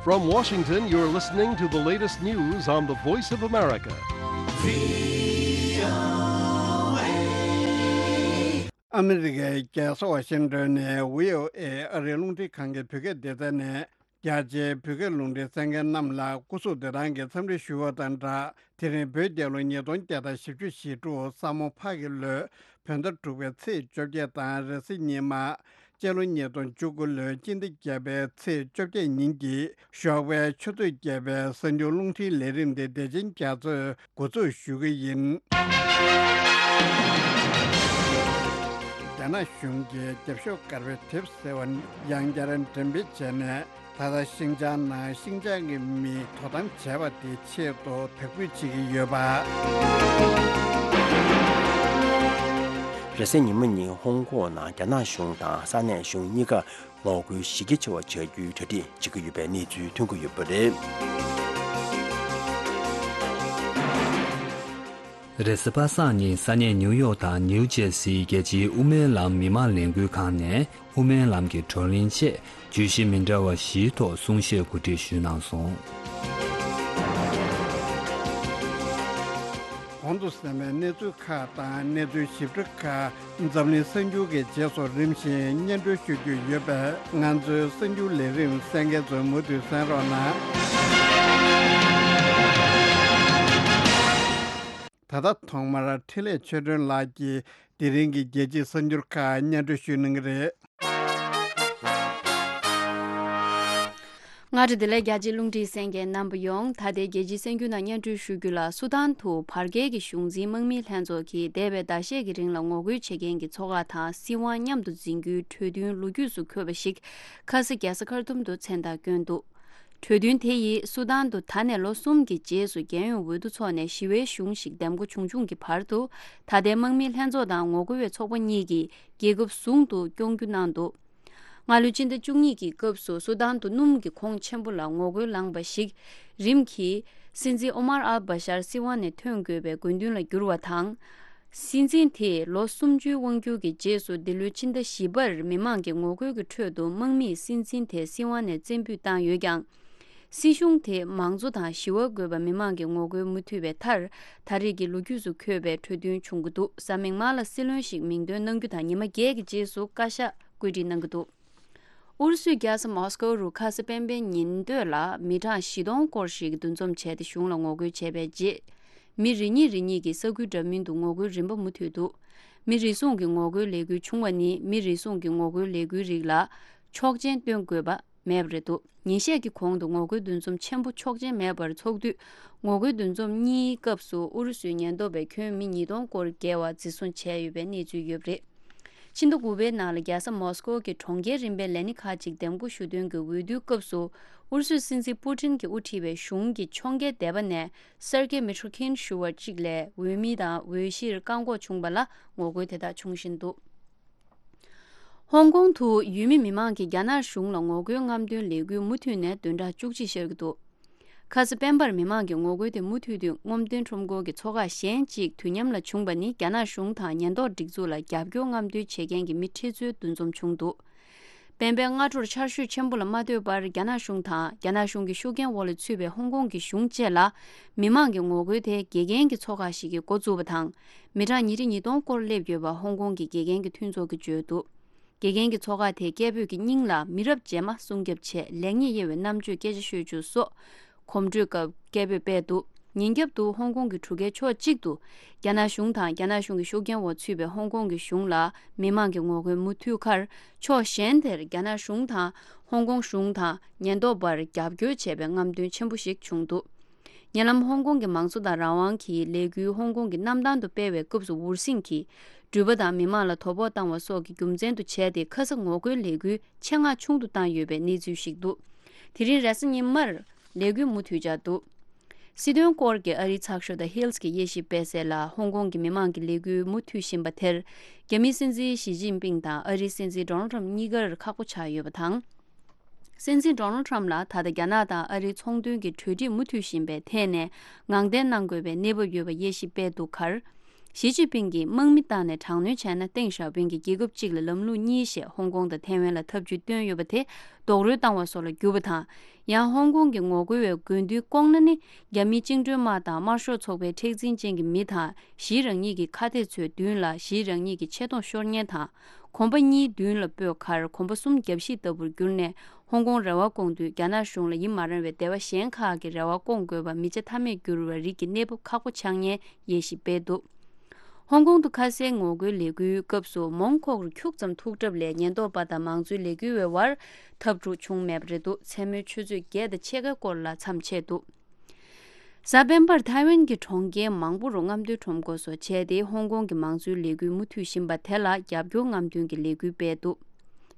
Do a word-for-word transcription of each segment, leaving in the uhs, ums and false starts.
From Washington, you're listening to the latest news on the Voice of America. ཨ་མི་རི་ཀའི་རྒྱལ་ས་ཝ་ཤིང་ཏོན་ནས་བྷི་ཨོ་ཨེ་ཨ་རིའི་རླུང་འཕྲིན་ཁང་གི་བོད་སྐད་སྡེ་ཚན་ནས། རྒྱ་ཆེའི་བོད་སྐད་རླུང་འཕྲིན་གསན་མཁན་རྣམས་ལ་སྐུ་གཟུགས་བདེ་ཐང་གི་འཚམས་འདྲི་ཞུ་བ་དང་སྦྲགས། དེ་རིང་བོད་རྒྱལ་ལོ་ཉིས་སྟོང་བརྒྱ་དང་བཞི་བཅུ་ཞེ་དྲུག་ས་མོ་ཕག་གི་ལོའི་བོད་ཟླ་དྲུག་པའི་ཚེས་བཅོ་བརྒྱད་དང་རེས་གཟའ་ཉི་མ། སྤྱི་ལོ་ཉིས་སྟོང་བཅུ་དགུ་ལོའི་སྤྱི་ཟླ་བརྒྱད་པའི་ཚེས་བཅོ་བརྒྱད་ཉིན་གྱི་ཞོགས་པའི་ཆུ་ཚོད་བརྒྱད་པའི་གསར་འགྱུར་རླུང་འཕྲིན་ལས་རིམ་དེ་བདེ་ཆེན་རྒྱ་མཚོས་འགོ་འཛུགས་ཞུ་གི་ཡིན། རྒྱ་ནག་གཞུང་གིས་རྒྱབ་ཤོག་དཀར་པོའི་དེབ་ཟེར་བ་ཡང་བསྐྱར་འགྲེམས་སྤེལ་བྱས་ནས། ད་ལྟ་ཤིན་ཅང་ནང་ཤིན་ཅང་གི་མིས་དོ་དམ་བྱས་པ་དེའི་ཆེད་དུ་དག་འབུད་བྱེད་ཀྱི་ཡོད་པ། རེས་གཟའ་ཉི་མ་ཉིན་ཧོང་ཀོང་ནང་རྒྱ་ནག་གཞུང་དང་ས་གནས་གཞུང་གཉིས་ཀ་ངོ་རྒོལ་གཞི་རྒྱ་ཆེ་བ་བྱ་རྒྱུའི་གྲ་སྒྲིག་བྱེད་ཀྱི་ཡོད་པའི་གནས་ཚུལ་ཐོན་གྱི་ཡོད་པ་རེད། རེས་གཟའ་པ་སངས་ཉིན་ས་གནས་ནིའུ་ཡོག་དང་ནིའུ་ཇེར་སིའི་རྒྱལ་སྤྱིའི་དབུ་མའི་ལམ་མི་མང་ལས་འགུལ་ཁང་ནས་དབུ་མའི་ལམ་གྱི་བགྲོ་གླེང་ཆེད་བརྗོད་གཞི་མི་འདྲ་བ་བཞིའི་ཐོག་གསུང་བཤད་གོ་སྒྲིག་ཞུས་གནང་སོང་། གོང་དུ་གསན་པའི་གནས་ཚུལ་ཁག་དང་གནས་ཚུལ་ཞིབ་ཕྲ་ཁག་འཛམ་གླིང་གསར་འགྱུར་གྱི་རྗེས་སུ་རིམ་བཞིན་སྙན་སྒྲོན་ཞུ་རྒྱུ་ཡོད་པས། ང་ཚོའི་གསར་འགྱུར་ལས་རིམ་གསན་མཁན་ཚོས་མུ་མཐུད་གསན་རོགས་གནང་། ད་ལྟ་ཐོག་མར་འཕྲིན་ལས་ཆོས་སྒྲོན་ལགས་ཀྱིས་དེ་རིང་གི་རྒྱལ་སྤྱིའི་གསར་འགྱུར་ཁག་སྙན་སྒྲོན་ཞུ་གནང་གི་རེད། སྔ་དྲོ་བདེ་ལེགས། རྒྱ་ཆེའི་རླུང་འཕྲིན་གསན་མཁན་རྣམ་པ་ཡོངས། ད་ལྟའི་རྒྱལ་སྤྱིའི་གསར་འགྱུར་ནང་སྙན་སྒྲོན་ཞུ་རྒྱུ་ལ། སུ་དཱན་དུ་བར་བརྒལ་གྱི་གཞུང་འཛིན་དམག་མིའི་ལྷན་ཚོགས་ཀྱིས་འདས་པའི་ཟླ་ཤས་ཀྱི་རིང་ལ་ངོ་རྒོལ་བྱེད་མཁན་གྱི་ཚོགས་ཁག་དང་སྲིད་དབང་མཉམ་དུ་འཛིན་རྒྱུའི་གྲོས་མཐུན་ལོ་རྒྱུས་སུ་འཁོད་པ་ཞིག་ཁ་ས་རྒྱལ་ས་ཁར་ཐུམ་དུ་མཚན་རྟགས་བསྐྱོན་འདུག་གྲོས་མཐུན་དེ་ཡིས་སུ་དཱན་དུ་ད་ནས་ལོ་གསུམ་གྱི་རྗེས་སུ་རྒྱལ་ཡོངས་འོས་བསྡུ་འཚོགས་ནས་ཞི་བའི་གཞུང་ཞིག་འདེམས་འགོ་བྱུང་བྱུང་གི་བར་དུ། ད་ལྟའི་དམག་མིའི་ལྷན་ཚོགས་དང་ངོ་རྒོལ་བའི་ཚོགས་པ་གཉིས་ཀྱིས་རྒྱལ་ཁབ་ཟུང་དུ་སྐྱོང་རྒྱུ་གནང་འདུག་སྔ་ལོའི་སྤྱི་ཟླ་བཅུ་གཉིས་ཀྱི་སྐབས་སུ་སུ་དཱན་དུ་སྣུམ་གྱི་ཁོངས་ཆེན་པོ་ལ་ངོ་རྒོལ་ལངས་པ་ཞིག་རིམ་གྱིས་སྲིད་འཛིན་ཨོ་མར་ཨལ་བྷ་ཤར་སྲིད་དབང་ནས་ཐོན་དགོས་པའི་དགོས་འདུན་ལ་གྱུར་བ་དང་། སྲིད་འཛིན་དེས་ལོ་སུམ་ཅུའི་དབང་སྒྱུར་གྱི་རྗེས་སུ་འདི་ལོའི་ཕྱི་ཟླ་བཞི་པར་མི་མང་གི་ངོ་རྒོལ་གྱི་ཁྲོད་དུ་དམག་མིས་སྲིད་འཛིན་དེ་སྲིད་དབང་ནས་བཙན་འབུད་བཏང་ཡོད་ཀྱང་། སྲིད་གཞུང་དེས་མང་གཙོ་དང་ཞི་བ་དགོས་པ་མི་མང་གི་ངོ་རྒོལ་མུ་མཐུད་པའི་མཐར། ད་རེས་ཀྱི་ལོ་རྒྱུས་སུ་འཁོད་པའི་གྲོས་མཐུན་བྱུང་གི་འདུག་གཟའ་མིག་དམར་ལ་སྲིད་བློན་ཞིག་མིང་འདོན་གནང་རྒྱུ་དང་ཉི་མ་བརྒྱད་ཀྱི་རྗེས་སུ་བཀའ་ཤག་བཀོད་སྒྲིག་གནང་གི་འདུག་ཨུ་རུ་སུའི་རྒྱལ་ས་མོ་སི་ཀོ་རུ་ཁ་སང་སྤེན་པའི་ཉིན་སྟོད་ལ་མི་གྲངས་བཞི་སྟོང་སྐོར་ཞིག་འདུ་འཛོམས་བྱས་ཏེ་གཞུང་ལ་ངོ་རྒོལ་བྱས་པའི་རྗེས། མི་རེ་གཉིས་རེ་གཉིས་ཀྱིས་ས་ཁུལ་འདྲ་མིན་དུ་ངོ་རྒོལ་རིམ་པ་མུ་མཐུད་འདུག་མི་རེ་ཟུང་གི་ངོ་རྒོལ་ལས་འགུལ་བྱུང་བ་ནི་མི་རེ་ཟུང་གི་ངོ་རྒོལ་ལས་འགུལ་རིགས་ལ་ཆོག་མཆན་སྟོན་དགོས་པ་མེད་པ་རེད་འདུག་ཉིན་ཤས་ཀྱི་གོང་དུ་ངོ་རྒོལ་འདུ་འཛོམས་ཆེན་པོ་ཆོག་མཆན་མེད་པར་འཚོགས་དུས། ངོ་རྒོལ་འདུ་འཛོམས་གཉིས་སྐབས་སུ་ཨུ་རུ་སུའི་ཉེན་རྟོག་པས་ཁྱོན་མི་ཉིས་སྟོང་སྐོར་བརྒལ་བ་འཛིན་བཟུང་བྱས་ཡོད་པའི་གནས་ཚུལ་ཡོད་པ་རེད། ཕྱི་ཟླ་དགུ་པའི་ནང་ལ་རྒྱལ་ས་མོ་སི་ཀོ་གི་གྲོང་ཁྱེར་རིམ་པའི་ལས་སྣེ་ཁག་ཅིག་འདེམས་བསྐོ་ཞུ་དོན་གྱི་འོས་བསྡུའི་སྐབས་སུ། ཨུ་རུ་སུའི་སྲིད་འཛིན་པུ་ཏིན་གྱིས་དབུ་ཁྲིད་པའི་གཞུང་གི་ཕྱོགས་འགལ་སྡེ་པ་ནས་སེར་གེ་མི་ཁྲོ་ཁིན་ཞུ་བ་གཅིག་ལས་འོས་མི་དང་འོས་གཞིར་བཀག་འགོག་བྱུང་བ་ལ་ངོ་རྒོལ་དེ་དག་བྱུང་བཞིན་འདུག་ཧོང་ཀོང་དུ་ཡུལ་མི་མི་མང་གིས་རྒྱ་ནག་གཞུང་ལ་ངོ་རྒོལ་རྔམ་སྟོན་ལས་འགུལ་མུ་མཐུད་ནས་བདུན་ཕྲག་བཅུ་གཅིག་ཤར་གྱི་འདུག་ཁ་ས་སྤེན་པར་མི་མང་གི་ངོ་རྒོལ་དེ་མུ་མཐུད་དུ་རྔམ་སྟོན་ཁྲོམ་སྐོར་གྱི་ཚོགས་ཁག་གཞན་གཅིག་དུས་མཉམ་ལ་བྱུང་བ་ནི། རྒྱ་ནག་གཞུང་དང་ཉེན་རྟོག་སྒྲིག་འཛུགས་ལ་རྒྱབ་སྐྱོར་རྔམ་སྟོན་བྱེད་མཁན་གྱི་མི་ཁྲི་ཚོའི་འདུ་འཛོམས་བྱུང་འདུག་སྤེན་པའི་སྔ་དྲོར་ཆར་ཞོད་ཆེན་པོ་ལ་མ་ལྟོས་པར། རྒྱ་ནག་གཞུང་དང་རྒྱ་ནག་གཞུང་གི་ཤུགས་རྐྱེན་འོག་ལ་ཚུད་པའི་ཧོང་ཀོང་གི་གཞུང་བཅས་ལ། མི་མང་གི་ངོ་རྒོལ་དེ་དགེ་རྒན་གྱི་ཚོགས་ཁག་ཞིག་གིས་འགོ་བཙུགས་པ་དང་། མི་གྲངས་ཉིས་ཁྲི་ཉིས་སྟོང་སྐོར་སླེབས་ཡོད་པ་ཧོང་ཀོང་གི་དགེ་རྒན་གྱི་མཐུན་ཚོགས་ཀྱིས་བརྗོད་འདུག་དགེ་རྒན་གྱི་ཚོགས་ཁག་དེས་སྐད་འབོད་ཀྱི་སྙིང་ལ། མི་རབས་རྗེས་མ་སྲུང་སྐྱོབ་ཆེད་ལེགས་ཉེས་དབྱེ་བའི་རྣམ་དཔྱོད་སྐད་ཆ་ཤོད་རྒྱུ་སོགས་གོམ་བགྲོད་སྐབས་སྐད་འབོད་སྤེལ་འདུག་ཉིན་རྒྱབ་ཏུ་ཧོང་ཀོང་གི་གྲུ་ཁའི་ཕྱོགས་གཅིག་ཏུ། རྒྱ་ནག་གཞུང་དང་རྒྱ་ནག་གཞུང་གི་ཤུགས་རྐྱེན་འོག་ཚུད་པའི་ཧོང་ཀོང་གི་གཞུང་ལ་མི་མང་གི་ངོ་རྒོལ་མུ་མཐུད་ཁར། ཕྱོགས་གཞན་དེར་རྒྱ་ནག་གཞུང་དང་ཧོང་ཀོང་གཞུང་དང་ཉེན་རྟོག་པར་རྒྱབ་སྐྱོར་བྱས་པའི་རྔམ་སྟོན་ཆེན་པོ་ཞིག་བྱུང་འདུག་ཉེ་ལམ་ཧོང་ཀོང་གི་མང་གཙོ་དང་རང་དབང་གི་ལས་འགུལ་ཧོང་ཀོང་གི་གནམ་ཐང་དུ་སྤེལ་བའི་སྐབས་སུ་འུར་ཟིང་གིས་འགྲུལ་པ་དང་མི་མང་ལ་དོ་ཕོག་བཏང་བ་སོགས་ཀྱི་རྒྱུ་མཚན་དུ་བྱས་ཏེ། ཁ་ས་ངོ་རྒོལ་ལས་འགུལ་ཆེད་མངགས་ཆུང་དུ་བཏང་ཡོད་པའི་གནས་ཚུལ་ཞིག་འདུག་དེ་རིང་རེས་གཟའ་ཉི་མར་ལས་འགུལ་མུ་མཐུད་འཆར་འདུག་སྲིད་དོན་སྐོར་གྱི་ཨ་རིའི་ཚགས་ཤོག་The Hill གྱིས་དབྱེ་ཞིབ་སྤེལ་གསལ་ལ། ཧོང་ཀོང་གི་མི་མང་གི་ལས་འགུལ་མུ་མཐུད་བཞིན་པ་དེར། རྒྱ་མིའི་སྲིད་འཛིན་ཞི་ཅིན་ཕིང་དང་ཨ་རིའི་སྲིད་འཛིན་ཌོ་ནལ་ཊམ་གཉིས་ཀར་ཁག་པོ་ཆགས་ཡོད་པ་དང་། སྲིད་འཛིན་ཌོ་ནལ་ཊམ་ལ་ད་ལྟ་རྒྱ་ནག་དང་ཨ་རིའི་ཚོང་དོན་གྱི་གྲོས་འགྲིག་མུ་མཐུད་བཞིན་པའི་ཐད་ནས་ངང་བརྟན་གནང་དགོས་པའི་གནས་བབ་ཡོད་པ་དབྱེ་ཞིབ་སྤེལ་འདུག་ཁར། ཞི་ཅིན་ཕིང་གིས་དམག་མི་བཏང་ནས་དྲག་གནོན་བྱས་ན་ཏེང་ཞའོ་ཕིང་གིས་རྒྱལ་ཁབ་གཅིག་ལ་ལམ་ལུགས་གཉིས་ཞེས་ཧོང་ཀོང་དང་ཐའེ་ཝན་ལ་འཐབ་ཇུས་བཏོན་ཡོད་པ་དེ་རྡོག་རོལ་བཏང་བ་སོགས་ལ་གྱུར་པ་དང་། ཡང་ཧོང་ཀོང་གི་ངོ་རྒོལ་བའི་དགོས་འདུན་བསྐོང་ན་ནི། རྒྱ་མིའི་བཅིངས་འགྲོལ་དམག་དང་དམར་ཤོག་ཚོགས་པའི་མཁྲེགས་འཛིན་ཅན་གྱི་མི་དང་ཞིའི་རང་ཉིད་ཀྱི་ཁ་གཏད་ཚོའི་མདུན་ལ་ཞིའི་རང་ཉིད་ཀྱི་ཆེ་མཐོང་ཤོར་ཉེན་དང་། གོམ་པ་གཉིས་མདུན་ལ་སྤོས་ཁར་གོམ་པ་གསུམ་རྒྱབ་བཤིག་ལྟ་བུར་གྱུར་ནས། ཧོང་ཀོང་རེ་བ་སྐོང་དུས་རྒྱ་ནག་གཞུང་ལ་ཡིད་མ་རངས་བའི་སྡེ་བ་གཞན་ཁག་གི་རེ་བ་སྐོང་དགོས་པ་མི་བྱ་ཐབས་མེད་གྱུར་བའི་རིགས་ཀྱི་གནས་བབ་ཁག་པོ་ཆགས་ཉེན་ཡེ་ཞིབ་སྤེལ་འདུག་ཧོང་ཀོང་དུ་ཁ་གསལ་ངོ་རྒོལ་ལས་འགུལ་སྐབས་སུ་མོན་ཁོག་རུ་ཁྱུག་ཙམ་ཐུག་གྲབས་ལས་ཉེན་རྟོག་པ་དང་མང་གཙོའི་ལས་འགུལ་བའི་བར་འཐབ་འཁྲུག་བྱུང་མེད་པ་རེད་འདུག་མཚན་མོའི་ཆུ་ཚོད་བརྒྱད་དང་ཕྱེད་ཀའི་སྐོར་ལ་མཚམས་ཆད་འདུག་གཟའ་སྤེན་པར་ཐའེ་ཝན་གྱི་གྲོང་ཁྱེར་མང་པོ་རུ་རྔམ་སྟོན་ཁྲོམ་སྐོར་སོགས་བྱས་ཏེ་ཧོང་ཀོང་གི་མང་གཙོའི་ལས་འགུལ་མུ་མཐུད་བཞིན་པ་དེ་ལ་རྒྱབ་སྐྱོར་རྔམ་སྟོན་གྱི་ལས་འགུལ་སྤེལ་འདུག་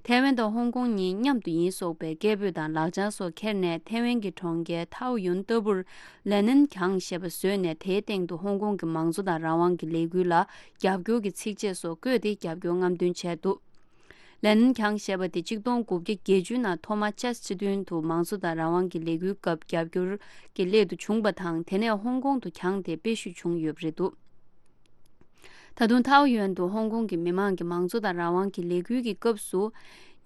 ཐའེ་ཝན་དང་ཧོང་ཀོང་གཉིས་མཉམ་དུ་ཡིན་སོགས་པའི་སྐད་འབོད་དང་ལག་བྱང་སོགས་ཁྱེར་ནས་ཐའེ་ཝན་གྱི་གྲོང་ཁྱེར་ཐའོ་ཡོན་ལྟ་བུར་ལེ་ནན་གྱང་ཞེས་པ་བཟོས་ནས་དེའི་སྟེང་དུ་ཧོང་ཀོང་གི་མང་གཙོ་དང་རང་དབང་གི་ལས་འགུལ་ལ་རྒྱབ་སྐྱོར་གྱི་ཚིག་བཅད་སོགས་བཀོད་དེ་རྒྱབ་སྐྱོར་རྔམ་སྟོན་བྱས་འདུག་ལེ་ནན་གྱང་ཞེས་པ་དེ་ཆིག་སྟོང་དགུ་བརྒྱ་བརྒྱད་ཅུ་ནང་ཐོག་མར་ཅཱས་སྤྱི་མཐུན་དུ་མང་གཙོ་དང་རང་དབང་གི་ལས་འགུལ་སྐབས་རྒྱབ་སྐྱོར་གྱི་སླད་དུ་བྱུང་བ་དང་། དེ་ནས་ཧོང་ཀོང་དུ་གྱང་དེ་སྤེལ་ཞུས་བྱུང་ཡོད་པ་རེད་འདུག་ད་དུང་ཐའོ་ཡོན་དུ་ཧོང་ཀོང་གི་མི་མང་གི་མང་གཙོ་དང་རང་དབང་གི་ལས་འགུལ་གྱི་སྐབས་སུ།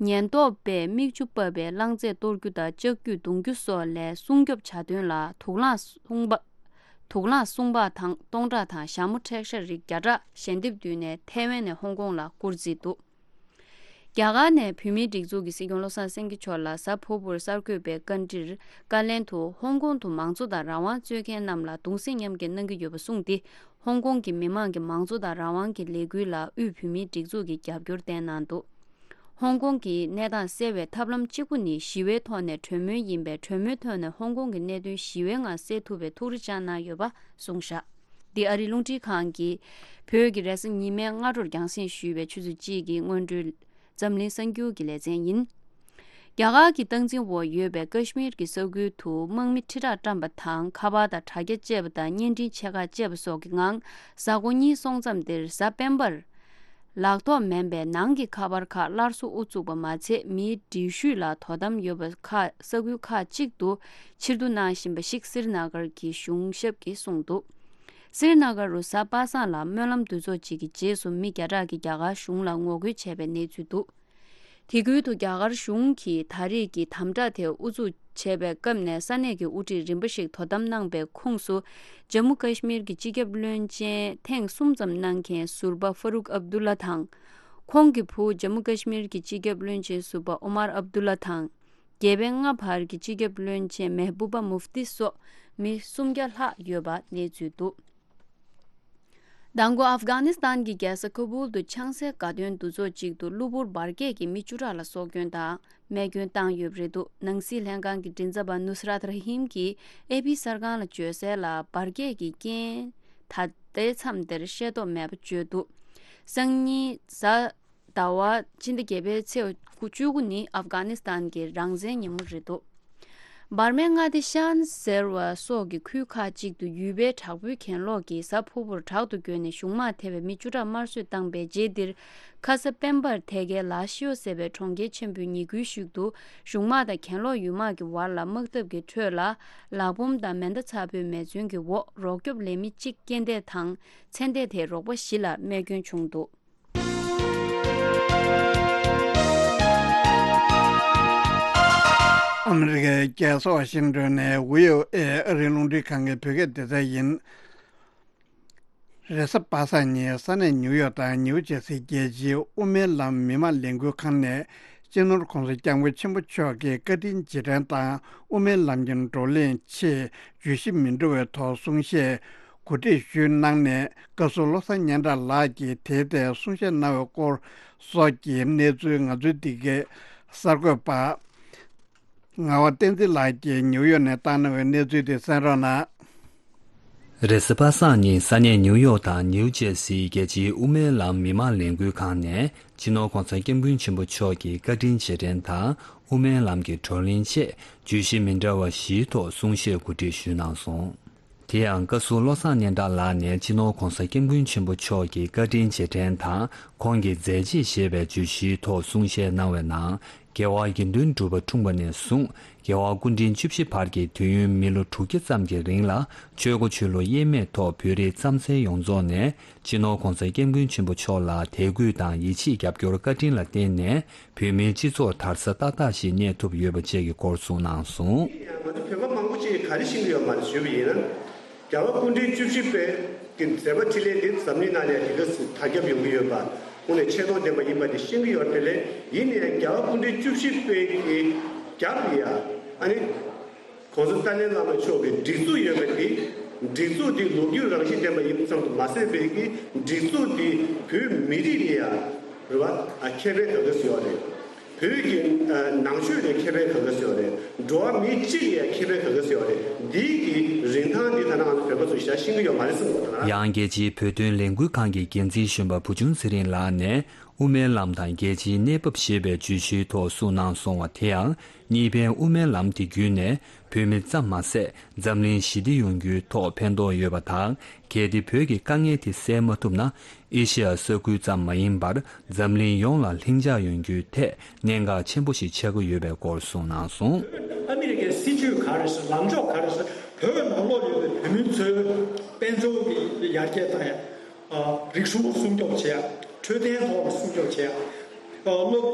ཉེན་རྟོག་པས་མིག་ཆུ་ཕབ་པའི་རླངས་རྫས་གཏོར་རྒྱུ་དང་ལྕགས་ཀྱུས་རྡུང་རྒྱུ་སོགས་ལས་སྲུང་སྐྱོབ་བྱ་དོན་ལ་དུག་རླངས་སྲུང་འབག་དུག་རླངས་སྲུང་འབག་དང་སྟོང་ཕྲག་དང་ཞྭ་མོ་འཕྲེད་ཤ་རིགས་བརྒྱ་ཕྲག་ཞལ་འདེབས་བསྡུས་ནས་ཐའེ་ཝན་ནས་ཧོང་ཀོང་ལ་བསྐུར་རྩིས་འདུག་རྒྱ་གར་ནས་བོད་མིའི་སྒྲིག་འཛུགས་ཀྱི་སྲིད་སྐྱོང་བློ་བཟང་སེང་གེ་མཆོག་ལ་གཟའ་ཕུར་བུར་གསར་འགོད་པའི་བཀའ་འདྲིར་བཀའ་ལན་དུ་ཧོང་ཀོང་དུ་མང་གཙོ་དང་རང་དབང་རྩོད་མཁན་རྣམས་ལ་གདུང་སེམས་མཉམ་སྐྱེད་གནང་གི་ཡོད་པ་གསུངས་ཏེ། ཧོང་ཀོང་གི་མི་མང་གི་མང་གཙོ་དང་རང་དབང་གི་ལས་འགུལ་ལ་དབུས་བོད་མིའི་སྒྲིག་འཛུགས་ཀྱིས་རྒྱབ་སྐྱོར་བསྟན་གནང་འདུག་ཧོང་ཀོང་གི་གནས་སྟངས་སེལ་བའི་ཐབས་ལམ་གཅིག་པུ་ནི་ཞི་བའི་ཐོག་ནས་གྲོས་མོལ་ཡིན་པས། གྲོས་མོལ་ཐོག་ནས་ཧོང་ཀོང་གི་གནད་དོན་ཞི་བའི་ངང་སེལ་ཐུབ་པའི་ཐུགས་རེ་བཅངས་གནང་ཡོད་པ་གསུངས་བཞག་འདི་ཨ་རིའི་རླུང་འཕྲིན་ཁང་གིས་བོད་ཀྱི་རེས་གཟའ་ཉི་མའི་སྔ་དྲོར་རྒྱང་སྲིང་ཞུས་པའི་ཆུ་ཚོད་གཅིག་གི་སྔོན་འགྲོའི་འཛམ་གླིང་གསར་འགྱུར་གྱི་ལེ་ཚན་ཡིན། རྒྱ་གར་གྱི་སྟངས་འཛིན་འོག་ཡོད་པའི་ཀ་ཤི་མིར་གྱི་ས་ཁུལ་དུ་དམག་མི་ཁྲི་ཕྲག་བཀྲམ་པ་དང་། ཁ་པར་དང་དྲ་རྒྱ་བཅད་པ་དང་། བརྙན་འཕྲིན་ཆེ་ཁག་བཅད་པ་སོགས་ཀྱི་ངང་། གཟའ་འཁོར་གཉིས་སོང་མཚམས་འདིར་གཟའ་སྤེན་པར། ལག་ཐོགས་མིན་པའི་ནང་གི་ཁ་པར་ཁག་སླར་གསོ་དབུ་བཙུགས་པ་མ་ཚད། མིའི་འགྲུལ་བཞུད་ལ་དོ་དམ་ཡོད་པ་ཁག་ས་ཁུལ་ཁག་ཅིག་ཏུ་ཕྱིར་བསྡུ་གནང་བཞིན་པ་ཞིག་སིར་ན་གར་གྱི་གཞུང་ཞབས་ཀྱིས་གསུངས་འདུག་སིར་ན་གར་རུ་གཟའ་པ་སངས་ལ་སྨོན་ལམ་འདུ་ཚོགས་གཅིག་གི་རྗེས་སུ་མི་བརྒྱ་ཕྲག་གིས་རྒྱ་གར་གཞུང་ལ་ངོ་རྒོལ་བྱས་པའི་གནས་ཚུལ་འདུག་དེ་ཁུལ་དུ་རྒྱ་གར་གཞུང་གིས་ད་རེས་ཀྱི་དམ་དྲག་དེ་དབུ་འཛུགས་བྱས་པའི་སྐབས་ནས་ས་གནས་ཀྱི་དབུ་ཁྲིད་རིམ་པ་ཞིག་དོ་དམ་གནང་པའི་ཁོངས་སུ། ཇམ་མུ་ཀ་ཤི་མིར་གྱི་སྤྱི་ཁྱབ་བློན་ཆེན་ཐེངས་གསུམ་ཙམ་གནང་མཁན་ཟུར་པ་ཧྥ་རུག་ཨབ་དུ་ལ་དང་། ཁོང་གི་བུ་ཇམ་མུ་ཀ་ཤི་མིར་གྱི་སྤྱི་ཁྱབ་བློན་ཆེན་ཟུར་པ་ཨོ་མར་ཨབ་དུ་ལ་དང་། རྒྱལ་བའི་མངའ་འཕར་གྱི་སྤྱི་ཁྱབ་བློན་ཆེན་མེ་བུ་པ་མུབ་ཏི་སོགས་མི་སུམ་བརྒྱ་ལྷག་ཡོད་པ་གནས་ཚུལ་འདུག་མདང་དགོང་ཨབ་གྷ་ནི་སི་ཐན་གྱི་རྒྱལ་ས་ཁ་བུལ་དུ་ཆང་སའི་དགའ་སྟོན་འདུ་ཚོགས་གཅིག་ཏུ་གློ་བུར་འབར་གས་ཀྱིས་མི་བཅུ་ཕྲག་ལ་སྲོག་སྐྱོན་དང་རྨས་སྐྱོན་བཏང་ཡོད་པ་རེད་འདུག་ནང་སྲིད་ལྷན་ཁང་གི་མགྲིན་ཚབ་པ་ནུ་སི་རཱད་ར་ཧིམ་གྱིས་ཨེ་པི་གསར་ཁང་ལ་བརྗོད་གསལ་ལ། འབར་གས་ཀྱི་རྐྱེན་ད་ལྟའི་མཚམས་འདིར་ཤེས་རྟོགས་མེད་པ་བརྗོད་འདུག་སང་ཉིན་གཟའ་ཟླ་བ་ཕྱི་ཟླ་བརྒྱད་པའི་ཚེས་བཅུ་དགུ་ནི་ཨབ་གྷ་ནི་སི་ཐན་གྱི་རང་བཙན་ཉིན་མོ་རེད་འདུག་འབར་མའི་མངའ་སྡེ་ཤན་ཟེར་བ་སོགས་ཀྱི་ཁུལ་ཁག་ཅིག་ཏུ་ཡུལ་པའི་དྲག་པོའི་གྱེན་ལོག་གིས་གཟའ་ཕུར་བུར་དྲག་ཏུ་རྒྱུགས་ནས་གཞུང་དམག་ཐེ་བའི་མི་བཅུ་ཕྲག་དམར་གསོད་བཏང་པའི་རྗེས་འདིར། ཁ་ས་སྤེན་པར་ཐེ་གའི་ལ་ཤིའོ་ཟེར་བའི་གྲོང་ཁྱེར་ཆེན་པོའི་ཉེ་ཁུལ་ཞིག་ཏུ་གཞུང་དམག་དང་གྱེན་ལོག་ཡུལ་དམག་གི་བར་ལ་དམག་འཐབ་ཀྱི་ཁྲོད་ལ། ལག་འབོམ་དང་མེ་མདའ་ཚ་པོའི་མེ་མཚོན་གྱི་འོག་རོགས་སྐྱོབ་ལས་མི་གཅིག་རྐྱེན་འདས་དང་། ཚེ་འདས་དེའི་རོགས་པ་བཞི་ལ་རྨས་སྐྱོན་བྱུང་འདུག་ཨ་མི་རི་ཀའི་རྒྱལ་ས་ཝ་ཤིང་ཏོན་ནས་བྷི་ཨོ་ཨེ་ཨ་རིའི་རླུང་འཕྲིན་ཁང་གི་བོད་སྐད་སྡེ་ཚན་ཡིན། རེས་གཟའ་པ་སངས་ཉིན་ས་གནས་ནིའུ་ཡོག་དང་ནིའུ་ཇེ་སིའི་རྒྱལ་སྤྱིའི་དབུ་མའི་ལམ་མི་མང་ལས་འགུལ་ཁང་ནས་སྤྱི་ནོར་༸གོང་ས་༸སྐྱབས་མགོན་ཆེན་པོ་མཆོག་གི་བཀའ་དྲིན་རྗེས་དྲན་དང་དབུ་མའི་ལམ་གྱི་བགྲོ་གླེང་ཆེད་བརྗོད་གཞི་མི་འདྲ་བའི་ཐོག་གསུང་བཤད་གོ་སྒྲིག་ཞུས་གནང་ནས། བཀའ་ཟུར་བློ་བཟང་སྙན་གྲགས་ལགས་ཀྱིས་དེའི་ཐད་གསུང་བཤད་གནང་བའི་སྐོར་སོགས་ཀྱི་གནས་ཚུལ་ང་ཚོའི་འདི་གའི་གསར་འགོད་པ་ངག་དབང་བསྟན་འཛིན་ལགས་ཀྱིས་ནིའུ་ཡོག་ནས་བཏང་གནང་བའི་གནས་ཚུལ་དེ་གསན་རོགས་གནང་། རེས་གཟའ་པ་སངས་ཉིན་ས་གནས་ནིའུ་ཡོག་དང་ནིའུ་ཇེ་སིའི་རྒྱལ་སྤྱིའི་དབུ་མའི་ལམ་མི་མང་ལས་འགུལ་ཁང་ནས་སྤྱི་ནོར་༸གོང་ས་༸སྐྱབས་མགོན་ཆེན་པོ་མཆོག་གི་བཀའ་དྲིན་རྗེས་དྲན་དང་དབུ་མའི་ལམ་གྱི་བགྲོ་གླེང་ཆེད་བརྗོད་གཞི་མི་འདྲ་བ་བཞིའི་ཐོག་གསུང་བཤད་གོ་སྒྲིག་ཞུས་གནང་སོང་། དེ་ཡང་བཀའ་ཟུར་བློ་བཟང་སྙན་གྲགས་ལགས་ནས་སྤྱི་ནོར་༧གོང་ས་༧སྐྱབས་མགོན་ཆེན་པོ་མཆོག་གི་བཀའ་དྲིན་རྗེས་དྲན་དང་ཁོང་གི་མཛད་རྗེས་ཞེས་པའི་བརྗོད་གཞིའི་ཐོག་གསུང་བཤད་གནང་བའི་ནང་། རྒྱལ་བ་དགེ་འདུན་གྲུབ་པ་འཁྲུངས་པ་ནས་བཟུང་རྒྱལ་བ་སྐུ་ཕྲེང་བཅུ་བཞི་བར་གྱི་དུས་ཡུན་མི་ལོ་དྲུག་བརྒྱ་ཙམ་གྱི་རིང་ལ་ཆོས་སྒོ་ཆོས་ལུགས་དབྱེར་མེད་ཐོག་བོད་རིགས་རྩམ་ཟན་ཡོངས་རྫོགས་ནས་སྤྱི་ནོར་༧གོང་ས་༧སྐྱབས་མགོན་ཆེན་པོ་མཆོག་ལ་དད་གུས་དང་ཡིད་ཆེས་རྒྱབ་སྐྱོར་བཀའ་དྲིན་ལ་བརྟེན་ནས། བོད་མིའི་སྤྱི་ཚོགས་དར་ས་ཏག་ཏག་ཞིག་གནས་ཐུབ་ཡོད་པ་བཅས་ཀྱི་སྐོར་གསུངས་གནང་སོང་། ང་ཚོ་བོད་པ་མང་པོ་ཅིག་ག་རེ་ཤེས་ཀྱི་ཡོད་མ་རེད་ཞུས་པ་ཡིན་ན། རྒྱལ་བ་སྐུ་ཕྲེང་བཅུ་བཞི་པའི་གི་མཛད་པ་འཕྲིན་ལས་འདི་འཛམ་གླིང་ནང་ལ་དེ་ག་ཚོད་དར་ཁྱབ་ཡོང་གི་ཡོད་པ་དངོས་གནས་ཆེ་མཐོང་ལྡན་པ་ཡིན་པ་དེ་ཤེས་ཀྱི་ཡོད་རེད། དེ་ལས་ཡིན་ནའི་རྒྱལ་བ་སྐུ་ཕྲེང་བཅུ་བཞི་པའི་གི་རྒྱབ་ལ་ཡ་ཨ་ནི། གོང་ས་ཏཱ་ལའི་བླ་མ་མཆོག་གི་སྒྲིག་འཛུགས་ཡོད་པ་དེ། སྒྲིག་འཛུགས་དེ་ལོ་རྒྱུས་རང་བཞིན་ལྡན་པ་ཡིན་ཙམ་དུ་མ་ཟད་པའི་གི་སྒྲིག་འཛུགས་དེ་བོད་མི་རིགས་ལ་ཡང་རེད་བ། ཁེ་ཕན་ག་ག་ཟེར་བ་རེད། བོད་ཀྱི་ནང་ཆོས་ལ་ཁེ་ཕན་ག་ག་ཟེར་བ་རེད། འགྲོ་བ་མི་སྤྱི་ལ་ཡང་ཁེ་ཕན་ག་ག་ཟེར་བ་རེད། འདིའི་གི་རིན་ཐང་འདི་ད་ནང་ང་ཚོ་བོད་པ་ཚོས་ཞེ་དྲག་ཤེས་ཀྱི་ཡོད་མ་རེད་གསུངས་པ་དང་། ཡང་རྒྱལ་སྤྱིའི་བོད་དོན་ལས་འགུལ་ཁང་གི་འགན་འཛིན་གཞོན་པ་བུ་ཆུང་ཚེ་རིང་ལགས་ནས། དབུ་མའི་ལམ་དང་རྒྱལ་སྤྱིའི་གནས་བབ་ཞེས་པའི་བརྗོད་གཞིའི་ཐོག་གསུངས་གནང་སོང་བ་དེ་ཡང་གཉིས་ཕན་དབུ་མའི་ལམ་དེ་བརྒྱུད་ནས་བོད་མི་ཙམ་མ་ཟད་འཛམ་གླིང་ཞི་བདེ་ཡོང་རྒྱུའི་ཐོག་ཕན་ཐོགས་ཡོད་པ་དང་། གལ་ཏེ་བོད་ཀྱི་དཀའ་ངལ་དེ་སེལ་མ་ཐུབ་ན་ཨེ་ཤི་ཡ་ས་ཁུལ་ཙམ་མ་ཡིན་པར་འཛམ་གླིང་ཡོངས་ལ་ལྷིང་འཇགས་ཡོང་རྒྱུའི་ཐད་གནད་འགག་ཆེན་པོ་ཞིག་ཆགས་ཀྱི་ཡོད་པའི་སྐོར་གསུངས་གནང་སོང་། ཨ་མི་རི་ཀའི་སྲིད་ཇུས་ག་རེ་ཟེར། ལངས་ཕྱོགས་ག་རེ་ཟེར། བོད་ནང་ལོགས་ཡོད་པའི་བོད་མི་ཚོའི་དཔལ་འབྱོར་གྱི་ཡར་རྒྱས་བཏང་ཡ། རིག་གཞུང་སྲུང་སྐྱོབ་བྱེད་ཡ། འཕྲོད་བསྟེན་ཐོག་ལ་སྲུང་སྐྱོབ་བྱེད་ཡ། སློབ་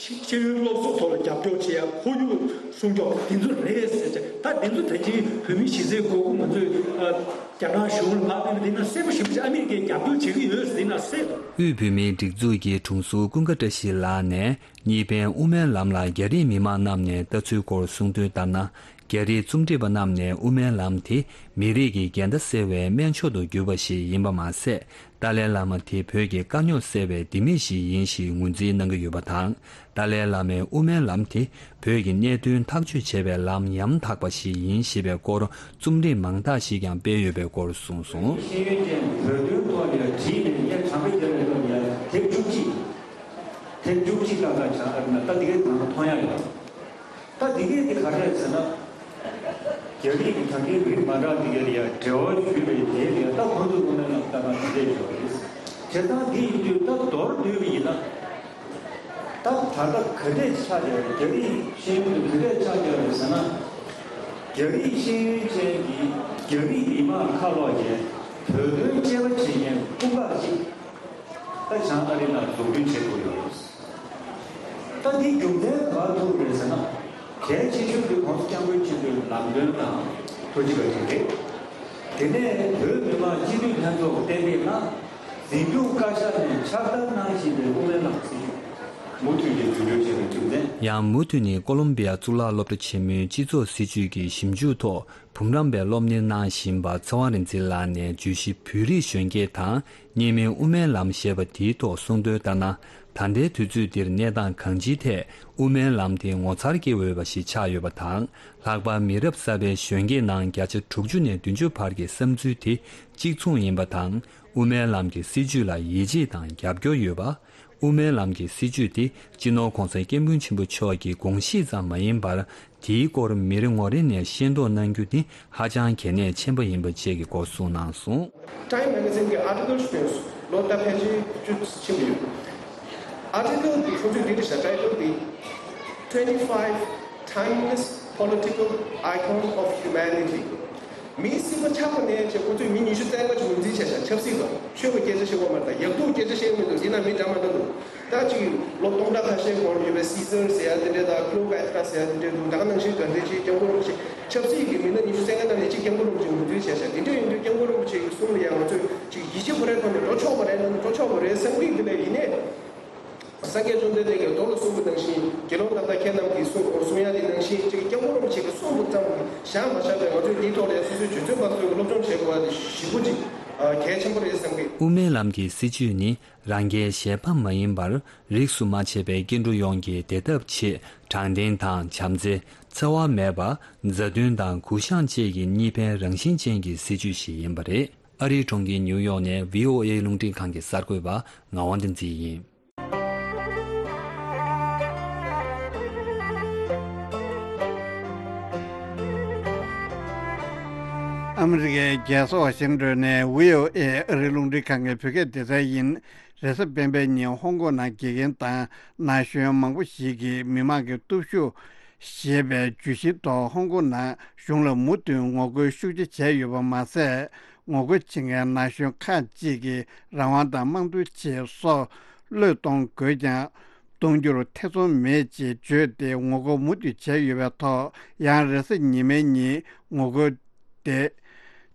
ཤེས་ཡོན་སློབ་གསོ་ཐོག་ལ་རྒྱབ་སྐྱོར་བྱེད་ཡ། ཁོར་ཡུག་སྲུང་སྐྱོབ་འདི་ཚོ་རེད་ཟེར་བྱས། ད་འདི་ཚོ་ད་ཅིག་བོད་མི་གཞིས་རྩེའི་སྒོ་ཁུངས་ང་ཚོས་རྒྱ་ནག་གཞུང་ལ་ཕར་ཕུལ་བ་འདི་ན་གསལ་པོ་ཞེ་པོ་ཅིག་ཨ་མི་རི་ཀས་རྒྱབ་སྐྱོར་བྱེད་ཀྱི་ཡོད་ཟེར་ན་གསལ། དབུས་བོད་མིའི་སྒྲིག་འཛུགས་ཀྱི་དྲུང་འཚོ་ཀུན་དགའ་བཀྲ་ཤིས་ལགས་ནས་གཉིས་ཕན་དབུ་མའི་ལམ་ལ་རྒྱ་རིགས་མི་མང་རྣམས་ནས་ལྟ་ཚུལ་སྐོར་གསུངས་དོན་ལྟར་ན། རྒྱ་རིགས་རྩོམ་སྒྲིག་པ་རྣམས་ནས་དབུ་མའི་ལམ་དེ་མི་རིགས་ཀྱི་འགལ་ཟླ་སེལ་བའི་སྨན་མཆོག་ཏུ་གྱུར་པ་ཞིག་ཡིན་པ་མ་ཟད། ཏཱ་ལའི་བླ་མ་དེ་བོད་ཀྱི་དཀའ་རྙོག་སེལ་བའི་ལྡེ་མིག་ཞིག་ཡིན་ཞེས་ངོས་འཛིན་གནང་གི་ཡོད་པ་དང་། ཏཱ་ལའི་བླ་མའི་དབུ་མའི་ལམ་དེ་བོད་ཀྱི་གནད་དོན་ཐག་གཅོད་བྱེད་པའི་ལམ་ཡང་དག་པ་ཞིག་ཡིན་ཞེས་པའི་སྐོར་རྩོམ་སྒྲིག་མང་དག་ཞིག་ཀྱང་སྤེལ་ཡོད་པའི་སྐོར་གསུངས་སོང་། ཤེས་ཡོན་ཅན་བོད་དོན་ཐོག་ནས་བྲིས་ནས་ངས་དྲང་པོ་བརྒྱབ་པའི་ཐོག་ནས་དེབ་བཅུ་གཅིག་དེབ་བཅུ་གཅིག་ལྷག་ཙམ་ཆགས་ཨ་རི་ན་ད་འདི་གའི་ནང་མཐོང་ཡ་ཡོད། ད་འདི་གའི་འདི་ག་རེ་རེད་ཟེར་ན། རྒྱ་རིགས་ཀྱི་ད་གིན་རིགས་མ་འདྲ་འདི་གའི་ལ་ཡ་འབྲེལ་བ་ཞུས་པའི་དེའི་ལ་ཡ་ད་ཁོང་ཚོ་དངོས་གནས་ལ་ལྟ་ན་འདི་འདྲས་ཡོད་རེད། བྱས་ཙང་འདི་ཡིན་དུས་ད་མདོར་བསྡུས་པ་ཡིན་ན། ད་ད་ལྟ་ག་འདྲས་ཆགས་བསྡད་རེད། རྒྱ་རིགས་ཤེས་ཡོན་དེ་ག་འདྲས་ཆགས་བསྡད་རེད་ཟེར་ན། རྒྱ་རིགས་ཤེས་ཡོན་ཅན་གྱིས་རྒྱ་རིགས་མི་མང་ཁ་ལོག་གིས་བོད་དོན་དཔྱད་པ་བྱེད་མཁན་དཔུང་ཁག་ཅིག་ད་བྱང་ཨ་རི་ནང་འཛུགས་སྐྲུན་བྱེད་དགོས་ཡོད་རེད། ད་འདི་རྒྱུ་མཚན་ག་པར་ཐུག་རེད་ཟེར་ན། གལ་ཆེ་ཤོས་དེ་༧གོང་ས་༧སྐྱབས་མགོན་ཆེན་པོའི་ལམ་སྟོན་དང་ཐུགས་རྗེ་བཀའ་དྲིན་རེད། དེ་ནས་བོད་མི་མང་སྤྱི་འཐུས་ལྷན་ཚོགས་གཏན་འབེབས་གནང་། འཛིན་སྐྱོང་བཀའ་ཤག་ནས་ཕྱག་བསྟར་གནང་བཞིན་པའི་དབུ་མའི་ལམ་སྲིད་བྱུས་མུ་མཐུད་ནས་རྒྱུན་འཁྱོངས་བྱས་པའི་རྒྱུ་མཚན། ཡང་མུ་མཐུད་ནས་ཀོ་ལོམ་བི་ཡ་གཙུག་ལག་སློབ་གྲྭ་ཆེན་མོའི་སྤྱི་ཚོགས་སྲིད་བྱུས་ཀྱི་ཞིབ་འཇུག་ཐོག་འབུམ་རམས་པའི་སློབ་གཉེར་གནང་བཞིན་པ་ཚེ་དབང་རིག་འཛིན་ལགས་ནས་བརྗོད་གཞི་བོད་རིགས་གཞོན་སྐྱེས་དང་གཉིས་སྨན་དབུ་མའི་ལམ་ཞེས་པ་དེའི་ཐོག་གསུངས་དོན་ལྟར་ན། ད་ལྟའི་དུས་ཚོད་འདིར་གནས་སྟངས་གང་ཅིའི་ཐད་དབུ་མའི་ལམ་དེ་ངོ་མཚར་སྐྱེ་འོས་པ་ཞིག་ཆགས་ཡོད་པ་དང་། ལྷག་པར་མི་རབས་གསར་པའི་གཞོན་སྐྱེས་ནང་བརྒྱ་ཆ་དྲུག་ཅུ་ནས་བདུན་ཅུ་བར་གྱི་བསམ་ཚུལ་དེ་གཅིག་མཚུངས་ཡིན་པ་དང་། དབུ་མའི་ལམ་གྱི་སྲིད་བྱུས་ལ་ཡིད་ཆེས་དང་རྒྱབ་སྐྱོར་ཡོད་པ། དབུ་མའི་ལམ་གྱི་སྲིད་བྱུས་དེ་སྤྱི་ནོར་༧གོང་ས་༧སྐྱབས་མགོན་ཆེན་པོ་མཆོག་གི་དགོངས་གཞི་ཙམ་མ་ཡིན་པར། དེའི་སྐོར་མི་རེ་ངོ་རེ་ནས་ཤེས་རྟོགས་གནང་རྒྱུ་ནི་ཧ་ཅང་གལ་གནད་ཆེན་པོ་ཡིན་པ་བཅས་ཀྱི་སྐོར་གསུངས་གནང་སོང་། Time magazine་གི་article་ཞིག་བཏོན་སོང་། ལོ་ད་ཕལ་ཆེར་བཅུ་ཕྱིན་པ་ཡོད། Article་དེ་ཁོ་ཚོས་འདི་འདྲ་བཞག title་དེ། Twenty-five timeless political icons of humanity། མིའི་སྲིད་པ་ཆགས་པ་ནས་བྱས་ཁོ་ཚོས་མི་ཉི་ཤུ་རྩ་ལྔ་ཅིག་ངོས་འཛིན་བྱས་ཤག་ཆབ་སྲིད་པ། ཆོས་པ་སྐད་ཆ་བཤད་དགོས་མ་རེད། ད་ཡག་སྡུག་སྐད་ཆ་བཤད་ཡོང་མི་འདུག་འདི་ན་མི་འདྲ་མ་འདྲ་འདུག་ད་ཅིག་ལོ་སྟོང་ཕྲག་ཁ་ཤས་གོང་ལ་ཡོད་པའི་སི་སར་ཟེར་ཡ་དེ་འདྲས་དང་ཀླེའོ་པ་ཏྲ་ཟེར་ཡ་དེ་འདྲས་འདུག་ད་ག་ནང་བཞིན་ག་འདྲས་ཅིག་སྐྱབས་མགོན་རིན་པོ་ཆེ་ཆབ་སྲིད་ཀྱི་མི་སྣ་ཉི་ཤུ་རྩ་ལྔ་ནང་ནས་གཅིག་སྐྱབས་མགོན་རིན་པོ་ཆེ་ངོས་འཛིན་བྱས་ཤག་དེ་འདྲས་ཡིན་དུས་སྐྱབས་མགོན་རིན་པོ་ཆེ་གི་གསུང་ལ་ཡང་ང་ཚོས་ཅིག་ཡིད་ཆེས་ཁོ་རའི་ཐོག་ནས་འགྲོ་ཆོག་པ་རེད་ན་འགྲོ་ཆོག་པ་རེད་བསམ་གི་འདུག་ལས་ཡིན་ནའི། སངས་རྒྱས་བཅོམ་ལྡན་འདས་ཀྱིས་མདོ་ལ་གསུངས་པ་ནང་བཞིན་དགེ་སློང་དག་ལྟ་ཁྱེད་རྣམས་ཀྱིས་གསུང་གསུང་ཡ་དེ་ནང་བཞིན་ཅིག་སྐྱབས་མགོན་རིན་པོ་ཆེ་གིས་གསུངས་པ་ཙམ་གྱིས་བཞག་མ་བཞག་པའི་ང་ཚོས་འདིའི་ཐོག་ལ་སོ་སོའི་སྤྱོད་ཚུལ་མ་བཟོས་པའི་སློབ་སྦྱོང་བྱེད་དགོས་པ་དེ་ཞེ་པོ་ཅིག་གལ་ཆེན་པོ་རེད་བསམ་གི། དབུ་མའི་ལམ་གྱི་སྲིད་བྱུས་ནི་རང་རྒྱལ་གཞན་ཕམ་མ་ཡིན་པར་རིས་སུ་མ་ཆད་པའི་སྐྱེ་འགྲོ་ཡོངས་ཀྱི་བདེ་ཐབས་ཆེད་དྲང་བདེན་དང་བྱམས་བརྩེ། འཚེ་བ་མེད་པ། མཛའ་མཐུན་དང་གུ་བཤངས་བཅས་ཀྱི་གཉིས་ཕན་རང་བཞིན་ཅན་གྱི་སྲིད་བྱུས་ཤིག་ཡིན་པ་རེད། ཨ་རིའི་གྲོང་ཁྱེར་ཉིའུ་ཡོག་ནས་བྷི་ཨོ་ཨེ་རླུང་འཕྲིན་ཁང་གི་གསར་འགོད་པ་ངག་དབང་བསྟན་འཛིན་ཡིན། ཨ་མི་རི་ཀའི་རྒྱལ་ས་ཝ་ཤིང་ཏོན་ནས་བྷི་ཨོ་ཨེ་ཨ་རིའི་རླུང་འཕྲིན་ཁང་གི་བོད་སྐད་སྡེ་ཚན་ཡིན། རེས་གཟའ་སྤེན་པའི་ཉིན་ཧོང་ཀོང་ནང་དགེ་རྒན་དང་ན་གཞོན་མང་པོ་ཞིག་གིས་མི་མང་གི་སྟོབས་ཤུགས་ཞེས་པའི་བརྗོད་གཞིའི་ཐོག་ཧོང་ཀོང་ནང་གཞུང་ལ་མུ་མཐུད་ངོ་རྒོལ་ཤུགས་ཆེ་བྱས་ཡོད་པ་མ་ཟད། ངོ་རྒོལ་བྱེད་མཁན་ན་གཞོན་ཁག་ཅིག་གིས་རང་དབང་དང་དམངས་གཙོའི་ཆེད་སྲོག་བློས་གཏོང་དགོས་ཀྱང་། གཏོང་རྒྱུར་ཐེ་ཚོམ་མེད་ཅེས་བརྗོད་དེ་ངོ་རྒོལ་མུ་མཐུད་བྱས་ཡོད་པའི་ཐོག་ཡང་རེས་གཟའ་ཉི་མའི་ཉིན་ངོ་རྒོལ་དེ་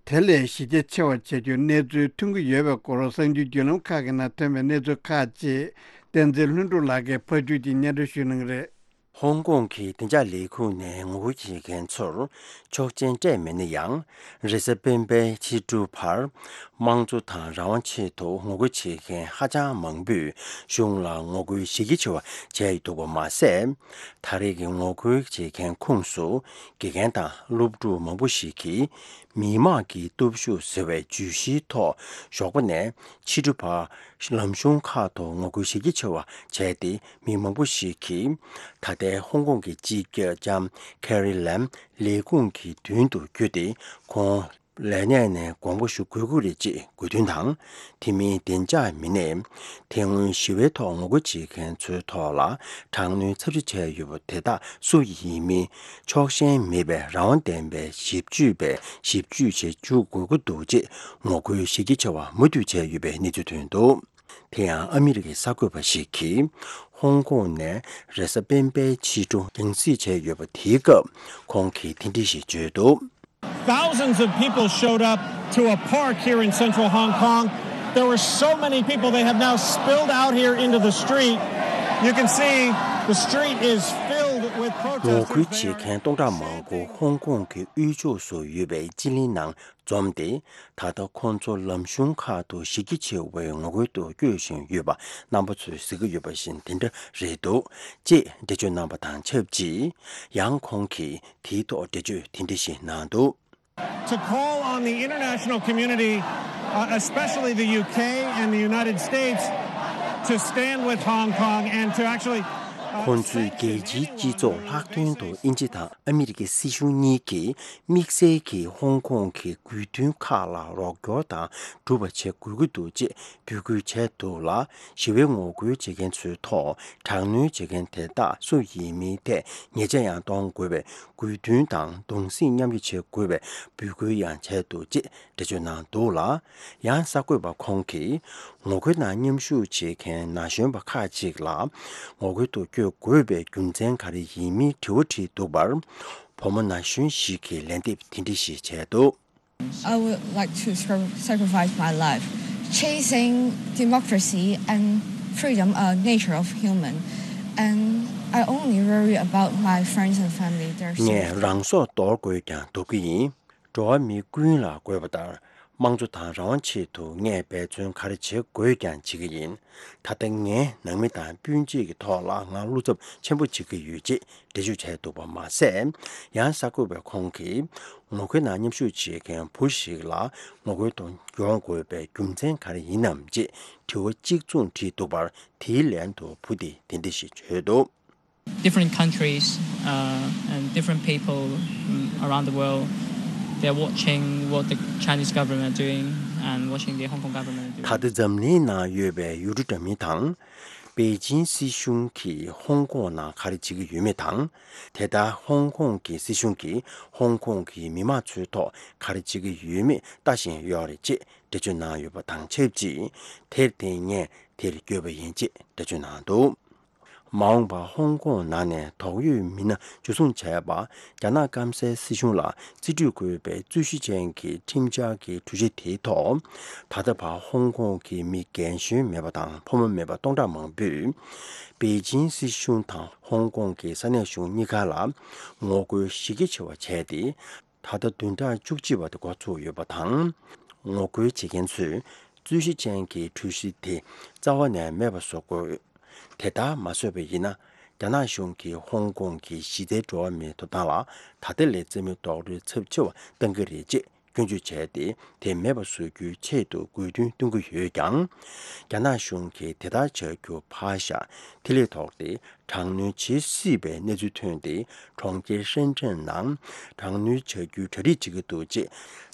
དེ་ལས་གཞི་རྒྱ་ཆེ་བ་བྱ་རྒྱུའི་གནས་ཚུལ་ཐོན་གྱི་ཡོད་པའི་སྐོར་གསར་འགྱུར་བརྒྱུད་ལམ་ཁག་གི་ནང་ཐོན་པའི་གནས་ཚུལ་ཁག་ཅིག་བསྟན་འཛིན་ལྷུན་གྲུབ་ལགས་ཀྱིས་ཕར་ཕྱོགས་ཀྱི་སྙན་སྒྲོན་ཞུ་གནང་གི་རེད། ཧོང་ཀོང་གི་བདེ་འཇགས་ལས་ཁུངས་ནས་ངོ་རྒོལ་བྱེད་མཁན་ཚོར་ཆོག་མཆན་སྤྲད་མེད་ན་ཡང་། རེས་གཟའ་སྤེན་པའི་ཕྱི་དྲོ་བར་དམངས་གཙོ་དང་རང་དབང་ཆེད་དུ་ངོ་རྒོལ་བྱེད་མཁན་ཧ་ཅང་མང་པོས་གཞུང་ལ་ངོ་རྒོལ་གཞི་རྒྱ་ཆེ་བ་བྱས་འདུག་པ་མ་ཟད། ད་རེས་ཀྱི་ངོ་རྒོལ་བྱེད་མཁན་ཁོངས་སུ་དགེ་རྒན་དང་སློབ་ཕྲུག་མང་པོ་ཞིག་གིས་མི་དམངས་ཀྱི་སྟོབས་ཤུགས་ཟེར་བའི་བརྗོད་གཞིའི་ཐོག་ཞོགས་པ་ནས་ཕྱི་དྲོ་བར་ལམ་གཞུང་ཁག་ཏུ་ངོ་རྒོལ་གཞི་རྒྱ་ཆེ་བ་བྱས་ཏེ། མི་མང་པོ་ཞིག་གིས་ད་ལྟའི་ཧོང་ཀོང་གི་སྤྱི་ཁྱབ་ལྕམ་ཁེ་རི་ལེམ་ལས་ཁུངས་ཀྱི་མདུན་དུ་བསྐྱོད་དེ། ཁོང་ལས་གནས་ནས་དགོངས་པ་ཞུ་དགོས་ཀྱི་རེད་ཅེས་དགོས་འདུན་དང་། དེ་མིན་བདེ་འཇགས་མི་སྣས་དེ་སྔོན་ཞི་བའི་ཐོག་ངོ་རྒོལ་བྱེད་མཁན་ཚོའི་ཐོག་ལ་དྲག་གནོན་ཚབས་ཆེ་བྱས་ཡོད་པ་དེ་དག་སུ་ཡིན་མིན་ཆོག་ཤེས་མེད་པའི་རང་དབང་ལྡན་པའི་ཞིབ་དཔྱོད་པས་ཞིབ་དཔྱོད་བྱེད་བཅུག་དགོས་ཀྱི་འདུག་ཅེས་ངོ་རྒོལ་གཞི་རྒྱ་ཆེ་བ་མུ་མཐུད་བྱས་ཡོད་པའི་གནས་ཚུལ་ཐོན་འདུག་དེ་ཡང་ཨ་མི་རི་ཀའི་གསར་འགོད་པ་ཞིག་གིས་ཧོང་ཀོང་ནས་རེས་གཟའ་སྤེན་པའི་ཕྱི་དྲོ་རྒྱང་སྲིང་བྱས་ཡོད་པ་དེའི་སྐབས་ཁོང་གིས་དེ་འདྲ་ཞིག་བརྗོད་འདུག Thousands of people showed up to a park here in central Hong Kong. There were so many people, they have now spilled out here into the street. You can see the street is filled with protesters. ངོ་རྒོལ་བྱེད་མཁན་སྟོང་ཕྲག་མང་པོ་ཧོང་ཀོང་གི་དབུས་ཕྱོགས་སུ་ཡོད་པའི་སྤྱི་གླིང་ནང་འཛོམས་ཏེ། ད་ལྟ་ཁོང་ཚོ་ལམ་གཞུང་ཁག་ཏུ་གཞི་རྒྱ་ཆེ་བའི་ངོ་རྒོལ་དུ་བསྐྱོད་བཞིན་ཡོད་པ་རྣམ་པ་ཚོས་གཟིགས་ཀྱི་ཡོད་པ་བཞིན་དེ་འདྲ་རེད་འདུག་ཅེས་འགྲེལ་བརྗོད་གནང་པ་དང་ཆབས་ཅིག་ཡང་ཁོང་གིས་དེའི་ཐོག་འགྲེལ་བརྗོད་དེ་འདྲ་ཞིག་གནང་འདུག To call on the international community, uh, especially the U K and the United States, to stand with Hong Kong and to actually, uh, ཁོང་ཚོས་རྒྱལ་སྤྱིའི་སྤྱི་ཚོགས་ལྷག་དོན་དུ་དབྱིན་ཇི་དང་ཨ་མི་རི་ཀའི་སྲིད་གཞུང་གཉིས་ཀྱིས་དམིགས་བསལ་གྱིས་ཧོང་ཀོང་གི་དགོས་འདུན་ཁག་ལ་རོགས་སྐྱོར་དང་སྒྲུབ་པ་བྱེད་དགོས་ཀྱི་འདུག་ཅེས་འབོད་སྐུལ་བྱས་འདུག་ལ། ཞི་བའི་ངོ་རྒོལ་བྱེད་མཁན་ཚོའི་ཐོག་དྲག་གནོན་བྱེད་མཁན་དེ་དག་སུ་ཡིན་མིན་ཐད་ཉེས་ཆད་ཡང་གཏོང་དགོས་པའི་དགོས་འདུན་དང་གདུང་སེམས་མཉམ་སྐྱེད་བྱེད་དགོས་པའི་འབོད་སྐུལ་ཡང་བྱས་འདུག་ཅེས་འགྲེལ་བརྗོད་གནང་འདུག་ལ། ཡང་གསར་འགོད་པ་ཁོང་གིས་ངོ་རྒོལ་ནང་མཉམ་ཞུགས་བྱེད་མཁན་ན་གཞོན་པ་ཁག་ཅིག་ལ་ངོ་རྒོལ་དུ་བསྐྱོད་དགོས་པའི་རྒྱུ་མཚན་ག་རེ་ཡིན་མིན་དྲི་བ་དྲིས་འདུག་པར། བུ་མོ་ན་གཞོན་ཞིག་གིས་ལན་འདེབས་དེ་འདྲ་ཞིག་བྱས་འདུག I would like to sacri- sacrifice my life. Chasing democracy and freedom are nature of human, and I only worry about my friends and family. They're safe. ངས་རང་སྲོག་དོར་དགོས་ཀྱང་དོར་གྱི་ཡིན། འགྲོ་བ་མི་ཀུན་ལ་དགོས་པ་ལྟར། དམངས་གཙོ་དང་རང་དབང་ཆེད་དུ་ངས་འབད་བརྩོན་ག་རེ་བྱེད་དགོས་ཀྱང་བྱེད་ཀྱི་ཡིན། ད་ལྟ་ངའི་ནང་མི་དང་སྤུན་མཆེད་ཀྱི་ཐོག་ལ་ང་བློ་འཚབ་ཆེན་པོ་བྱེད་ཀྱི་ཡོད་ཅེས་འགྲེལ་བརྗོད་བྱས་འདུག་པ་མ་ཟད། ཡང་གསར་འགོད་པས་ཁོང་གིས་ངོ་རྒོལ་ནང་མཉམ་ཞུགས་བྱེད་མཁན་བུ་ཞིག་ལ་ངོ་རྒོལ་དུ་ཡོང་དགོས་པའི་རྒྱུ་མཚན་ག་རེ་ཡིན་ནམ་ཅེས་དྲི་བ་གཅིག་མཚུངས་དྲིས་འདུག་པར། དེའི་ལན་དུ་བུ་དེས་དེ་འདྲ་ཞིག་བརྗོད་འདུག Different countries, uh, and different people, mm, around the world, they're watching what the Chinese government are doing and watching the Hong Kong government are doing. ད་ལྟ་འཛམ་གླིང་ནང་ཡོད་པའི་ཡུལ་གྲུ་འདྲ་མིན་དང་། པེ་ཅིན་སྲིད་གཞུང་གིས་ཧོང་ཀོང་ནང་ག་རེ་བྱེད་ཀྱི་ཡོད་མེད་དང་། དེ་ལྟར་ཧོང་ཀོང་གི་སྲིད་གཞུང་གིས་ཧོང་ཀོང་གི་མི་མང་ཚོའི་ཐོག་ག་རེ་བྱེད་ཀྱི་ཡོད་མེད་ལྟ་བཞིན་ཡོད་རེད་ཅེས་འགྲེལ་བརྗོད་གནང་ཡོད་པ་དང་ཆབས་ཅིག་དེར་བརྟེན་ངས་དེར་བསྐྱོད་པ་ཡིན་ཅེས་འགྲེལ་བརྗོད་གནང་འདུག་མ་འོངས་པར་ཧོང་ཀོང་ནང་ནས་དོགས་ཡོད་མི་སྣ་འཇུ་བཟུང་བྱས་པ། རྒྱ་ནག་སྐམ་སའི་སྲིད་གཞུང་ལ་རྩིས་སྤྲོད་དགོས་པའི་རྩོད་གཞི་ཅན་གྱི་ཁྲིམས་འཆར་གྱི་གྲོས་གཞི་དེའི་ཐོག་ད་ལྟ་བར་ཧོང་ཀོང་གི་མི་རྒན་གཞོན་མེད་པ་དང་ཕོ་མོ་མེད་པ་སྟོང་ཕྲག་མང་པོས། པེ་ཅིན་སྲིད་གཞུང་དང་ཧོང་ཀོང་གི་ས་གནས་གཞུང་གཉིས་ཀ་ལ་ངོ་རྒོལ་གཞི་རྒྱ་ཆེ་བ་བྱས་ཏེ། ད་ལྟ་བདུན་ཕྲག་བཅུ་གཅིག་པ་དེ་འགོ་ཚུགས་ཡོད་པ་དང་། ངོ་རྒོལ་བྱེད་མཁན་ཚོས་རྩོད་གཞི་ཅན་གྱི་གྲོས་གཞི་དེ་རྩ་བ་ནས་མེད་པ་བཟོ་དགོས། དེ་ལྟར་མ་བཟོས་པ་ཡིན་ན། རྒྱ་ནག་གཞུང་གིས་ཧོང་ཀོང་གི་གཞི་རྩའི་འགྲོ་བ་མིའི་ཐོབ་ཐང་ལ་ད་ལྟ་ལས་རྩིས་མེད་རྡོག་རོལ་ཚབས་ཆེ་བ་བཏང་གི་རེད་ཅེས་ སྐྱོན་བརྗོད་བྱས་ཏེ། དེ་མེད་པ་བཟོ་རྒྱུའི་ཆེད་དུ་དགོས་འདུན་བཏོན་གྱི་ཡོད་ཀྱང་། རྒྱ་ནག་གཞུང་གིས་དེ་ལྟར་བྱ་རྒྱུ་ཕར་བཞག་ཐིག་ལེ་ཐོགས་ཏེ་དྲག་གནོན་བྱེད་སྲིད་པའི་གནས་ཚུལ་ཐོན་ཏེ། གྲོང་ཁྱེར་ཧྲེན་ཀྲེན་ནང་དྲག་གནོན་བྱ་རྒྱུའི་གྲ་སྒྲིག་བྱེད་ཀྱི་འདུག་ཅེས་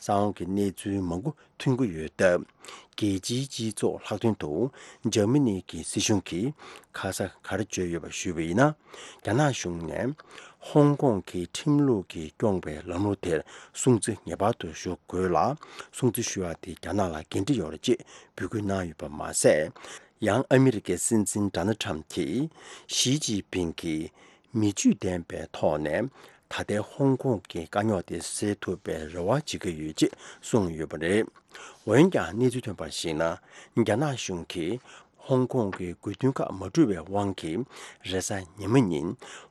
གསང་བ་གི་གནས་ཚུལ་མང་པོ་ཐོན་གྱི་ཡོད་སྟབས། རྒྱལ་སྤྱིའི་སྤྱི་ཚོགས་ལྷག་དོན་དུ་འཇར་མ་ནི་གི་སྲིད་གཞུང་གིས་ཁ་ས་ག་རེ་བརྗོད་ཡོད་པ་ཞུས་པ་ཡིན་ན། རྒྱ་ནག་གཞུང་ནས་ཧོང་ཀོང་གི་ཁྲིམས་ལུགས་ཀྱིས་སྐྱོང་བའི་ལམ་ལུགས་དེར་སྲུང་བརྩི་ངེས་པར་དུ་ཞུ་དགོས་ལ། སྲུང་བརྩི་ཞུ་བ་དེ་རྒྱ་ནག་ལ་འགན་འཁྲི་ཡོད་རེད་ཅེས་འབོད་སྐུལ་གནང་ཡོད་པ་མ་ཟད། ཡང་ཨ་མི་རི་ཀའི་སྲིད་འཛིན་ཌོ་ནལ་ཊམ་གྱིས་ཞི་ཅིན་ཕིང་གིས་མི་ཇུས་ལྡན་པའི་ཐོག་ནས་ད་ལྟའི་ཧོང་ཀོང་གི་དཀའ་རྙོག་དེ་སེལ་ཐུབ་པའི་རེ་བ་བྱེད་ཀྱི་ཡོད་ཅེས་གསུངས་ཡོད་པ་རེད། འོན་ཀྱང་གནས་ཚུལ་ཐོན་པར་གཞིགས་ན། རྒྱ་ནག་གཞུང་གིས་ཧོང་ཀོང་གི་དགོས་འདུན་ཁག་མ་འགྲུབ་པའི་དབང་གིས། རེས་གཟའ་ཉི་མ་ཉིན་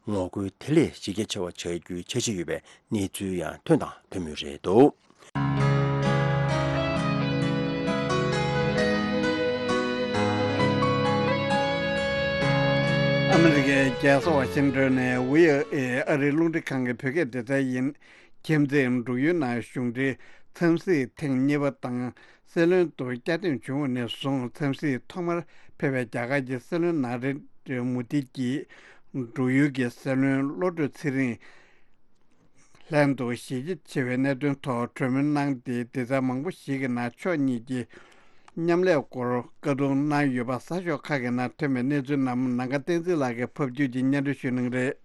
ངོ་རྒོལ་དེ་ལས་གཞི་རྒྱ་ཆེ་བ་བྱ་རྒྱུའི་འཆར་གཞི་ཡོད་པའི་གནས་ཚུལ་ཡང་ཐོན་དང་ཐོན་མུས་རེད་འདུག་ཨ་མི་རི་ཀའི་རྒྱལ་ས་ཝ་ཤིང་ཏོན་ནས་ཝི་ཨོ་ཨེ་ཨ་རིའི་རླུང་འཕྲིན་ཁང་གི་བོད་སྐད་སྡེ་ཚན་ཡིན། ཁྱིམ་མཚེས་འབྲུག་ཡུལ་ནང་གཞུང་འབྲེལ་འཚམས་གཟིགས་ཐེངས་གཉིས་པ་དང་། སྲིད་བློན་དུ་བསྐྱར་འདེམས་བྱུང་བ་ནས་བཟུང་འཚམས་གཟིགས་ཐོག་མར་ཕེབས་པའི་རྒྱ་གར་གྱི་སྲིད་བློན་ན་རེན་དྲ་མོ་དི་གྱིས། འབྲུག་ཡུལ་གྱི་སྲིད་བློན་བློ་གྲོས་ཚེ་རིང་ལྷན་དུ་ཞི་རྒྱ་ཆེ་བའི་གནད་དོན་ཐོག་གྲོས་མོལ་གནང་སྟེ། སྡེ་ཚན་མང་པོ་ཞིག་གི་ནང་ཕྱོགས་གཉིས་ཀྱིས་མཉམ་ལས་སྐོར་བཀའ་བསྡུར་གནང་ཡོད་པ། གསར་ཤོག་ཁག་གི་ནང་ཐོན་པའི་གནས་ཚུལ་རྣམས་ནམ་མཁའ་བསྟན་འཛིན་ལགས་ཀྱིས་ཕབ་སྒྱུར་གྱིས་སྙན་སྒྲོན་ཞུ་གནང་གི་རེད།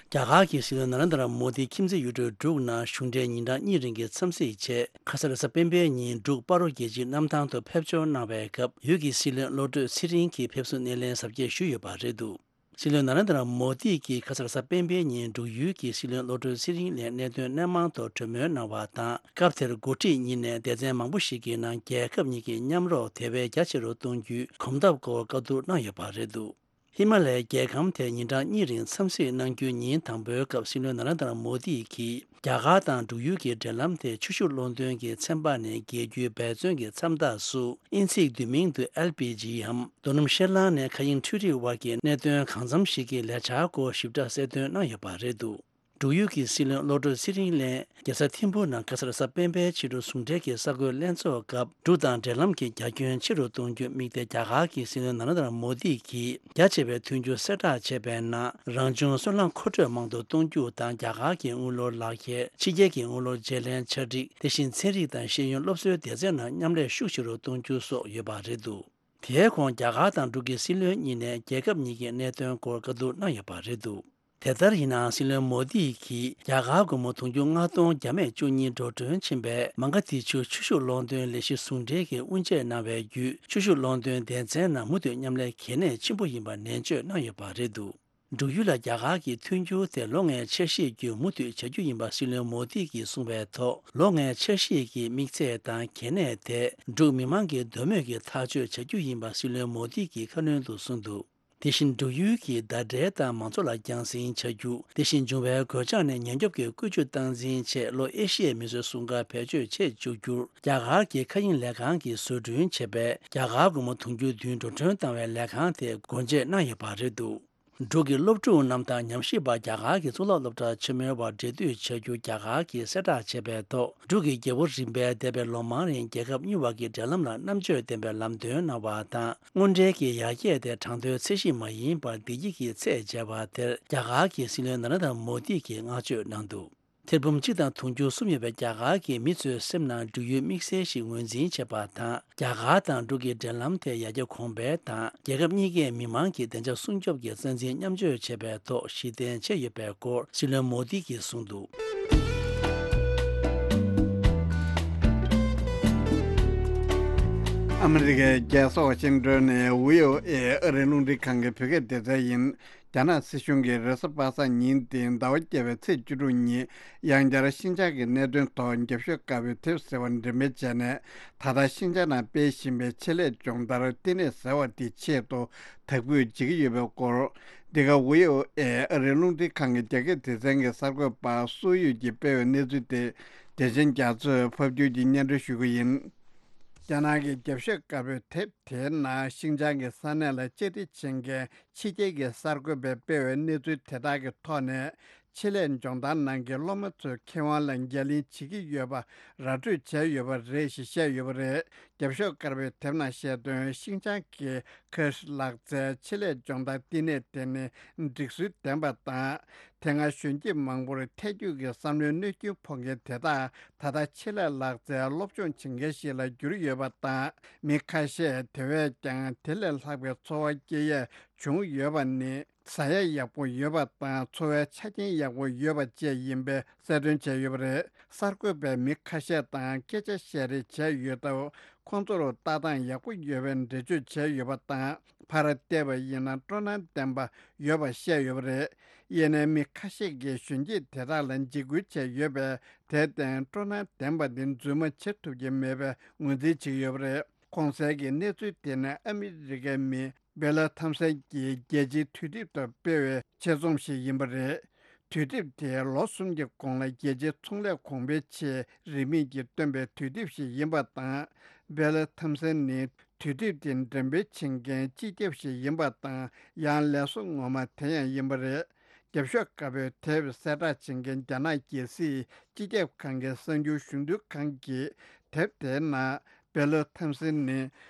རྒྱ་གར་གྱི་སྲིད་བློན་ན་རེན་དྲ་མོ་དི་ཁྱིམ་མཚེས་ཡུལ་གྲུ་འབྲུག་ནང་གཞུང་འབྲེལ་ཉིན་གྲངས་གཉིས་རིང་གི་འཚམས་གཟིགས་ཆེད། ཁ་ས་རེས་གཟའ་སྤེན་པའི་ཉིན་འབྲུག་སྤ་རོ་རྒྱལ་སྤྱིའི་གནམ་ཐང་དུ་ཕེབས་འབྱོར་གནང་བའི་སྐབས། ཡུལ་གྱི་སྲིད་བློན་བློ་གྲོས་ཚེ་རིང་གིས་ཕེབས་བསུ་སྣེ་ལེན་གཟབ་རྒྱས་ཞུས་ཡོད་པ་རེད་འདུག་སྲིད་བློན་ན་རེན་དྲ་མོ་དི་གིས་ཁ་ས་རེས་གཟའ་སྤེན་པའི་ཉིན་འབྲུག་ཡུལ་གྱི་སྲིད་བློན་བློ་གྲོས་ཚེ་རིང་ལ་གནད་དོན་སྣེ་མང་ཐོག་གྲོས་མོལ་གནང་བ་དང་། སྐབས་དེར་འགོ་ཁྲིད་གཉིས་ནས་སྡེ་ཚན་མང་པོ་ཞིག་གི་ནང་རྒྱལ་ཁབ་གཉིས་ཀྱི་མཉམ་རོགས་དེ་བས་རྒྱ་ཆེ་རུ་གཏོང་རྒྱུའི་གོམ་སྟབས་སྐོར་བཀའ་བསྡུར་གནང་ཡོད་པ་རེད་འདུག་ཧི་མ་ལ་ཡའི་རྒྱལ་ཁམས་དེར་ཉིན་གྲངས་གཉིས་རིང་འཚམས་གཟིགས་གནང་རྒྱུའི་ཉིན་དང་པོའི་སྐབས། སྲིད་བློན་ན་རེན་དྲ་མོ་དི་གིས་རྒྱ་གར་དང་འབྲུག་ཡུལ་གྱི་འབྲེལ་ལམ་དེ་ཆུ་ཤུགས་གློག་འདོན་གྱི་ཚན་པ་ནས་རྒྱས་རྒྱུའི་འབད་བརྩོན་གྱི་མཚམས་རྟགས་སུ། དབྱིན་ཚིག་བསྡུས་མིང་དུ་ཨེལ་པི་ཇི་འམ། རྡོ་སྣུམ་ཤེལ་རླངས་ནས་མཁའ་དབྱིངས་འཕྲུལ་རིག་དབར་གྱི་གནད་དོན་གང་འཚམ་ཞིག་གི་ལས་འཆར་སྐོར་ཞིབ་ཕྲ་གསལ་སྟོན་གནང་ཡོད་པ་རེད་འདུག་འབྲུག་ཡུལ་གྱི་སྲིད་བློན་བློ་གྲོས་ཚེ་རིང་ལགས་རྒྱལ་ས་ཐིམ་ཕུ་ནང་ཁ་ས་རེས་གཟའ་སྤེན་པའི་ཕྱི་དྲོ་ཟུང་འབྲེལ་གྱི་གསར་འགོད་ལྷན་ཚོགས་སྐབས། འབྲུག་དང་འབྲེལ་ལམ་གྱི་རྒྱ་ཁྱོན་ཆེ་རུ་གཏོང་རྒྱུར་དམིགས་ཏེ། རྒྱ་གར་གྱི་སྲིད་བློན་ན་རེན་དྲ་མོ་དི་གིས་རྒྱ་ཆེ་བའི་མཐུན་འགྱུར་གསལ་བསྒྲགས་བྱས་པའི་ནང་། རང་བྱུང་སོལ་རླངས་མཁོ་སྤྲོད་མང་དུ་གཏོང་རྒྱུ་དང་། རྒྱ་གར་གྱི་དངུལ་ལོར་ལག་ཁྱེར། ཕྱི་རྒྱལ་གྱི་དངུལ་ལོར་བརྗེ་ལེན་ཆ་སྒྲིག་དེ་བཞིན་ཚན་རིག་དང་ཤེས་ཡོན་སློབ་གསོའི་སྡེ་ཚན་ནང་མཉམ་ལས་ཤུགས་ཆེ་རུ་གཏོང་རྒྱུ་སོགས་ཡོད་པ་རེད་འདུག་དེའི་གོང་རྒྱ་གར་དང་འབྲུག་གི་སྲིད་བློན་གཉིས་ནས་རྒྱལ་ཁབ་གཉིས་ཀྱི་གནད་དོན་སྐོར་བཀའ་བསྡུར་གནང་ཡོད་པ་རེད་འདུག་དེ་ལྟར་ཡིན་ནའང་། སྲིད་བློན་མོ་དི་གིས་རྒྱ་གར་སྒོར་མོ་དུང་ཕྱུར་ལྔ་སྟོང་བརྒྱ་མེད་བཅུ་གཉིས་འགྲོ་གྲོན་ཕྱིན་པའི་མ་ག་དྷི་ཆུ་ཆུ་ཤུགས་གློག་འདོན་ལས་གཞི་ཟུང་འབྲེལ་གྱིས་དབུ་འབྱེད་གནང་བའི་བརྒྱུད། ཆུ་ཤུགས་གློག་འདོན་སྡེ་ཚན་ནང་མུ་མཐུད་མཉམ་ལས་གལ་གནད་ཆེན་པོ་ཡིན་པ་ནན་བརྗོད་གནང་ཡོད་པ་རེད་འདུག་འབྲུག་ཡུལ་ལ་རྒྱ་གར་གྱི་མཐུན་འགྱུར་དེ་ལོ་ལྔའི་འཆར་གཞིའི་བརྒྱུད་མུ་མཐུད་བྱ་རྒྱུ་ཡིན་པ་སྲིད་བློན་མོ་དི་གིས་གསུངས་པའི་ཐོག་ལོ་ལྔའི་འཆར་གཞི་གི་དམིགས་ཚད་དང་གལ་གནད་དེ་འབྲུག་མི་མང་གི་འདོད་མོས་ཀྱི་ཐག་གཅོད་བྱ་རྒྱུ་ཡིན་པ་སྲིད་བློན་མོ་དི་གིས་ཁ་སྣོན་དུ་གསུངས་འདུག་དེ་བཞིན་འབྲུག་ཡུལ་གྱི་ཟླ་སྒྲིལ་དང་མང་གཙོ་ལ་རྒྱང་སྲིང་བྱ་རྒྱུ། དེ་བཞིན་འབྱུང་བའི་གོད་ཆག་ནས་ཉེན་སྐྱོབ་ཀྱི་བཀོལ་སྤྱོད་སྟངས་འཛིན་ཆེད་ལྷོ་ཨེ་ཤི་ཡའི་མི་སེར་སྲུང་སྐར་བེད་སྤྱོད་བྱེད་བཅུག་རྒྱུར་རྒྱ་གར་གྱི་མཁའ་དབྱིངས་ལས་ཁང་གིས་བཟོ་སྐྲུན་བྱས་པའི་རྒྱ་གར་སྒོར་མོ་དུང་ཕྱུར་བདུན་འགྲོ་གྲོན་བཏང་བའི་ལས་ཁང་དེ་སྒོ་འབྱེད་གནང་ཡོད་པ་རེད་འདུག་འབྲུག་གི་སློབ་ཕྲུག་རྣམས་དང་ཉམས་ཞིབ་པ་རྒྱ་གར་གྱི་གཙུག་ལག་སློབ་གྲྭ་ཆེན་མོའི་བར་འབྲེལ་མཐུད་བྱ་རྒྱུ་རྒྱ་གར་གྱིས་གསལ་བསྒྲགས་བྱས་པའི་ཐོག་འབྲུག་གི་རྒྱལ་པོ་རིམ་པས་འདས་པའི་ལོ་མང་རིང་རྒྱལ་ཁབ་གཉིས་བར་གྱི་འབྲེལ་ལམ་ལ་རྣམ་དཔྱོད་ལྡན་པའི་ལམ་སྟོན་གནང་བ་དང་། དངོས་འབྲེལ་གྱི་ཡར་རྒྱས་དེ་གྲངས་ཐོའི་ཚད་གཞི་མ་ཡིན་པར་བདེ་སྐྱིད་ཀྱི་ཚད་འཇལ་བ་དེར་རྒྱ་གར་གྱི་སྲིད་བློན་ན་རེན་དྲ་མོ་དི་གིས་བསྔགས་བརྗོད་གནང་འདུག་ཐེར་འབུམ་གཅིག་དང་དུང་ཕྱུར་གསུམ་ཡོད་པའི་རྒྱ་གར་གྱི་མི་ཚོའི་སེམས་ནང་འབྲུག་ཡུལ་དམིགས་བསལ་ཞིག་ངོས་འཛིན་བྱེད་པ་དང་། རྒྱ་གར་དང་འབྲུག་གི་འབྲེལ་ལམ་དེ་ཡར་རྒྱས་གོང་འཕེལ་དང་། རྒྱལ་ཁབ་གཉིས་ཀའི་མི་མང་གི་བདེ་འཇགས་སྲུང་སྐྱོབ་ཀྱི་རྩ་འཛིན་མཉམ་སྤྱོད་བྱེད་པའི་ཐོག་གཞི་རྟེན་བྱས་ཡོད་པའི་སྐོར་སྲིད་བློན་མོ་དི་གིས་གསུངས་འདུག་ཨ་མི་རི་ཀའི་རྒྱལ་ས་ཝ་ཤིང་ཏོན་ནས་ཝི་ཨོ་ཨེ་ཨ་རིའི་རླུང་འཕྲིན་ཁང་གི་བོད་སྐད་སྡེ་ཚན་ཡིན། རྒྱ་ནག་སྲིད་གཞུང་གིས་རེས་གཟའ་པ་སངས་ཉིན་དེའི་ཟླ་བ་བརྒྱད་པའི་ཚེས་བཅུ་དྲུག་ཉིན་ཡང་བསྐྱར་ཤིན་ཅང་གི་གནད་དོན་ཐོག་རྒྱབ་ཤོག་དཀར་པོའི་དེབ་ཟེར་བ་འགྲེམས་སྤེལ་བྱས་ནས། ད་ལྟ་ཤིན་ཅང་ནང་སྤེལ་བཞིན་པའི་ཆེད་ལས་སྦྱོང་བརྡར་ལྟེ་གནས་ཟེར་བ་དེའི་ཆེད་དུ་དག་འབུད་བྱེད་ཀྱི་ཡོད་པའི་སྐོར། འདི་ག་ཝི་ཨོ་ཨེ་ཨ་རིའི་རླུང་འཕྲིན་ཁང་གི་རྒྱ་སྐད་སྡེ་ཚན་གྱི་གསར་འགོད་པ་སུའུ་ཡུས་ཀྱིས་སྤེལ་བའི་གནས་ཚུལ་དེ། བདེ་ཆེན་རྒྱ་མཚོས་ཕབ་སྒྱུར་གྱིས་སྙན་སྒྲོན་ཞུ་གི་ཡིན། རྒྱ་ནག་གི་རྒྱབ་ཤོག་དཀར་པོའི་དེབ་དེའི་ནང་ཤིན་ཅང་གི་ས་གནས་ལ་བཅའ་སྒྲིག་བྱེད་མཁན་ཕྱི་རྒྱལ་གྱི་གསར་འགོད་པས་སྤེལ་བའི་གནས་ཚུལ་དེ་དག་གི་ཐོག་ནས། ཆེད་ལས་སྦྱོང་བརྡར་ནང་གི་སློབ་མ་ཚོའི་ཁེ་དབང་ལ་འགན་ལེན་བྱེད་ཀྱི་ཡོད་པ་ར་སྤྲོད་བྱས་ཡོད་པ་རེད་ཞེས་བཤད་ཡོད་པ་རེད། རྒྱབ་ཤོག་དཀར་པོའི་དེབ་ནང་བཤད་དོན། ཤིན་ཅང་གི་ཁེ་ཧྲི་ལག་རྩལ་ཆེད་ལས་སྦྱོང་བརྡར་བསྟི་གནས་དེ་ནི་སྒྲིག་སྲོལ་ལྡན་པ་དང་། དེ་སྔ་གཞོན་སྐྱེས་མང་པོར་ཐལ་འགྱུར་གྱི་བསམ་བློའི་གནོད་སྐྱོན་ཕོག་མཁན་དེ་དག་ད་ལྟ་ཆེད་ལས་ལག་རྩལ་སློབ་སྦྱོང་བྱེད་མཁན་ཞིག་ལ་གྱུར་ཡོད་པ་དང་། མི་ཁ་ཤས་དེ་བས་ཀྱང་དེ་ལས་ལྷག་པའི་འཚོ་བ་སྐྱེལ་ཡས་བྱུང་ཡོད་པ་ནི། ཟ་ཡ་ཡག་པོ་ཡོད་པ་དང་འཚོ་བའི་ཆ་རྐྱེན་ཡག་པོ་ཡོད་པ་བཅས་ཡིན་པའི་གསལ་སྟོན་བྱས་ཡོད་པ་རེད། གསར་འགོད་པས་མི་ཁ་ཤས་དང་སྐད་ཆ་བཤད་རེས་བྱས་ཡོད་སྟབས། ཁོང་ཚོར་ལྟ་སྟངས་ཡག་པོ་ཡོད་པའི་འགྲེལ་བརྗོད་བྱས་ཡོད་པ་དང་། ཕར་བལྟས་པ་ཡིན་ན་སྤྲོ་སྣང་ལྡན་པ་ཡོད་པ་བཤད་ཡོད་པ་རེད། ཡིན་ནའི་མི་ཁ་ཤས་ཀྱིས་གཞོན་སྐྱེས་དེ་དག་ལ་འཇིགས་སྐུལ་བྱས་ཡོད་པས། དེར་བརྟེན་སྤྲོ་སྣང་ལྡན་པ་འདི་རྫུན་མ་བྱེད་ཐུབ་ཀྱི་མེད་པའི་ངོས་འཛིན་བྱེད་ཀྱི་ཡོད་པ་རེད། གོང་གསལ་གྱི་གནས་ཚུལ་དེ་ནི་ཨ་མི་རི་ཀའི་མི་སྦེ་ལ་ཐམ་སན་གྱིས་རྒྱལ་སྤྱིའི་དུས་དེབ་ཐོག་སྤེལ་བའི་ཆེད་རྩོམ་ཞིག་ཡིན་པ་རེད། དུས་དེབ་དེ་ལོ་གསུམ་གྱི་གོང་ལ་རྒྱལ་སྤྱིའི་ཚོང་ལས་གོང་འཕེལ་ཆེས་རིན་མེད་ཀྱིས་བཏོན་པའི་དུས་དེབ་ཞིག་ཡིན་པ་དང་། སྦེ་ལ་ཐམ་སན་ནི་དུས་དེབ་དེ་འགྲེམས་སྤེལ་བྱེད་མཁན་སྤྱི་ཁྱབ་ཞིག་ཡིན་པ་དང་། ཡང་ལས་བཟོ་ངོ་མ་དེ་ཡང་ཡིན་པ་རེད། རྒྱབ་ཤོག་དཀར་པོའི་དེབ་གསལ་བསྒྲགས་བྱེད་མཁན་རྒྱ་ནག་རྒྱལ་སྲིད་སྤྱི་ཁྱབ་ཁང་གི་གསར་འགྱུར་གཞུང་དོན་ཁང་གིས་དེབ་དེའི་ནང་སྦེ་ལོ་ཐམ་སན་ནི་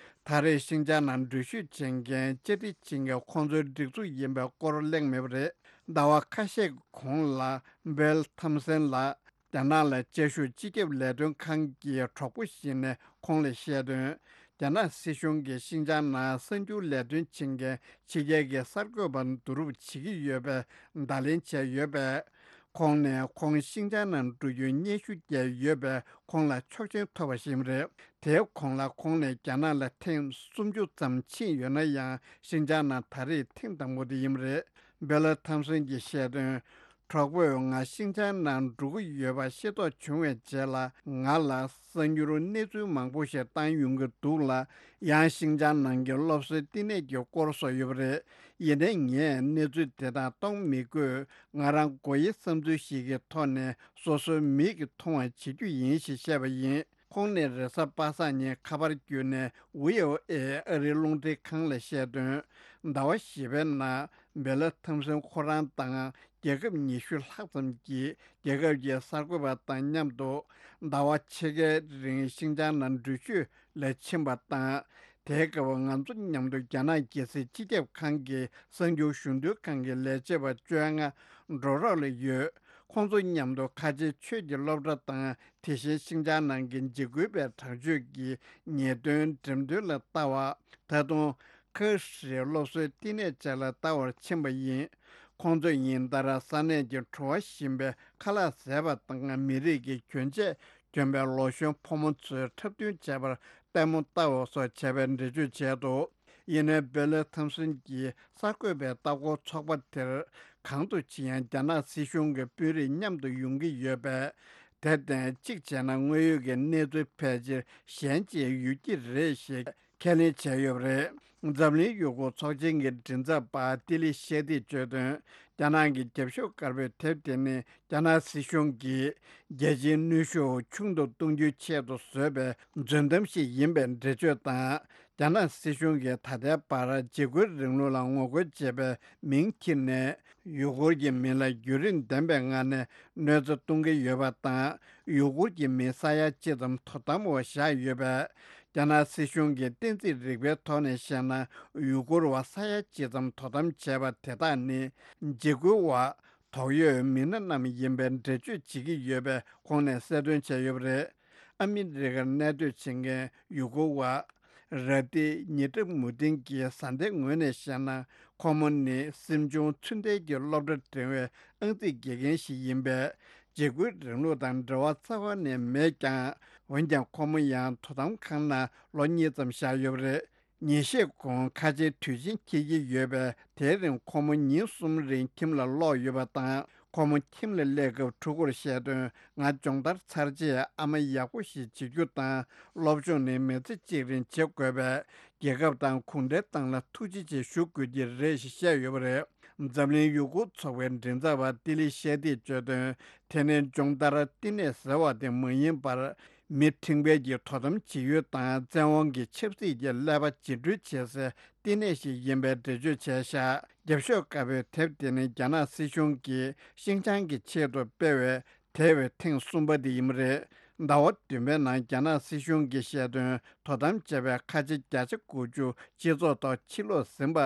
ད་རེས་ཤིན་ཅང་ནང་འགྲུལ་བཞུད་བྱེད་མཁན་བཅར་འདྲི་བྱེད་མཁན་ཁོང་ཚོའི་སྒྲིག་འཛུགས་ཡིན་པའི་སྐོར་གླེང་མེད་པ་རེད། ཟླ་བ་ཁ་ཤས་གོང་ལ་སྦེ་ལོ་ཐམ་སན་ལགས་རྒྱ་ནག་ལ་བཅའ་བཞུགས་སྤྱི་ཁྱབ་ལས་དོན་ཁང་གི་གྲོགས་པོ་ཞིག་ནས་ཁོང་ལ་བཤད་དོན། རྒྱ་ནག་སྲིད་གཞུང་གིས་ཤིན་ཅང་ནང་གསར་འགྱུར་ལས་དོན་བྱེད་མཁན་ཕྱི་རྒྱལ་གྱི་གསར་འགོད་པ་བསྡུ་རུབ་བྱེད་ཀྱི་ཡོད་པའི་བརྡ་ལན་བྱས་ཡོད་པས། ཁོང་ནས་ཁོང་ཤིན་ཅང་ནང་འགྲོ་རྒྱུའི་སྙན་ཞུ་བསྐྱལ་ཡོད་པས། ཁོང་ལ་ཆོག་མཆན་ཐོབ་པ་ཞིག་རེད། དེའི་གོང་ལ་ཁོང་ནས་རྒྱ་ནག་ལ་ཐེངས་སུམ་ཅུ་ཙམ་ཕྱིན་ཡོད་ན་ཡང་། ཤིན་ཅང་ནང་ད་རེས་ཐེངས་དང་པོ་དེ་ཡིན་པ་རེད། སྦེ་ལ་ཐམ་སན་གྱིས་བཤད་དོན། གྲོགས་པོས་ང་ཤིན་ཅང་ནང་འགྲོ་གི་ཡོད་པ་ཤེས་རྟོགས་བྱུང་བའི་རྗེས་ལ། ང་ལ་གསར་འགྱུར་གནས་ཚུལ་མང་པོ་ཞིག་བཏང་ཡོང་གི་འདུག་ལ། ཡང་ཤིན་ཅང་ནང་གི་སློབ་གསོའི་བསྟི་གནས་ཀྱི་སྐོར་སོགས་ཡོད་པ་རེད། ཡིན་ནའི་ངས་གནས་ཚུལ་དེ་དག་གཏོང་མི་དགོས། ང་རང་མགོ་ཡི་བསམ་ཚུལ་ཞིག་གི་ཐོག་ནས་སོ་སོའི་མིག་གིས་མཐོང་བ་བྱེད་རྒྱུ་ཡིན་ཞེས་བཤད་པ་ཡིན། ཁོང་ནས་རེས་གཟའ་པ་སངས་ཉིན་ཁ་པར་བརྒྱུད་ནས་ཝི་ཨོ་ཨེ་ཨ་རིའི་རླུང་འཕྲིན་ཁང་ལ་བཤད་དོན། ཟླ་བ་བཞི་པའི་ནང་སྦེ་ལ་ཐམ་སན་ཁོ་རང་དང་རྒྱལ་ཁབ་ཉི་ཤུ་ལྷག་ཙམ་གྱིས་རྒྱལ་ཁབ་ཀྱི་གསར་འགོད་པ་དང་མཉམ་དུ་ཟླ་བ་ཕྱེད་ཀའི་རིང་ཤིན་ཅང་ནང་འགྲུལ་བཞུད་ལ་ཕྱིན་པ་དང་། དེའི་སྐབས་ང་ཚོ་མཉམ་དུ་རྒྱ་ནག་རྒྱལ་སྲིད་སྤྱི་ཁྱབ་ཁང་གི་གསར་འགྱུར་གཞུང་དོན་ཁང་གི་ལས་བྱེད་པ་བཅོ་ལྔ་འགྲོ་རོགས་ལ་ཡོད། ཁོང་ཚོ་མཉམ་དུ་ཁ་ཆེའི་ཆོས་ཀྱི་སློབ་གྲྭ་དང་། དེ་བཞིན་ཤིང་ཅང་ནང་གི་འཇིགས་སྐུལ་བའི་དྲག་སྤྱོད་ཀྱི་ཉེས་དོན་འགྲེམས་སྟོན་ལ་ལྟ་བ། ད་དུང་ཁ་ཧྲིའི་སློབ་གསོའི་བསྟི་གནས་བཅས་ལ་ལྟ་བར་ཕྱིན་པ་ཡིན། ཁོང་ཚོ་ཉིན་ལྟར་ས་གནས་ཀྱི་བྲོ་བ་ཞིམ་པའི་ཁ་ལག་བཟས་པ་དང་། མི་རིགས་ཀྱི་གྱོན་ཆས་གྱོན་པའི་ལོ་གཞོན་ཕོ་མོ་ཚོའི་འཁྲབ་སྟོན་བྱས་པར་ལྟད་མོ་ལྟ་བ་སོགས་བྱས་པའི་འགྲེལ་བརྗོད་བྱས་འདུག་ཡིན་ནའི་སྦེ་ལེ་ཐམ་སོན་གྱིས་གསར་འགོད་པའི་ལྟ་སྐོར་ཚོགས་པ་དེར། གང་དུ་ཕྱིན་ཡང་རྒྱ་ནག་སྲིད་གཞུང་གི་དཔོན་རིགས་མཉམ་དུ་ཡོང་གི་ཡོད་པས། དེར་བརྟེན་གཅིག་བྱས་ན་དངོས་ཡོད་ཀྱི་གནས་ཚུལ་ཕལ་ཆེར་གཞན་གཅིག་ཡོད་ཀྱི་རེད་ཞེས་ཁས་ལེན་བྱས་ཡོད་པ་རེད། འཛམ་གླིང་ཡུ་གུར་ཚོགས་ཆེན་གྱི་མགྲིན་ཚབ་པ་ཏི་ལི་ཤེ་ཏིས་བརྗོད་དོན། རྒྱ་ནག་གི་རྒྱབ་ཤོག་དཀར་པོའི་དེབ་དེ་ནི་རྒྱ་ནག་སྲིད་གཞུང་གིས་རྒྱལ་སྤྱིའི་གནོན་ཤུགས་ཆུང་དུ་གཏོང་རྒྱུའི་ཆེད་དུ་བཟོས་པའི་རྫུན་གཏམ་ཞིག་ཡིན་པའི་འགྲེལ་བརྗོད་དང་། རྒྱ་ནག་སྲིད་གཞུང་གིས་ད་ལྟའི་བར་འཇིགས་སྐུལ་རིང་ལུགས་ལ་ངོ་རྒོལ་བྱེད་པའི་མིང་འཁྱེར་ནས། ཡུ་གུར་གྱི་མི་ལ་བརྒྱུད་རིམ་ལྡན་པའི་ངང་ནས་གནོད་འཚེ་གཏོང་གི་ཡོད་པ་དང་། ཡུ་གུར་གྱི་མི་ས་ཡ་གཅིག་ཙམ་དོ་དམ་འོག་བཞག་ཡོད་པས། རྒྱ་ནག་སྲིད་གཞུང་གིས་གཏན་ཚིགས་རིག་པའི་ཐོག་ནས་བཤད་ན། ཡུ་གུར་བ་ས་ཡ་གཅིག་ཙམ་དོ་དམ་བྱས་པ་དེ་དག་ནི། འཇིགས་སྐུལ་བ། དོགས་ཡོད་མི་སྣ་རྣམས་ཡིན་པའི་འགྲེལ་བརྗོད་བྱེད་ཀྱི་ཡོད་པའི་ཁོང་ནས་གསལ་སྟོན་བྱས་ཡོད་པ་རེད། ཨ་མི་རི་ཀར་གནས་སྡོད་བྱེད་མཁན་ཡུ་གུར་བ། ར་ཏི་ཉི་ཏྲ་མུ་ཏིན་གྱིས་བཟའ་ཟླའི་ངོས་ནས་བཤད་ན། ཁོ་མོ་ནི་སེམས་ཆུང་ཚུལ་ལྡན་གྱི་སློབ་གྲྭ་འགྲིམ་པའི་ཨང་རྩིས་དགེ་རྒན་ཞིག་ཡིན་པས། འཇིགས་སྐུལ་རིང་ལུགས་དང་འབྲེལ་བ་རྩ་བ་ནས་མེད་ཀྱང་། འོན་ཀྱང་ཁོ་མོ་ཡང་དོ་དམ་ཁང་ནང་ལོ་གཉིས་ཙམ་བཞག་ཡོད་པ་རེད། ཉིན་ཤས་གོང་ཁ་ཆེའི་དུས་ཆེན་འཁེལ་གྱི་ཡོད་པས། དེའི་རིང་ཁོ་མོ་ཉིན་གསུམ་རིང་ཁྱིམ་ལ་ལོག་ཡོད་པ་དང་། ཁོ་མོ་ཁྱིམ་ལ་སླེབས་སྐབས་ཕྲུ་གུར་བཤད་དོན། ང་སྦྱོང་བརྡར་ཚར་རྗེས་ཨ་མ་ཡག་པོ་ཞིག་བྱེད་རྒྱུ་དང་། སློབ་སྦྱོང་ནི་མི་ཚེ་གཅིག་རིང་བྱེད་དགོས་པས། རྒྱལ་ཁབ་དང་གུང་ཁྲན་ཏང་ལ་ཐུགས་རྗེ་ཆེ་ཞུ་དགོས་ཀྱི་རེད་ཞེས་བཤད་ཡོད་པ་རེད། འཛམ་གླིང་ཡུ་གུར་ཚོགས་པའི་མགྲིན་ཚབ་པ་ཏི་ལི་ཤེ་ཏིས་བརྗོད་དོན། དེ་ནི་སྦྱོང་བརྡར་བསྟི་གནས་ཟེར་བ་དེ་མ་ཡིན་པར། མི་ཁྲིམས་འགལ་གྱི་དོ་དམ་བྱེད་ཡུལ་དང་བཙན་དབང་གི་ཆབ་སྲིད་ཀྱི་ཀླད་པ་བརྒྱུད་སྤྲོད་བྱེད་སའི་བསྟི་གནས་ཤིག་ཡིན་པའི་འགྲེལ་བརྗོད་བྱས་ཤག་རྒྱབ་ཤོག་དཀར་པོའི་དེབ་དེ་ནི་རྒྱ་ནག་སྲིད་གཞུང་གིས་ཤིན་ཅང་གི་ཆེད་དུ་སྤེལ་བའི་དེ་བས་ཐེངས་གསུམ་པ་དེ་ཡིན་པ་རེད། ཟླ་བ་བདུན་པའི་ནང་རྒྱ་ནག་སྲིད་གཞུང་གིས་བཤད་དོན། དོ་དམ་བྱས་པའི་ཁ་ཆེ་བརྒྱ་ཆ་དགུ་བཅུ་སྤྱི་ཚོགས་ཐོག་ཕྱིར་ལོག་ཟིན་པ་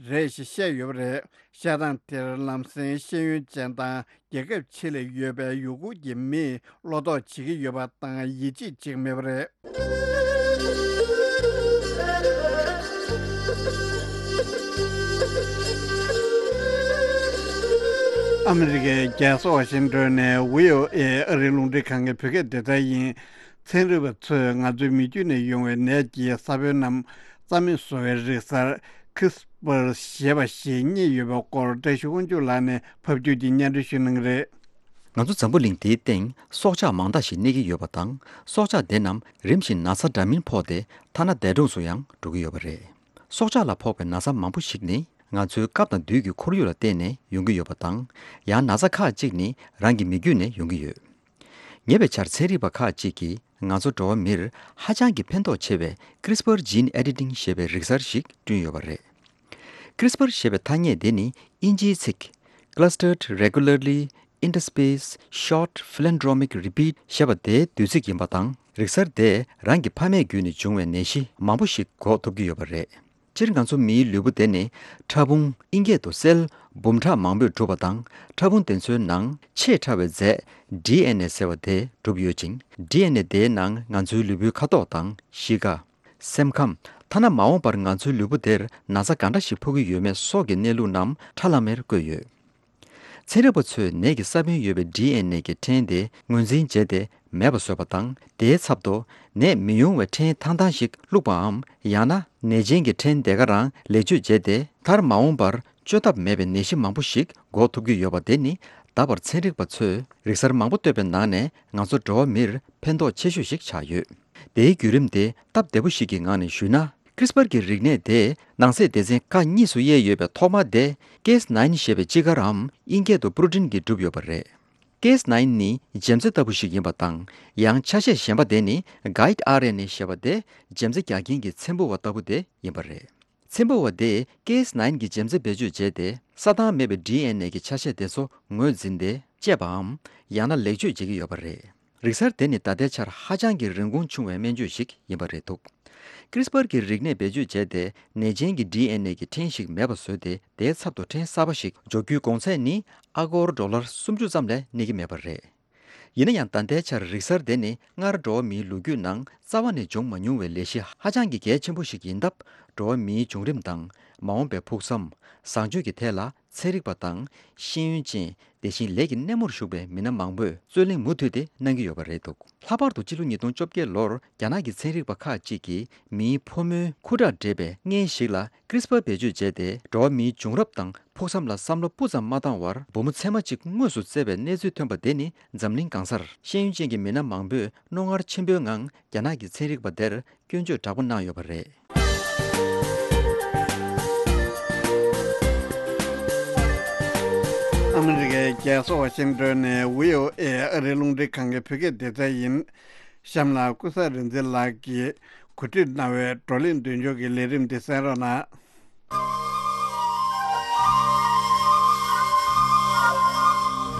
རེད་ཞེས་བཤད་ཡོད་པ་རེད། བཤད་སྟངས་དེར་ལམ་སེང་ཤེས་ཡོན་ཅན་དང་རྒྱལ་ཁབ་ཕྱི་ལ་ཡོད་པའི་ཡུ་གུར་གྱི་མིས་བློ་དོགས་བྱེད་ཀྱི་ཡོད་པ་དང་ཡིད་ཆེས་བྱེད་ཀྱི་མེད་པ་རེད། ཨ་མི་རི་ཀའི་རྒྱལ་ས་ཝ་ཤིང་ཏོན་ནས་བྷི་ཨོ་ཨེ་ཨ་རིའི་རླུང་འཕྲིན་ཁང་གི་བོད་སྐད་སྡེ་ཚན་ཡིན། ཚན་རིག་པ་ཚོས་ང་ཚོའི་མི་རྒྱུད་ནས་ཡོང་བའི་ནད་ཀྱི་ས་བོན་རྣམས་རྩ་མེད་བཟོ་བའི་རིག་གསར་ཁི་སི་པར་ཞེས་པ་ཞིག་རྙེད་ཡོད་པའི་སྐོར་བཀྲ་ཤིས་དབང་ཕྱུག་ལགས་ནས་ཕབ་སྒྱུར་གྱིས་སྙན་སྒྲོན་ཞུ་གནང་གི་རེད། ང་ཚོ་འཛམ་བུ་གླིང་འདིའི་སྟེང་སྲོག་ཆགས་མང་དག་ཞིག་གནས་ཀྱི་ཡོད་པ་དང་། སྲོག་ཆགས་དེ་རྣམས་རིམ་བཞིན་ན་ཚ་འདྲ་མིན་ཕོག་སྟེ་ཐ་ན་འདས་གྲོངས་སུ་ཡང་འགྲོ་གི་ཡོད་པ་རེད། སྲོག་ཆགས་ལ་ཕོག་པའི་ན་ཚ་མང་པོ་ཞིག་ནི་ང་ཚོའི་སྐབས་དང་དུས་ཀྱི་ཁོར་ཡུག་ལ་བརྟེན་ནས་ཡོང་གི་ཡོད་པ་དང་། ཡང་ན་ཚ་ཁག་ཅིག་ནི་རང་གི་མི་རྒྱུད་ནས་ཡོང་གི་ཡོད། ཉེ་བའི་ཆར་ཚན་རིག་པ་ཁག་ཅིག་གིས་ང་ཚོ་འགྲོ་བ་མིར་ཧ་ཅང་གི་ཕན་ཐོགས་ཆེ་བའི་CRISPR gene editing ཞེས་པའི་རིག་གསར་ཞིག་བསྐྲུན་ཡོད་པ་རེད། CRISPR ཞེས་པའི་ཐ་སྙད་དེ་ནི་དབྱིན་ཇིའི་ཚིག clustered regularly interspaced short palindromic repeat ཞེས་པ་དེའི་བསྡུས་ཚིག་ཡིན་པ་དང་། རིག་གསར་དེས་རང་གི་ཕ་མེས་བརྒྱུད་ནས་བྱུང་བའི་ནད་གཞི་མང་པོ་ཞིག་འགོག་ཐུབ་ཀྱི་ཡོད་པ་རེད། སྤྱིར་ང་ཚོ་མིའི་ལུས་པོ་དེ་ནི་ཕྲ་ཕུང་ཨིན་སྐད་དུ་སེལ་འབུམ་ཕྲག་མང་པོས་གྲུབ་པ་དང་། ཕྲ་ཕུང་དེ་ཚོའི་ནང་ཆེས་ཕྲ་བའི་རྫས་ཌི་ཨེན་ཨེ་ཟེར་བ་དེ་གྲུབ་ཡོད་ཅིང་། ཌི་ཨེན་ཨེ་དེའི་ནང་ང་ཚོའི་ལུས་པོའི་ཁ་དོག་དང་གཤིས་ཀ། སེམས་ཁམས། ཐ་ན་མ་འོངས་པར་ང་ཚོའི་ལུས་པོ་དེར་ན་ཚ་ག་འདྲ་ཞིག་ཕོག་གི་ཡོད་མེད་སོགས་ཀྱི་གནས་ལུགས་རྣམས་ཁྲ་ལམ་མེར་བཀོད་ཡོད། ཚན་རིག་པ་ཚོས་ནད་ཀྱི་ས་བོན་ཡོད་པའི་ཌི་ཨེན་ཨེ་གི་ཕྲེང་དེ་ངོས་འཛིན་བྱས་ཏེ་མེད་པ་བཟོས་པ་དང་། དེའི་ཚབ་ཏུ་ནད་མི་ཡོང་བའི་ཕྲེང་ཐང་ཐང་ཞིག་བླུགས་པའམ། ཡང་ན་ནད་ཅན་གྱི་ཕྲེང་དེ་ག་རང་ལེགས་བཅོས་བྱས་ཏེ། མཐར་མ་འོངས་པར་བཅོས་ཐབས་མེད་པའི་ནད་གཞི་མང་པོ་ཞིག་འགོག་ཐུབ་ཀྱི་ཡོད་པ་དེ་ནི། ད་བར་ཚན་རིག་པ་ཚོས་རིག་གསར་མང་པོ་བཏོད་པའི་ནང་ནས་ང་ཚོ་འགྲོ་བ་མིར་ཕན་ཐོགས་ཆེ་ཤོས་ཤིག་ཆགས་ཡོད། དེའི་བརྒྱུད་རིམ་དེ་སྟབས་བདེ་པོ་ཞིག་གི་ངང་ནས་ཞུས་ན། CRISPR གྱི་རིག་གནས་དེས་ནང་གསེས་སྡེ་ཚན་ཁག་གཉིས་སུ་དབྱེ་ཡོད་པའི་ཐོག་མ་དེ་Cas nine ཞེས་པའི་སྤྱི་སྐར་རམ་ཨིན་སྐད་དུ་པྲོ་ཊིན་གྱིས་གྲུབ་ཡོད་པ་རེད། Cas nine ནི་འཇེམ་རྩྭ་ལྟ་བུ་ཞིག་ཡིན་པ་དང་། ཡང་ཆ་ཤས་གཞན་པ་དེ་ནི་Guide ཨར་ཨེན་ཨེ་ཞེས་པ་དེ་འཇེམ་རྩྭ་རྒྱག་མཁན་གྱི་ཚེམ་བུ་བ་ལྟ་བུ་དེ་ཡིན་པ་རེད། ཚེམ་བུ་བ་དེས་Cas nine གྱི་འཇེམ་རྩྭ་བེད་སྤྱོད་བྱས་ཏེ། ས་དང་མེད་པའི་ཌི་ཨེན་ཨེ་གི་ཆ་ཤས་དེ་ཚོ་ངོས་འཛིན་ཏེ་དཔྱད་པའམ། ཡང་ན་ལེགས་བཅོས་བྱེད་ཀྱི་ཡོད་པ་རེད། རིག་གསར་དེ་ནི་ད་ལྟའི་ཆར་ཧ་ཅང་གི་རིན་གོང་ཆུང་བའི་སྨན་བཅོས་ཤིག་ཡིན་པ་རེད་འདུག CRISPR གྱི་རིག་གནས་བེད་སྤྱོད་བྱས་ཏེ། ནད་ཅན་གྱི་ཌི་ཨེན་ཨེ་གི་ཕྲེང་ཞིག་མེད་པ་བཟོས་ཏེ། དེའི་ཚབ་ཏུ་ཕྲེང་གསར་པ་ཞིག་འཇོག་རྒྱུའི་གོང་ཚད་ནི་ཨ་སྒོར་ཌོ་ལར་སུམ་ཅུ་ཙམ་ལས་གནས་ཀྱི་མེད་པ་རེད། ཡིན་ན་ཡང་། ད་ལྟའི་ཆར་རིག་གསར་དེ་ནི་སྔར་འགྲོ་བ་མིའི་ལོ་རྒྱུས་ནང་རྩ་བ་ནས་བྱུང་མ་མྱོང་བའི་ལས་གཞི་ཧ་ཅང་གི་གལ་ཆེན་པོ་ཞིག་ཡིན་སྟབས། འགྲོ་བ་མིའི་བྱུང་རིམ་དང་། མ་འོངས་པའི་ཕུགས་བསམ། བཟང་སྤྱོད་ཀྱི་ཐད་ལ་ཚན་རིག་པ་དང་ཤེས་ཡོན་ཅན། དེ་བཞིན་ལས་ཀྱི་སྣེ་མོར་ཞུགས་པའི་མི་སྣ་མང་པོས་རྩོད་གླེང་མུ་མཐུད་དེ་གནང་གི་ཡོད་པ་རེད་འདུག་ལྷག་པར་དུ་ཕྱི་ལོ་ཉིས་སྟོང་བཅོ་བརྒྱད་ལོར་རྒྱ་ནག་གི་ཚན་རིག་པ་ཁག་ཅིག་གིས་མིའི་ཕོ་མོའི་ཁུ་ཁྲག་འདྲེས་པའི་མངལ་ཞིག་ལ་ཀྲིས་པར་བེད་སྤྱོད་བྱས་ཏེ། འགྲོ་བ་མིའི་བྱུང་རབས་དང་ཕུགས་བསམ་ལ་བསམ་བློ་སྤུ་ཙམ་མ་བཏང་བར། བུ་མོ་མཚེ་མ་གཅིག་དངོས་སུ་བཙས་པའི་གནས་ཚུལ་ཐོན་པ་དེ་ནི། འཛམ་གླིང་གང་སར་ཤེས་ཡོན་ཅན་གྱི་མི་སྣ་མང་པོས་རྣོ་ངར་ཆེན་པོའི་ངང་རྒྱ་ནག་གི་ཚན་རིག་པ་དེར་སྐྱོན་བརྗོད་དྲག་པོ་གནང་ཡོད་པ་རེད། ཨ་མི་རི་ཀའི་རྒྱལ་ས་ཝ་ཤིང་ཏོན་ནས་བྷི་ཨོ་ཨེ་ཨ་རིའི་རླུང་འཕྲིན་ཁང་གི་བོད་སྐད་སྡེ་ཚན་ཡིན། གཤམ་ལ་ཀུན་བཟང་རིག་འཛིན་ལགས་ཀྱིས་གོ་སྒྲིག་གནང་བའི་བགྲོ་གླེང་མདུན་ལྕོག་གི་ལས་རིམ་འདི་གསན་རོགས་གནང་།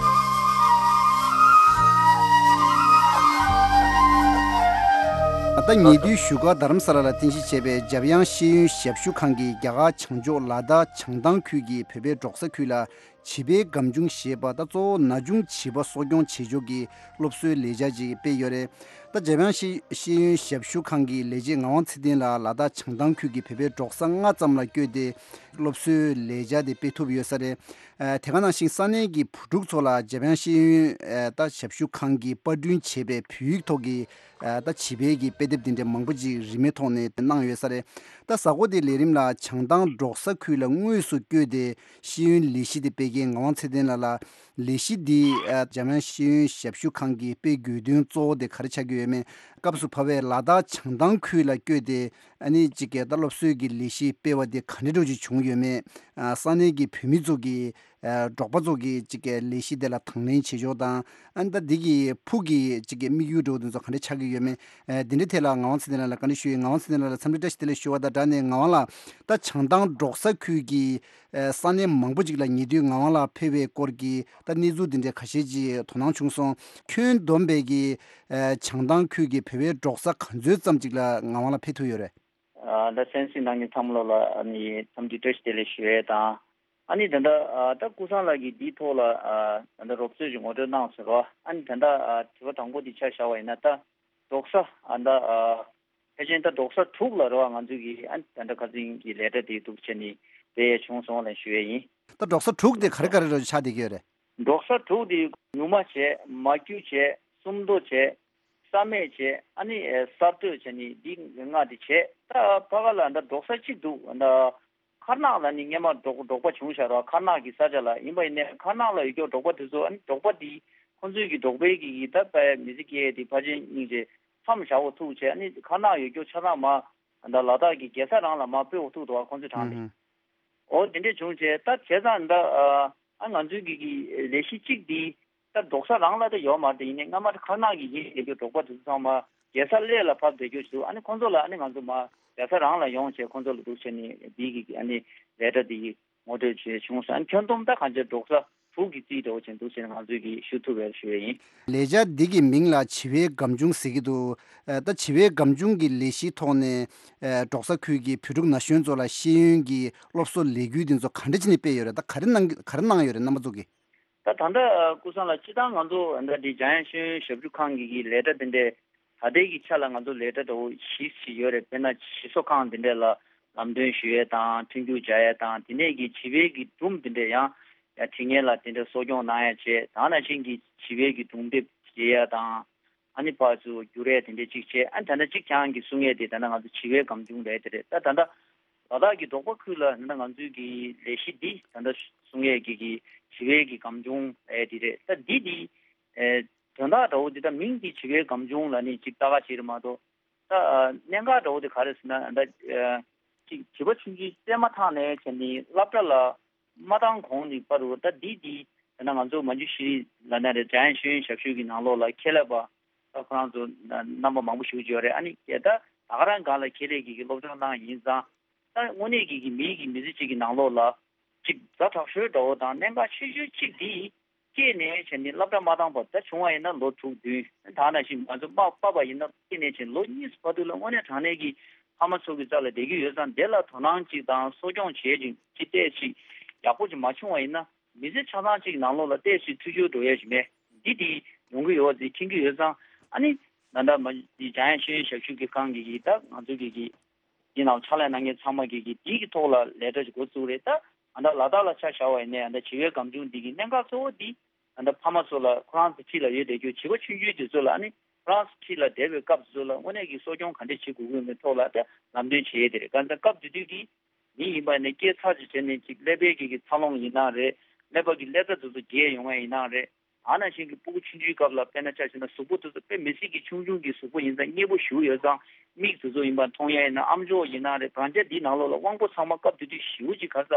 ད་ལྟ་ཉེ་དུས་བཞུགས་སྒར་རྡ་རམ་ས་ལ་ལ་རྟེན་གཞི་བྱས་པའི་འཇམ་དབྱངས་ཤེས་ཡོན་ཞབས་ཞུ་ཁང་གིས་རྒྱ་གར་བྱང་ཕྱོགས་ལ་དྭགས་བྱང་ཐང་ཁུལ་གྱི་བོད་པའི་འབྲོག་ས་ཁུལ་ལ་བྱིས་པའི་སྒམ་ཆུང་ཞེས་པ་དང་གཙོ་བོ་ན་ཆུང་བྱིས་པ་གསོ་སྐྱོང་བྱེད་ཕྱོགས་ཀྱི་སློབ་གསོའི་ལས་འཆར་ཅིག་སྤེལ་ཡོད་རེད། ད་འཇམ་དབྱངས་ཤེས་ཤེས་ཡོན་ཞབས་ཞུ་ཁང་གི་ལས་བྱེད་ངག་དབང་ཚེ་བརྟན་ལགས་ལ་དྭགས་བྱང་ཐང་ཁུལ་གྱི་བོད་པའི་འབྲོག་ས་ལྔ་ཙམ་ལ་བསྐྱོད་དེ་སློབ་གསོའི་ལས་འཆར་དེ་སྤེལ་ཐུབ་ཡོད་ས་རེད། ཨ་དེ་ག་ནང་བཞིན་ས་གནས་ཀྱི་བུ་ཕྲུག་ཚོ་ལ་འཇམ་དབྱངས་ཤེས་ཡོན་ཨ་ད་ཞབས་ཞུ་ཁང་གིས་པར་སྐྲུན་བྱས་པའི་བོད་ཡིག་ཐོག་གི་ཨ་ད་བྱིས་པའི་གི་དཔེ་དེབ་དེ་འདྲ་མང་པོ་ཅིག་རིན་མེད་ཐོག་ནས་གནང་ཡོད་ས་རེད། ད་གཟའ་འཁོར་དེའི་ལས་རིམ་ལ་བྱང་ཐང་འབྲོག་ས་ཁུལ་ལ་དངོས་སུ་བསྐྱོད་དེ་ཤེས་ཡོན་ལས་གཞི་དེ་སྤེལ་མཁན་ངག་དབང་ཚེ་བརྟན་ལགས་ལ་ལས་གཞི་འདི་ཨ་འཇམ་དབྱངས་ཤེས་ཡོན་ཞབས་ཞུ་ཁང་གིས་སྤེལ་དགོས་དོན་གཙོ་བོ་དེ་ག་རེ་ཆགས་ཀྱི་ཡོད་མེད། སྐབས་སུ་བབས་པའི་ལ་དྭགས་བྱང་ཐང་ཁུལ་ལ་བསྐྱོད་དེ་ ཨ་ནི་ཅིག་གི་ད་སློབ་གསོའི་གི་ལས་གཞི་སྤེལ་བ་དེ་ག་འདྲ་འདྲ་ཅིག་བྱུང་ཡོད་མེད། ཨ་ས་གནས་ཀྱི་བོད་མི་ཚོ་གི་ཨ་འབྲོག་པ་ཚོ་གི་ཅིག་གི་ལས་གཞི་དེ་ལ་དང་ལེན་བྱེད་ཕྱོགས་དང་། ཨ་ནི་ད་འདི་གི་ཕུགས་ཀྱི་ཅིག་གི་དམིགས་ཡུལ་འདྲ་བོ་དེ་ཚོ་ག་འདྲ་ཆགས་ཀྱི་ཡོད་མེད། ཨ་འདི་འདྲའི་ཐད་ལ་ངག་དབང་ཚེ་བརྟན་ལགས་ལ་བཀའ་འདྲི་ཞུ་ཡིན། ངག་དབང་ཚེ་བརྟན་ལགས་ལ་འཚམས་འདྲི་བཀྲ་ཤིས་བདེ་ལེགས་ཞུ་བ་དང་སྦྲགས་ནས། ངག་དབང་ལགས། ད་བྱང་ཐང་འབྲོག་ས་ཁུལ་གྱི་ཨ་ས་གནས་མང་པོ་ཅིག་ལ་ཉེ་དུས་ངག་དབང་ལགས་ཕེབས་པའི་སྐོར་གྱི་ད་གནས་ཚུལ་འདི་འདྲའི་ཁ་ཤས་ཅིག་དོ་སྣང་བྱུང་སོང་། ཁྱོན་བསྡོམས་པའི་གི་ཨ་བྱང་ཐང་ཁུལ་གྱི་བོད་པའི་འབྲོག་ས་ག་ཚོད་ཙམ་ཅིག་ལ་ངག་དབང་ལགས་ཕེབས་ཐུབ་ཡོད་རེད། ཨ་ད་གསན་གཟིགས་གནང་མཁན་ཚང་མ་ལོ་ལ་ཨ་ནི་འཚམས་འདྲི་བཀྲ་ཤིས་བདེ་ལེགས་ཞུ་ཡས་དང་། ཨ་ནི་ད་ལྟ་ཨ་ད་ཀུན་བཟང་ལགས་ཀྱིས་འདིའི་ཐོག་ལ་ཨ་ད་ལྟ་རོབ་ཙམ་ཞིག་ངོ་སྤྲོད་གནང་ཟེར་རོ། ཨ་ནི་ད་ལྟ་ཨ་དྲི་བ་དང་པོ་འདི་ཆ་བཞག་པ་ཡིན་ན། ད་འབྲོག་ས་ཨ་ད་ཨ་ཕལ་ཆེར་ད་འབྲོག་ས་དྲུག་ལ་རེད་བ། ང་ཚོས་ཀྱི་ཨ་ནི་ད་ལྟ་ཁ་སང་གི་ལས་གྲྭ་དེ་འདུག་བྱས་ནས་སྤེལ་ཡས་བྱུང་སོང་ལ་ཞུ་ཡས་ཡིན། ད་འབྲོག་ས་དྲུག་དེ་ག་རེ་ག་རེ་རེ་ཆགས་བསྡད་ཀྱི་ཡོད་རེད། འབྲོག་ས་དྲུག་དེ་ཉུ་མ་བྱས། མ་རྒྱུད་བྱས། སུམ་མདོ་བྱས། ས་སྨད་བྱས། ཨ་ནི་ཨེ་གསར་གཏོད་བྱས་ནས་འདི་ལྔ་དེ་བྱས། ད་ཕ་ག་ལ་ད་འབྲོག་ས་གཅིག་འདུག་ད་མཁར་ནག་ལ་ནི་སྔས་མ་འབྲོག་འབྲོག་པ་བྱུང་བཞག་ར། མཁར་ནག་གི་ས་ཆ་ལ་ཡིན་པ་ཡིན་ནའི་མཁར་ནག་ལ་ཡོད་རྒྱུ་འབྲོག་པ་དེ་ཚོ། ཨ་ནི་འབྲོག་པ་དེ་ཁོང་ཚོའི་གི་འབྲོག་པའི་གི་གི་ད་པའི་མི་ཚེ་སྐྱེལ་དེ་ཕལ་ཆེར་སྙིང་རྗེ་མཚམས་བཞག་འོ་ཐུག་བྱས། ཨ་ནི་མཁར་ནག་ཡོད་རྒྱུ་ཆ་ཚང་མ་ད་ལ་དྭགས་ཀྱི་རྒྱལ་ས་རང་ལ་མ་སྤོས་འོ་ཐུག་འདུག་ཁོང་ཚོའི་གྲངས་དེ། ཨུ་ཧུམ། འོ་དེ་འདྲས་བྱུང་བྱས། ད་བྱས་ཙང་ད་ཨ་ང་ཚོའི་གི་གི་ལས་གཞི་གཅིག་འདི་ད་འབྲོག་ས་རང་ལ་ད་ཡོད་མ་རེད། ཡིན་ནའི་སྔ་མ་མཁར་ནག་གི་ཡིན་ལས་རྒྱུ་འབྲོག་པ་དེ་ཚོ་ཚང་མ་རྒྱལ་ས་གླེ་ལ་ཕབ་བསྡད་རྒྱུ་ཞིག་འདུག་ཨ་ནི་ཁོང་ཚོ་ལ་ཨ་ནི་ང་ཚོ་མ་རྒྱལ་ས་རང་ལ་ཡོང་བྱས་ཁོང་ཚོ་ལ་འདུག་བྱས་ནས་འདི་གི་ཨ་ནི་ལས་གྲྭ་འདི་གི་ངོ་སྤྲོད་བྱས་བྱུང་སོང་། ཨ་ནི་ཁྱོན་བསྡོམས་ད་གང་ཅི་འབྲོག་ས་དྲུག་གི་རྩིས་འདྲ་བོ་བྱས་འདུག་བྱས་ནས་ང་ཚོས་གི་ཞུ་ཐུབ་པའི་ཞུ་ཡས་ཡིན། ལས་འཆར་འདི་གི་མིང་ལ་བྱིས་པའི་སྒམ་ཆུང་ཟེར་གྱི་འདུག་ཨ་ད་བྱིས་པའི་སྒམ་ཆུང་གི་ལས་གཞིའི་ཐོག་ནས་ཨ་འབྲོག་ས་ཁུལ་གྱི་བོད་ཕྲུག་ན་གཞོན་ཚོ་ལ་ཤེས་ཡོན་གྱི་སློབ་གསོ་ལས་འགུལ་འདི་ཚོ་ག་འདྲ་བྱས་ནས་སྤེལ་ཡོད་རེད། ད་ག་རེ་གནང་གི་ག་རེ་གནང་ཡོད་རེད་རྣམ་པ་ཚོ་གིས། ད་ད་ལྟ་ཨ་ཀུན་བཟང་ལགས་སྤྱིར་བཏང་ང་ཚོ་ད་འདི་འཇམ་དབྱངས་ཤེས་ཡོན་ཞབས་ཞུ་ཁང་གི་གི་ལས་གྲྭ་འདི་འདྲའི་ད་ལྟའི་གི་ཆ་ལ་ང་ཚོ་ལས་གྲྭ་འདྲ་བོ་བཞི་ཞིག་ཡོད་རེད། དཔེར་ན་ཞིག་གསོ་ཁང་འདི་འདྲ་ལ་ལམ་སྟོན་ཞུ་ཡས་དང་མཐུན་འགྱུར་སྦྱར་ཡས་དང་། དེ་ནས་གི་བྱིས་པའི་གི་སྒྲུང་འདི་འདྲ་ཡང་ཡང་དྲི་ངན་ལ་དེ་འདྲ་གསོ་སྐྱོང་གནང་ཡ་བྱས། ད་ནང་བཞིན་གྱི་བྱིས་པའི་གི་སྒྲུང་དེབ་བརྗེ་ཡ་དང་། ཨ་ནི་ཕར་ཚུར་བསྒྱུར་ཡ་དེ་འདྲ་གཅིག་བྱས། ཨ་ནི་ད་ལྟ་གཅིག་རྐྱང་གི་གསུང་ཡས་དེ་ད་ལྟ་ང་ཚོ་བྱིས་པའི་སྒམ་ཆུང་རེད་དེ་རེད། ད་ད་ལྟ་ལ་དྭགས་ཀྱི་འབྲོག་པ་ཁུལ་ལ་ད་ལྟ་ང་ཚོའི་གི་ལས་གཞི་འདི་ད་ལྟ་གསུང་ཡས་ཀྱི་གི་བྱིས་པའི་གི་སྒམ་ཆུང་ཨེ་དེ་རེད། ད་འདི་འདི་ཨེ་དོན་དག་འདྲ་བོ་འདི་ད་མིང་འདི་བྱིས་པའི་སྒམ་ཆུང་ལ་ནི་གཅིག་ལྟ་ག་བྱེད་རེད་མ་གཏོགས། ད་ཨ་གནད་འགག་འདྲ་བོ་དེ་ག་རེ་ཟེར་ན། ད་ཨ་ཅིག་བྱིས་པ་ཆུང་ཆུང་སྐྱེས་མ་ཐག་ནས་བྱས་ནས་སློབ་གྲྭ་ལ་མ་བཏང་གོང་ནས་བར་དུ། ད་འདི་འདི་ད་ནང་ང་ཚོ་མ་འཇུ་ཤེས་རིག་ལབ་ན་རེད། འཇམ་དབྱངས་ཤེས་ཡོན་ཞབས་ཞུ་གི་ནང་ལོགས་ལ་ཁྱེད་ལབ་པ་ད་ཁོ་རང་ཚོ་རྣམ་པ་མང་པོ་ཞིག་ཡོད་རེད། ཨ་ནི་ད་ད་ག་རང་སྒང་ལ་ཁྱེད་ལས་ཀྱི་གི་སློབ་སྦྱོང་གནང་ཡིན་ཙང་། ད་དངོས་གནས་ཀྱི་གི་མིའི་གི་མི་ཚེ་གཅིག་གི་ནང་ལོགས་ལ་ཅིག་ཛ་དྲག་ཤོས་འདྲ་བོ་དང་གནད་འགག་ཆེ་ཤོས་གཅིག་འདི་སྐྱེས་ནས་བྱས་ནས་སློབ་གྲྭ་མ་བཏང་བར། ད་བྱུང་བ་ཡིན་ན་ལོ་དྲུག་བདུན། ད་ནང་བཞིན་ང་ཚོ་མ་པ་ཕ་ཡིན་ན་སྐྱེས་ནས་བྱས་ལོ་གཉིས་སུ་བར་དུ་ལ་དངོས་གནས་དྲང་གནས་ཀྱི་ཕ་མ་ཚོ་གི་རྩ་ལ་བསྡད་ཀྱི་ཡོད་ཙང་། དེ་ལ་དོ་སྣང་གཅིག་དང་གསོ་སྐྱོང་བྱེད་ཅིང་ཅི་ཏོག་ཙམ་ཡག་པོ་ཅིག་མ་བྱུང་བ་ཡིན་ན། མི་ཚེ་ཆ་ཚང་གཅིག་ནང་ལོགས་ལ་ཏོག་ཙམ་འཐུས་ཤོར་འགྲོ་ཡས་ཅིག་མེད། འདི་དེ་ཡོང་གི་ཡོད་ཅེས་མཁྱེན་གྱི་ཡོད་ཙང་། ཨ་ནི་ད་ལྟ་མ་འཇམ་དབྱངས་ཤེས་ཡོན་ཞབས་ཞུ་གི་ཁང་གི་གི་ད་ང་ཚོ་གི་གི་འདི་ནང་ཕྱག་ལས་གནང་མཁན་ཚང་མ་གི་གི་འདི་གི་ཐོག་ལ་ལས་གྲྭ་ཅིག་འགོ་བཙུགས་རེད། ད་ད་ལྟ་ལ་དྭགས་ལ་ཆ་བཞག་པ་ཡིན་ནའི་ད་ལྟ་བྱིས་པའི་སྒམ་ཆུང་འདི་གི་གནད་འགག་གཙོ་བོ་འདི་ད་ལྟ་ཕ་མ་ཚོ་ལ་ཁོ་རང་ཚོ་འཁྲིས་ལ་ཡོད་བསྡད་རྒྱུ་བྱིས་པ་ཆུང་ཆུང་དེ་ཚོ་ལ། ཨ་ནི་ཁོ་རང་ཚོ་འཁྲིས་ལ་བསྡད་པའི་སྐབས་དེ་ཚོ་ལ་དངོས་གནས་ཀྱི་གསོ་སྐྱོང་ག་འདྲས་བྱེད་དགོས་ཀྱི་ཡོད་མེད་ཐོག་ལ་ད་ལམ་སྟོན་བྱེད་ཡས་དེ་རེད། གང་ལྟར་སྐབས་དེ་དུས་ཀྱི་མི་ཡིན་པ་ནས་སྐྱེས་ཚར་ཅིག་བྱས་ནས་ཅིག་ཀླད་པའི་གི་གི་འཚར་ལོངས་ཡིན་ན་རེད། ཀླད་པ་གི་ཀླད་རྩ་དེ་ཚོ་རྒྱས་ཡོང་ཡས་ཡིན་ན་རེད། ད་ནང་བཞིན་གྱི་སྤུ་གུ་ཆུང་ཆུང་སྐབས་ལ་དཔེར་ན་ཆ་བཞག་ན་གཟུགས་པོ་དེ་ཚོ་དཔེ་མི་སྲིད་ཀྱི་ཆུང་ཆུང་གི་གཟུགས་པོ་ཡིན་ཙང་མཉེས་པོ་ཞེ་པོ་ཡོད་ཙང་། མིག་དེ་ཚོ་ཡིན་པ་མཐོང་ཡས་ཡིན་ན། ཨམ་ཅོག་ཡིན་ན་རེད། བང་ཆ་འདིའི་ནང་ལོགས་ལ་དབང་པོ་ཚང་མ་སྐབས་དེ་དུས་ཞེ་པོ་ཅིག་ག་ས་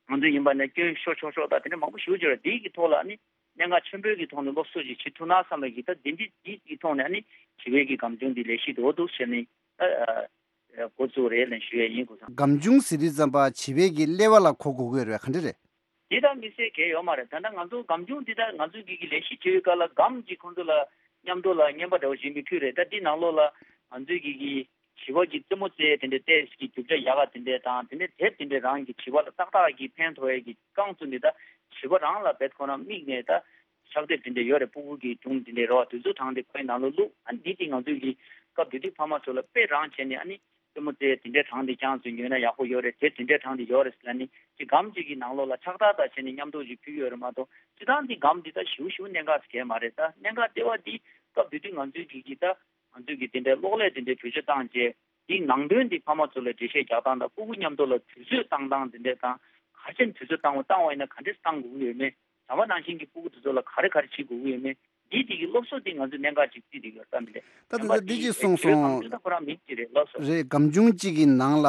ང་ཚོ་ཡིན་པ་ནས་སྐྱོན་ཤོར་ཆོག་ཆོག་དང་དེ་འདྲ་མང་པོ་ཞེ་པོ་ཅིག་ཡོད་རེད། འདི་གི་ཐོག་ལ་ཨ་ནི་གནད་འགག་ཆེན་པོའི་གི་ཐོག་ནས་སློབ་གསོ་ཅིག་བྱེད་ཐུབ་ན་བསམ་པའི་གི་ད་འདི་འདི་འདི་གི་ཐོག་ནས་ཨ་ནི་བྱིས་པའི་གི་སྒམ་ཆུང་འདི་ལས་གཞི་འདྲ་བོ་འདུག་ཟེར་ནས་ད་འགོ་བཙུགས་རེད་ལབ་ཞུ་ཡས་ཡིན། ཁོ་ཚོ་སྒམ་ཆུང་ཟེར་དུས་ཙམ་པ་བྱིས་པའི་གི་ཀླད་པ་ལ་གོ་དགོས་ཀྱི་ཡོད་རེད། ག་འདྲ་རེད། འདི་ད་དམིགས་བསལ་གང་ཡང་ཡོད་མ་རེད། ད་ལྟ་ང་ཚོ་སྒམ་ཆུང་འདི་ད་ང་ཚོ་གི་གི་ལས་གཞི་བྱེད་པའི་སྐབས་ལ་སྒམ་གཅིག་ཁོང་ཚོ་ལ་མཉམ་དུ་ལ་རྔན་པ་འདྲ་བོ་ཞིག་མི་ཕུལ་རེད། ད་འདི་ནང་ལོགས་ལ་ང་ཚོའི་གི་གི་བྱིས་པ་གི་རྩེད་མོ་རྩེ་དེ་འདྲའི་ཏོག་ཙམ་གི་རྒྱུ་ཆ་ཡག་ག་དེ་འདྲས་དང་། དེ་ནས་དེབ་དེ་འདྲས་རང་གི་བྱིས་པ་ལ་ཏག་ཏག་གི་ཕན་ཐོགས་ཡས་གི་རྐང་བཙུགས་ནས། ད་བྱིས་པ་རང་ལ་རྦད་ཁོ་རང་དམིགས་ནས་ད་ཕྱག་དེབ་དེ་འདྲས་ཡོད་རེད། སྤུ་གུ་གི་སྒྲུང་དེ་འདྲས་རེད་བ། དེ་ཚོ་དྲངས་ཏེ་ཁོའི་ནང་ལ་བླུགས། ཨ་ནི་འདི་དེ་ང་ཚོའི་གི་སྐབས་དེ་དུས་ཕ་མ་ཚོ་ལ་དཔེ་རང་བྱས་ནས་ཨ་ནི་རྩེད་མོ་རྩེ་དེ་འདྲས་དྲངས་ཏེ་རྐྱང་བཙུགས་ཉོས་ན་ཡག་པོ་ཡོད་རེད། དེབ་དེ་འདྲས་དྲངས་ཏེ་ཡོད་རེད་ཟེར་ལབ་ནས་ཅིག་སྒམ་གཅིག་གི་ནང་ལོགས་ལ་ཕྱག་རྟགས་དང་བྱས་ནས་མཉམ་དུ་ཅིག་ཕུལ་ཡོད་རེད་མ་གཏོགས། སྤྱིར་བཏང་འདི་སྒམ་འདི་ད་ཞེ་པོ་ཞེ་པོ་གནད་འགག་ཟེར་མཁན་མ་རེད། ད་གནད་འགག་ལྟེ་བ་འདི་སྐབས་དེ་དུས་ང་ཚོའི་གི་གི་ད་ང་ཚོས་ཀྱི་དེ་འདྲའི་གློག་ཀླད་དེ་འདྲའི་བེད་སྤྱོད་བཏང་རྗེས། དེའི་ནང་དོན་དེ་ཕ་མ་ཚོ་ལ་འགྲེལ་བཤད་རྒྱག་སྟངས་དང་། སྤུ་གུ་མཉམ་དུ་ལ་དུས་ཚོད་བཏང་སྟངས་དེ་འདྲ་དང་། ག་ཅན་དུས་ཚོད་བཏང་བ་བཏང་བ་ཡིན་ན་ག་འདྲས་བཏང་དགོས་ཀྱི་ཡོད་མེད། ཟམ་པ་ནང་བཞིན་གྱི་སྤུ་གུ་དེ་ཚོ་ལ་ག་རེ་ག་རེ་བྱེད་དགོས་ཀྱི་ཡོད་མེད། འདི་དེ་གི་སློབ་གསོ་དེ་ང་ཚོ་གནད་འགག་ཅིག་བརྩིས་བསྡད་ཡོད་ས་མི་རེད། ད་ད་ད་འདི་ཅིག་གསུངས་སོང་། ཁོང་ཚོ་ད་ཁོ་རང་མི་གཅིག་རེད་ལགས་སོ། རེད། སྒམ་ཆུང་གཅིག་གི་ནང་ལ་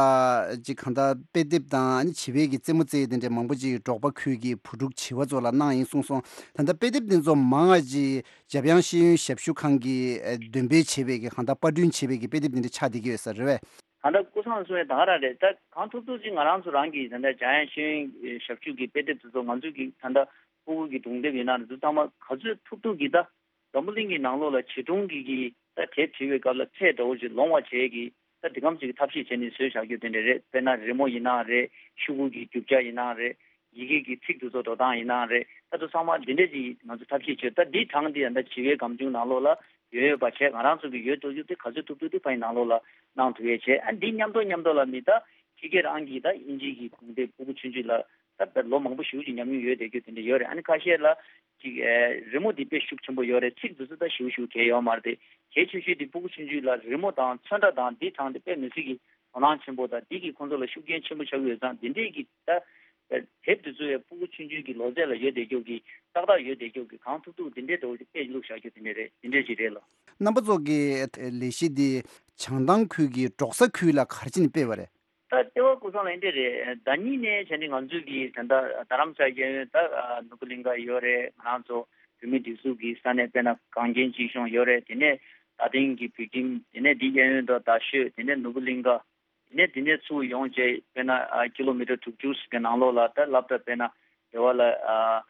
ཅིག་གང་ལྟར་དཔེ་དེབ་དང་ཨ་ནི་བྱིས་པའི་གི་རྩེད་མོ་རྩེ་དེ་འདྲ་མང་པོ་ཅིག་འབྲོག་པ་ཁུལ་གྱི་བུ་ཕྲུག་བྱིས་པ་ཚོ་ལ་གནང་ཡིན་གསུངས་སོང་། ད་ལྟ་དཔེ་དེབ་དེ་ཚོ་མང་བ་ཅིག་འཇམ་དབྱངས་ཤེས་ཡོན་ཞབས་ཞུ་ཁང་གིས་འདོན་སྤེལ་བྱས་པའི་གི་གང་ལྟར་པར་སྐྲུན་བྱས་པའི་གི་དཔེ་དེབ་དེ་འདྲ་ཆགས་བསྡད་ཀྱི་ཡོད་ས་རེད་པས། ད་ལྟ་སྐུ་སངས་གསུང་ཡས་ད་ག་རང་རེད། ད་གང་ཐུབ་ཐུབ་ཅིག་ང་རང་ཚོ་རང་གི་ད་ལྟ་འཇམ་དབྱངས་ཤེས་ཡོན་ཞབས་ཞུ་གི་དཔེ་དེབ་དེ་ཚོ་ང་ཚོ་གི་ད་ལྟ་ཕྲུ་གུ་གི་སྒྲུང་དེབ་ཡིན་ན་རེད། ཚང་མ་ག་ཚོད་ཐུབ་ཐུབ་གི་ད་འཛམ་བུ་གླིང་གི་ནང་ལོགས་ལ་བྱིས་སྒྲུང་གི་གི་ད་དེབ་བྲིས་པའི་སྐབས་ལ་ཚད་འདྲ་བོ་ཅིག་ལོངས་པ་བྱས་གི་ད་འདི་གམ་ཅིག་གི་ཐབས་ཤེས་བྱས་ནས་བཟོས་བཞག་རྒྱུ་དེ་འདྲ་རེད། དཔེར་ན་རི་མོ་ཡིན་ན་རེད། ཤོག་གུ་གི་རྒྱུ་ཆ་ཡིན་ན་རེད། ཡི་གེ་གི་ཚིག་དེ་ཚོ་འགྲོ་སྟངས་ཡིན་ན་རེད། ད་དུང་ཚང་མ་འདི་འདྲས་ཅིག་ང་ཚོ་ཐབས་ཤེས་བྱས། ད་འདི་གྲངས་འདི་ཡང་ད་བྱིས་པའི་སྒམ་ཆུང་ནང་ལོགས་ལ་ཡོད་ཡོད་པ་བྱས། ང་རང་ཚོ་གི་ཡོད་དོ་ཡོད་དེ་ག་ཚོད་ཐུབ་ཐུབ་དེ་ཕ་ཡི་ནང་ལོགས་ལ་གནང་ཐུབ་ཡས་བྱས། ཨ་འདི་མཉམ་དུ་མཉམ་དུ་ལ་མི་ད་ཕྱི་རྒྱལ་རང་གི་ད་དབྱིན་ཇི་གི་སྒྲུང་དེབ་ཕྲུ་གུ་ཆུང་ཆུང་ལ་ད་ལོ་མང་པོ་ཞེ་པོ་ཅིག་ཉམས་མྱོང་ཡོད་བསྡད་རྒྱུ་དེ་འདྲ་ཡོད་རེད། ཨ་ནི་ཁ་ཤས་ལ་ཅིག་ཨེ་རི་མོ་འདི་དཔེ་ཤུགས་ཆེན་པོ་ཡོད་རེད། ཚིག་འདི་ཚོ་ད་ཞེ་པོ་ཞེ་པོ་གལ་ཡོད་མ་རེད་དེ། གལ་ཆེ་ཤོས་འདི་ཕྲུ་གུ་ཆུང་ཆུང་ལ་རི་མོ་དང་ཚོན་ཁྲ་དང་འདི་དྲངས་ཏེ་དཔེ་མི་སྲིད་ཀྱི་དོ་སྣང་ཆེན་པོ་དང་འདི་གིས་ཁོང་ཚོ་ལ་ཤུགས་རྐྱེན་ཆེན་པོ་ཆགས་ཀྱི་ཡོད་ཙང་འདི་འདྲས་ཀྱི་ད་དེབ་འདི་ཚོ་ཡང་ཕྲུ་གུ་ཆུང་ཆུང་གི་ལོ་ཚད་ལ་ཡོད་བསྡད་རྒྱུ་གི་ཏག་ཏག་ཡོད་བསྡད་རྒྱུ་གི་གང་ཐུབ་ཐུབ་འདི་འདྲས་འདྲ་བོ་ཞིག་དཔེ་བླུགས་བཞག་རྒྱུ་དེ་འདྲས་རེད། འདི་འདྲས་ཅིག་རེད་ལགས། རྣམ་པ་ཚོ་གི་ལས་གཞི་འདི་བྱང་ཐང་ཁུལ་གྱི་འབྲོག་ས་ཁུལ་ལ་ག་རེ་བྱས་ནས་སྤེལ་བ་རེད། ད་ལྟེ་བ་སྐུ་སངས་ལ་འདི་རེད། ཟླ་ཉིན་ནས་བྱས་ནས་ང་ཚོས་ཀྱི་ད་ལྟ་རྡ་རམ་ས་གཡས་གཡོན་ད་ནོར་བུ་གླིང་ག་ཡོད་རེད། ང་རང་ཚོ་བོད་མི་སྒྲིག་འཛུགས་ཀྱི་ས་གནས་དཔེར་ན་གངས་རྒྱན་སྐྱིད་གཤོངས་ཡོད་རེད། དེ་ནས་རྡ་སྟེང་གི་བོད་ཁྱིམ། དེ་ནས་འདི་གཡས་གཡོན་དུ་རྡ་ཤོད། དེ་ནས་ནོར་བུ་གླིང་ག། དེ་ནས་དེ་ནས་ཚུར་ཡོང་བྱས་དཔེར་ན་ཨ་ཀི་ལོ་མི་ཊར་དྲུག་ཅུ་ཞིག་གི་ནང་ལོགས་ལ་ད་སློབ་གྲྭ་དཔེར་ན་རེ་བ་ལ་ཨ་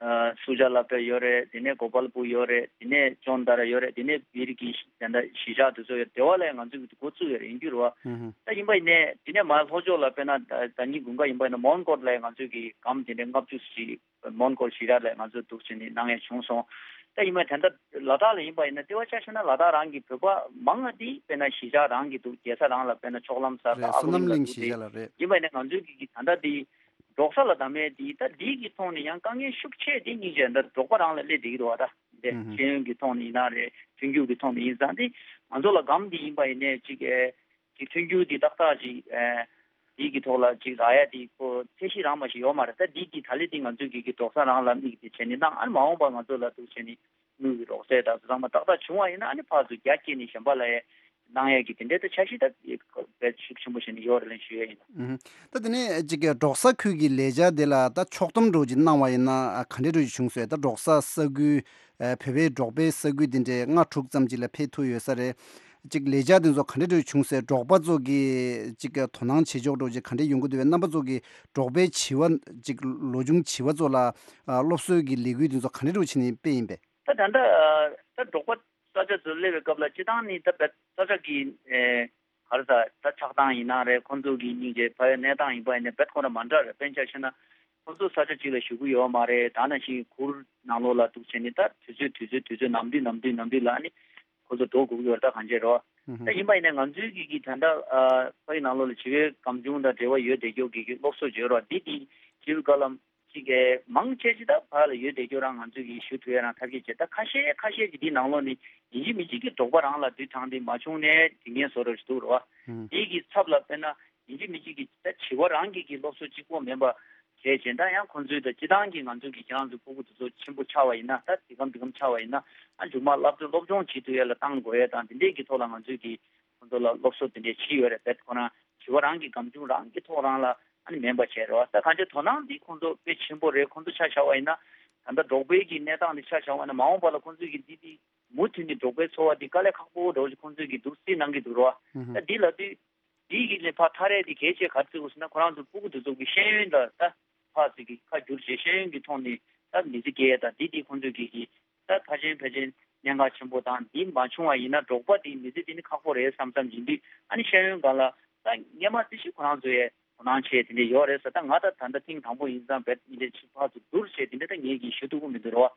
ཨ་སུ་ཇཱ་སློབ་གྲྭ་ཡོད་རེད། དེ་ནས་གོ་པལ་པུར་ཡོད་རེད། དེ་ནས་ཅོན་དར་ཡོད་རེད། དེ་ནས་བིར་གྱི་དེ་འདྲ་གཞིས་ཆགས་དེ་ཚོ་ཡོད་རེད། དེ་བ་ལ་ང་ཚོ་གི་འགོ་བཙུགས་ཡོད་རེད། ཡིན་རྒྱུ་རེད་བ། ཧུམ་ཧུམ། ད་ཡིན་པ་ཡིན་ནས་དེ་ནས་མར་ལྷོ་ཕྱོགས་ལ་དཔེར་ན་ད་ད་ཉིན་དགུན་ཁ་ཡིན་པ་ཡིན་ན་མོན་གྷོ་ལ་ང་ཚོ་གི་སྒམ་དེ་འདྲ་ལྔ་བཅུ་ཞིག་མོན་གྷོ་གཞིས་ཆགས་ལ་ང་ཚོ་འདུག་བྱས་ནས་གནང་ཡས་བྱུང་སོང་། ད་ཡིན་པ་ད་ལྟ་ལ་དྭགས་ལ་ཡིན་པ་ཡིན་ན་ལྟེ་བ་ཆ་བཞག་ན་ལ་དྭགས་རང་གི་བོད་པ་མང་ང་དེ་དཔེར་ན་གཞིས་ཆགས་རང་གི་འདུག་རྒྱལ་ས་རང་ལ་དཔེར་ན་ཕྱོགས་ལམ་སར་རེད། ད་ཨ་བསོད་ཁུ་ལིང་ནམ་ལ་གླིང་འདུག་གཞིས་དེ་ཆགས་ལ་རེད། ཡིན་པ་ཡིན་ན་ང་ཚོའི་གི་གི་ད་ལྟ་དེ་འབྲོག་ས་ལ་བདམས་མེད་དེ་ད་འདི་གི་ཐོག་ནས་ཡང་དཀའ་ངལ་ཤུགས་ཆེ་དེ་སྙིང་རྗེ་ད་འབྲོག་པ་རང་ལ་སླེབས་བསྡད་ཀྱི་འདུག་བ། ད་དེ་ཧུམ་ཧུམ། ཤེས་ཡོན་གི་ཐོག་ནས་ཡིན་ན་རེད། མཐུན་འགྱུར་གི་ཐོག་ནས་ཡིན་ཙང་དེ་ང་ཚོ་ལ་སྒམ་དེ་ཡིན་པ་ཡིན་ནས་ཅིག་ཨེ། གི་མཐུན་འགྱུར་འདི་ཏག་ཏག་ཅིག་ཨེ། འདི་གི་ཐོག་ལ་ཅིག་རག་ཡ་འདི་ཁོ་ཚད་གཞི་རང་མ་ཞིག་ཡོད་མ་རེད། ད་འདི་གི་ད་ལེ་འདི་ང་ཚོས་གི་གི་འབྲོག་ས་རང་ལ་དམིགས་ཏེ་བྱས་ནས་གནང་། ཨ་ནི་མ་འོངས་པ་ང་ཚོ་ལ་འདུག་བྱས་ནས་དངུལ་གི་རོགས་རྩེད་དང་ཚང་མ་ཏག་ཏག་བྱུང་བ་ཡིན་ན་ཨ་ནི་ཕར་ཚུར་རྒྱ་བསྐྱེད་ནས་གཞན་པ་ལ་ཡ་གནང་ཡ་གི་དེ་འདྲའི་ད་འཆར་གཞི་ད་དཔེ་ཤུགས་ཆེན་པོ་བྱས་ནས་ཡོད་རེད་ལན་ཞུ་ཡ་ཡིན། ཨུ་ཧུམ། ད་དེ་ནས་ཅིག་གི་འབྲོག་ས་ཁུལ་གྱི་ལས་འཆར་དེ་ལ་ད་ཕྱོགས་སྡོམ་འདྲ་བོ་ཅིག་གནང་བ་ཡིན་ན་ཨ་ག་འདྲའི་འདྲ་བོ་ཅིག་བྱུང་སོང་། ད་འབྲོག་ས་ས་ཁུལ་ཨ་བོད་པའི་འབྲོག་པའི་ས་ཁུལ་དེ་འདྲའི་ལྔ་དྲུག་ཙམ་ཅིག་ལ་ཕེབས་ཐུབ་ཡོད་ས་རེད། ཅིག་ལས་འཆར་དེ་ཚོ་ག་འདྲ་འདྲ་བྱུང་སོང་། འབྲོག་པ་ཚོ་གི་ཅིག་དོ་སྣང་བྱེད་ཕྱོགས་འདྲ་བོ་ཅིག་ག་འདྲ་ཡོང་གི་འདུག་པས། རྣམ་པ་ཚོ་གི་འབྲོག་པའི་བྱིས་པ་ཅིག་ལོ་ཆུང་བྱིས་པ་ཚོ་ལ་ཨ་སློབ་གསོའི་གི་ལས་འགུལ་དེ་ཚོ་ག་འདྲ་འདྲ་བོ་བྱས་ནས་སྤེལ་ཡིན་པས། ད་ད་ལྟ་ད་འབྲོག་པ་ས་ཆ་ཚོ་སླེབས་པའི་སྐབས་ལ་སྤྱི་བཏང་ནི་ད་བད་ས་ཆ་གི་ཨེ་ག་རེ་ཟ་ད་ཆགས་སྟངས་ཡིན་ན་རེད། ཁོང་ཚོ་གི་སྙིང་རྗེ་ཕ་ཡུལ་གནས་སྟངས་ཡིན་པ་ཡིན་ན་བད་ཁོ་རང་མ་འདྲ་རེད། དཔེར་ན་ཆ་བཞག་ན་ཁོང་ཚོ་ས་ཆ་གཅིག་ལ་བཞུགས་ཀྱི་ཡོད་མ་རེད། ད་ནང་བཞིན་གུར་ནང་ལོགས་ལ་འདུག་བྱས་ནས་ད་དུས་ཚོད་དུས་ཚོད་དུས་ཚོད་ནམ་དུས་ནམ་དུས་ནམ་དུས་ལ་ཨ་ནི་ཁོ་ཚོ་འགྲོ་དགོས་ཀྱི་ཡོད་རེད། ད་གང་བྱས་རེད་བ། ད་ཡིན་པ་ཡིན་ན་ང་ཚོའི་གི་གི་ད་ལྟ་ཨ་ཕ་ཡུལ་ནང་ལོགས་ལ་བྱིས་པའི་སྒམ་ཆུང་དང་འབྲེལ་བ་ཡོད་བསྡད་རྒྱུ་གི་གི་སློབ་གསོ་བྱོས་རོགས་འདི་དེ་བྱིས་པའི་བཀའ་སློབ་ཅིག་གི་མང་ཆེ་ཅིག་ད་ཕ་ལ་ཡོད་བསྡད་རྒྱུ་རང་ང་ཚོས་གི་ཞུ་ཐུབ་ཡ་རང་ཐབས་ཤེས་བྱས། ད་ཁ་ཤས་ཁ་ཤས་ཀྱི་འདི་ནང་ལོགས་ནས་ཡིན་གཅིག་མིན་གཅིག་གི་འབྲོག་པ་རང་ལ་དུས་དྲངས་ཏེ་མ་བྱུང་ནས་དྲི་ངན་བཟོ་རོགས་ཞིག་འདུག་རོ། ཨུམ། འདི་གི་ཚབ་ལ་དཔེར་ན་ཡིན་གཅིག་མིན་གཅིག་གི་ད་བྱིས་པ་རང་གི་གི་སློབ་གསོ་གཅིག་པོ་མིན་པ་གལ་ཆེན། ད་ཡང་ཁོང་ཚོའི་ད་སྤྱི་བཏང་གི་ང་ཚོའི་གི་ཁྱེད་རང་ཚོའི་སྤུ་གུ་དེ་ཚོ་ཆེན་པོ་ཆགས་པ་ཡིན་ན་ད་འདི་གམ་འདི་གམ་ཆགས་པ་ཡིན་ན་ཨ་མཇུག་མ་སློབ་གྲྭ་སློབ་སྦྱོང་བྱེད་ཐུབ་ཡ་ལ་བཏང་དགོས་ཡ་དང་དེ་འདྲས་ཀྱི་ཐོག་ལ་ང་ཚོའི་གི་ཁོང་ཚོ་ལ་སློབ་གསོ་དེ་འདྲས་བྱས་ཡོད་རེད། བེད་ཁོ་རང་བྱིས་པ་རང་གི་སྒམ་ཆུང་རང་གི་ཐོག་རང་ལ་ཨ་ནི་མིན་པ་བྱས་རེད་བ། ད་གང་ཅི་དོ་སྣང་འདི་ཁོང་ཚོ་དཔེ་ཆེན་པོ་རེད། ཁོང་ཚོ་ཆ་བཞག་པ་ཡིན་ན་ད་ལྟ་འབྲོག་པའི་གི་གནས་སྟངས་འདི་ཆ་བཞག་པ་ཡིན་ན་མ་འོངས་པ་ལ་ཁོང་ཚོའི་གི་འདི་འདི་མུ་མཐུད་ནས་འབྲོག་པའི་འཚོ་བ་འདི་དཀའ་ལས་ཁག་པོ་འདྲ་བོ་ཞིག་ཁོང་ཚོའི་གི་འདུག་སེ་གནང་གི་འདུག་རེད་བ། ཨུ་ཧུ། ད་འདི་ལབ་དུས་འདི་གི་ལས་ཕར་ཐག་རེད་འདི་གལ་ཆེ་ག་རེ་བརྩི་དགོས་ཟེར་ན་ཁོ་རང་ཚོ་སྤུ་གུ་འདི་ཚོ་གི་ཤེས་ཡོན་ལ་ད་ཕར་ཚུར་གི་ཁ་བསྒྱུར་བྱས་ཤེས་ཡོན་གི་ཐོག་ནས་ད་མི་ཚེ་སྐྱེལ་ཡ་ད་འདི་འདི་ཁོང་ཚོའི་གི་གི་ད་ཕལ་ཆེར་ཕལ་ཆེར་གནད་འགག་ཆེན་པོ་དང་འདི་མ་བྱུང་བ་ཡིན་ན་འབྲོག་པ་འདི་མི་ཚེ་འདི་ནི་ཁག་པོ་རེད་བསམ་བསམ་ཡིན་དུས་ཨ་ནི་ཤེས་ཡོན་སྒང་ལ་ད་སྔས་མ་ཙི་ཞིག་ཁོ་རང་ཚོ་ཡས་དོ་སྣང་བྱས་དེ་འདྲས་ཡོད་རེད་ཟེར། ད་ང་ད་ད་ལྟ་ཐེངས་དང་པོ་ཡིན་ཙང་བེད་འདི་འདྲས་ཕར་ཚུར་བསྡུར་བྱས་དེ་འདྲས་ད་ངས་ཀྱིས་ཞུ་ཐུབ་ཀྱི་མི་འདུག་རོ།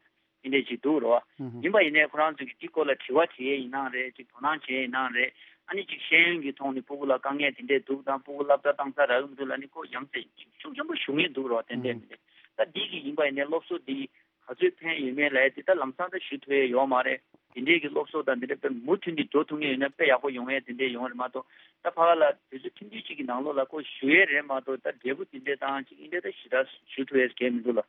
འདི་འདྲས་ཅིག་འདུག་རོ། ཨུ་ཧུ། ཡིན་པ་ཡིན་ནའི་ཁོ་རང་ཚོ་གིས་འདི་སྐོར་ལ་དྲི་བ་དྲི་ཡས་ཡིན་ནའང་རེད། ཅིག་དོ་སྣང་བྱེད་ཡས་ཡིན་ནའང་རེད། ཨ་ནི་ཅིག་ཤེས་ཡོན་གྱི་ཐོག་ནས་སྤུ་གུ་ལ་དཀའ་ངལ་དེ་འདྲས་འདུག་དང་སྤུ་གུ་སློབ་གྲྭ་བཏང་ས་རག་གི་མི་འདུག་ལབ་ནི་ཁོ་ཡ་མཚན་ཤུགས་ཆེན་པོ་ཞུ་མཁན་འདུག་རོ། ཏན་ཏན་མི་འདུག་ད་འདི་གི་ཡིན་པ་ཡིན་ནའི་སློབ་གསོ་འདི་ག་ཚོད་ཕན་ཡོད་མེད་ལབ་ཡས་དེ་ད་ལམ་སང་ད་ཞུ་ཐུབ་ཡས་ཡོད་མ་རེད། དེ་འདྲས་ཀྱི་སློབ་གསོ་དང་དེ་འདྲས་དཔེ་མུ་མཐུད་ནས་འགྲོ་ཐུབ་མཁན་ཡོད་ན་དཔེ་ཡག་པོ་ཡོང་ཡས་དེ་འདྲས་ཡོང་རེད་མ་གཏོགས་ད་ཕ་ག་ལ་དུས་ཚོད་ཐུང་ཐུང་ཅིག་གི་ནང་ལོགས་ལ་ཁོ་ཞུ་ཡས་རེད་མ་གཏོགས་ད་འབྲས་བུ་དེ་འདྲས་བཏང་ཅིག་ཡིན་འདྲས་ད་ཞེ་དྲག་ཞུ་ཐུབ་ཡས་གལ་མི་འདུག་ལ།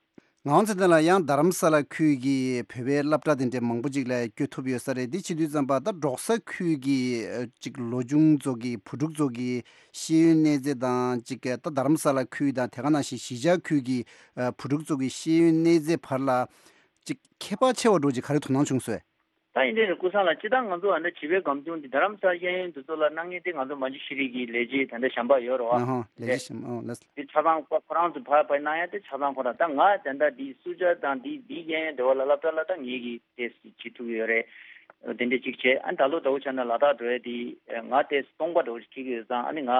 ངག་དབང་ཚེ་བརྟན་ལགས། ཡང་རྡ་རམ་ས་ལ་ཁུལ་གྱི་བོད་པའི་སློབ་གྲྭ་དེ་འདྲའི་མང་པོ་ཅིག་ལ་བསྐྱོད་ཐུབ་ཡོད་ས་རེད། འདི་བྱེད་དུས་ཙམ་པ་ད་འབྲོག་ས་ཁུལ་གྱི་ཨ་ཅིག་ལོ་ཆུང་ཚོ་གི་བུ་ཕྲུག་ཚོ་གི་ཤེས་ཡོན་གནས་ཚད་དང་ཅིག་ད་རྡ་རམ་ས་ལ་ཁུལ་དང་དེ་ག་ནང་བཞིན་གཞིས་ཆགས་ཁུལ་གྱི་ཨ་བུ་ཕྲུག་ཚོ་གི་ཤེས་ཡོན་གནས་ཚད་བར་ལ་ཅིག་ཁྱད་པར་ཆེ་བ་འདྲ་ཅིག་ག་རེ་དོ་སྣང་བྱུང་སོང་། ད་ཡིན་དེ་རེད་ཀུན་བཟང་ལགས། སྤྱིར་བཏང་ང་ཚོ་ཨ་ནི་བྱིས་པའི་སྒམ་ཆུང་འདི་རྡ་རམ་ས་ལ་ཤེས་ཡོན་འདི་ཚོ་ལ་གནང་མཁན་དེ་ང་ཚོ་མ་འཇུ་ཤེས་རིག་གི་ལས་བྱེད་ད་ལྟ་གཞན་པ་ཡོད་རེད་བ། ཨ་ཧོ། ལས་བྱེད་གཞན་པ། ཨོ་ལགས། འདི་ཆ་ཚང་ཁོ་ཁོ་རང་ཚོ་ཕར་ཕར་གནང་ཡ་དེ་ཆ་ཚང་ཁོ་རང་། ད་ང་ད་ལྟ་འདི་སུ་ཇཱ་དང་འདི་འདི་ཤེས་ཡོན་འབྲེལ་བ་ལ་སློབ་གྲྭ་ལ་ད་ངེད་ཀྱིས་ཏོག་ཙམ་བྱེད་ཐུབ་ཀྱི་ཡོད་རེད། དེ་འདྲ་ཅིག་བྱས། ཨ་ནི་ད་ལོ་ཟླ་བོ་ཆ་ན་ལ་དྭགས་འགྲོ་ཡ་དེ་ང་ཏོག་ཙམ་སྟོང་པ་འདྲ་བོ་ཅིག་ཁེལ་གྱི་ཡོད་ཙང་། ཨ་ནི་ང་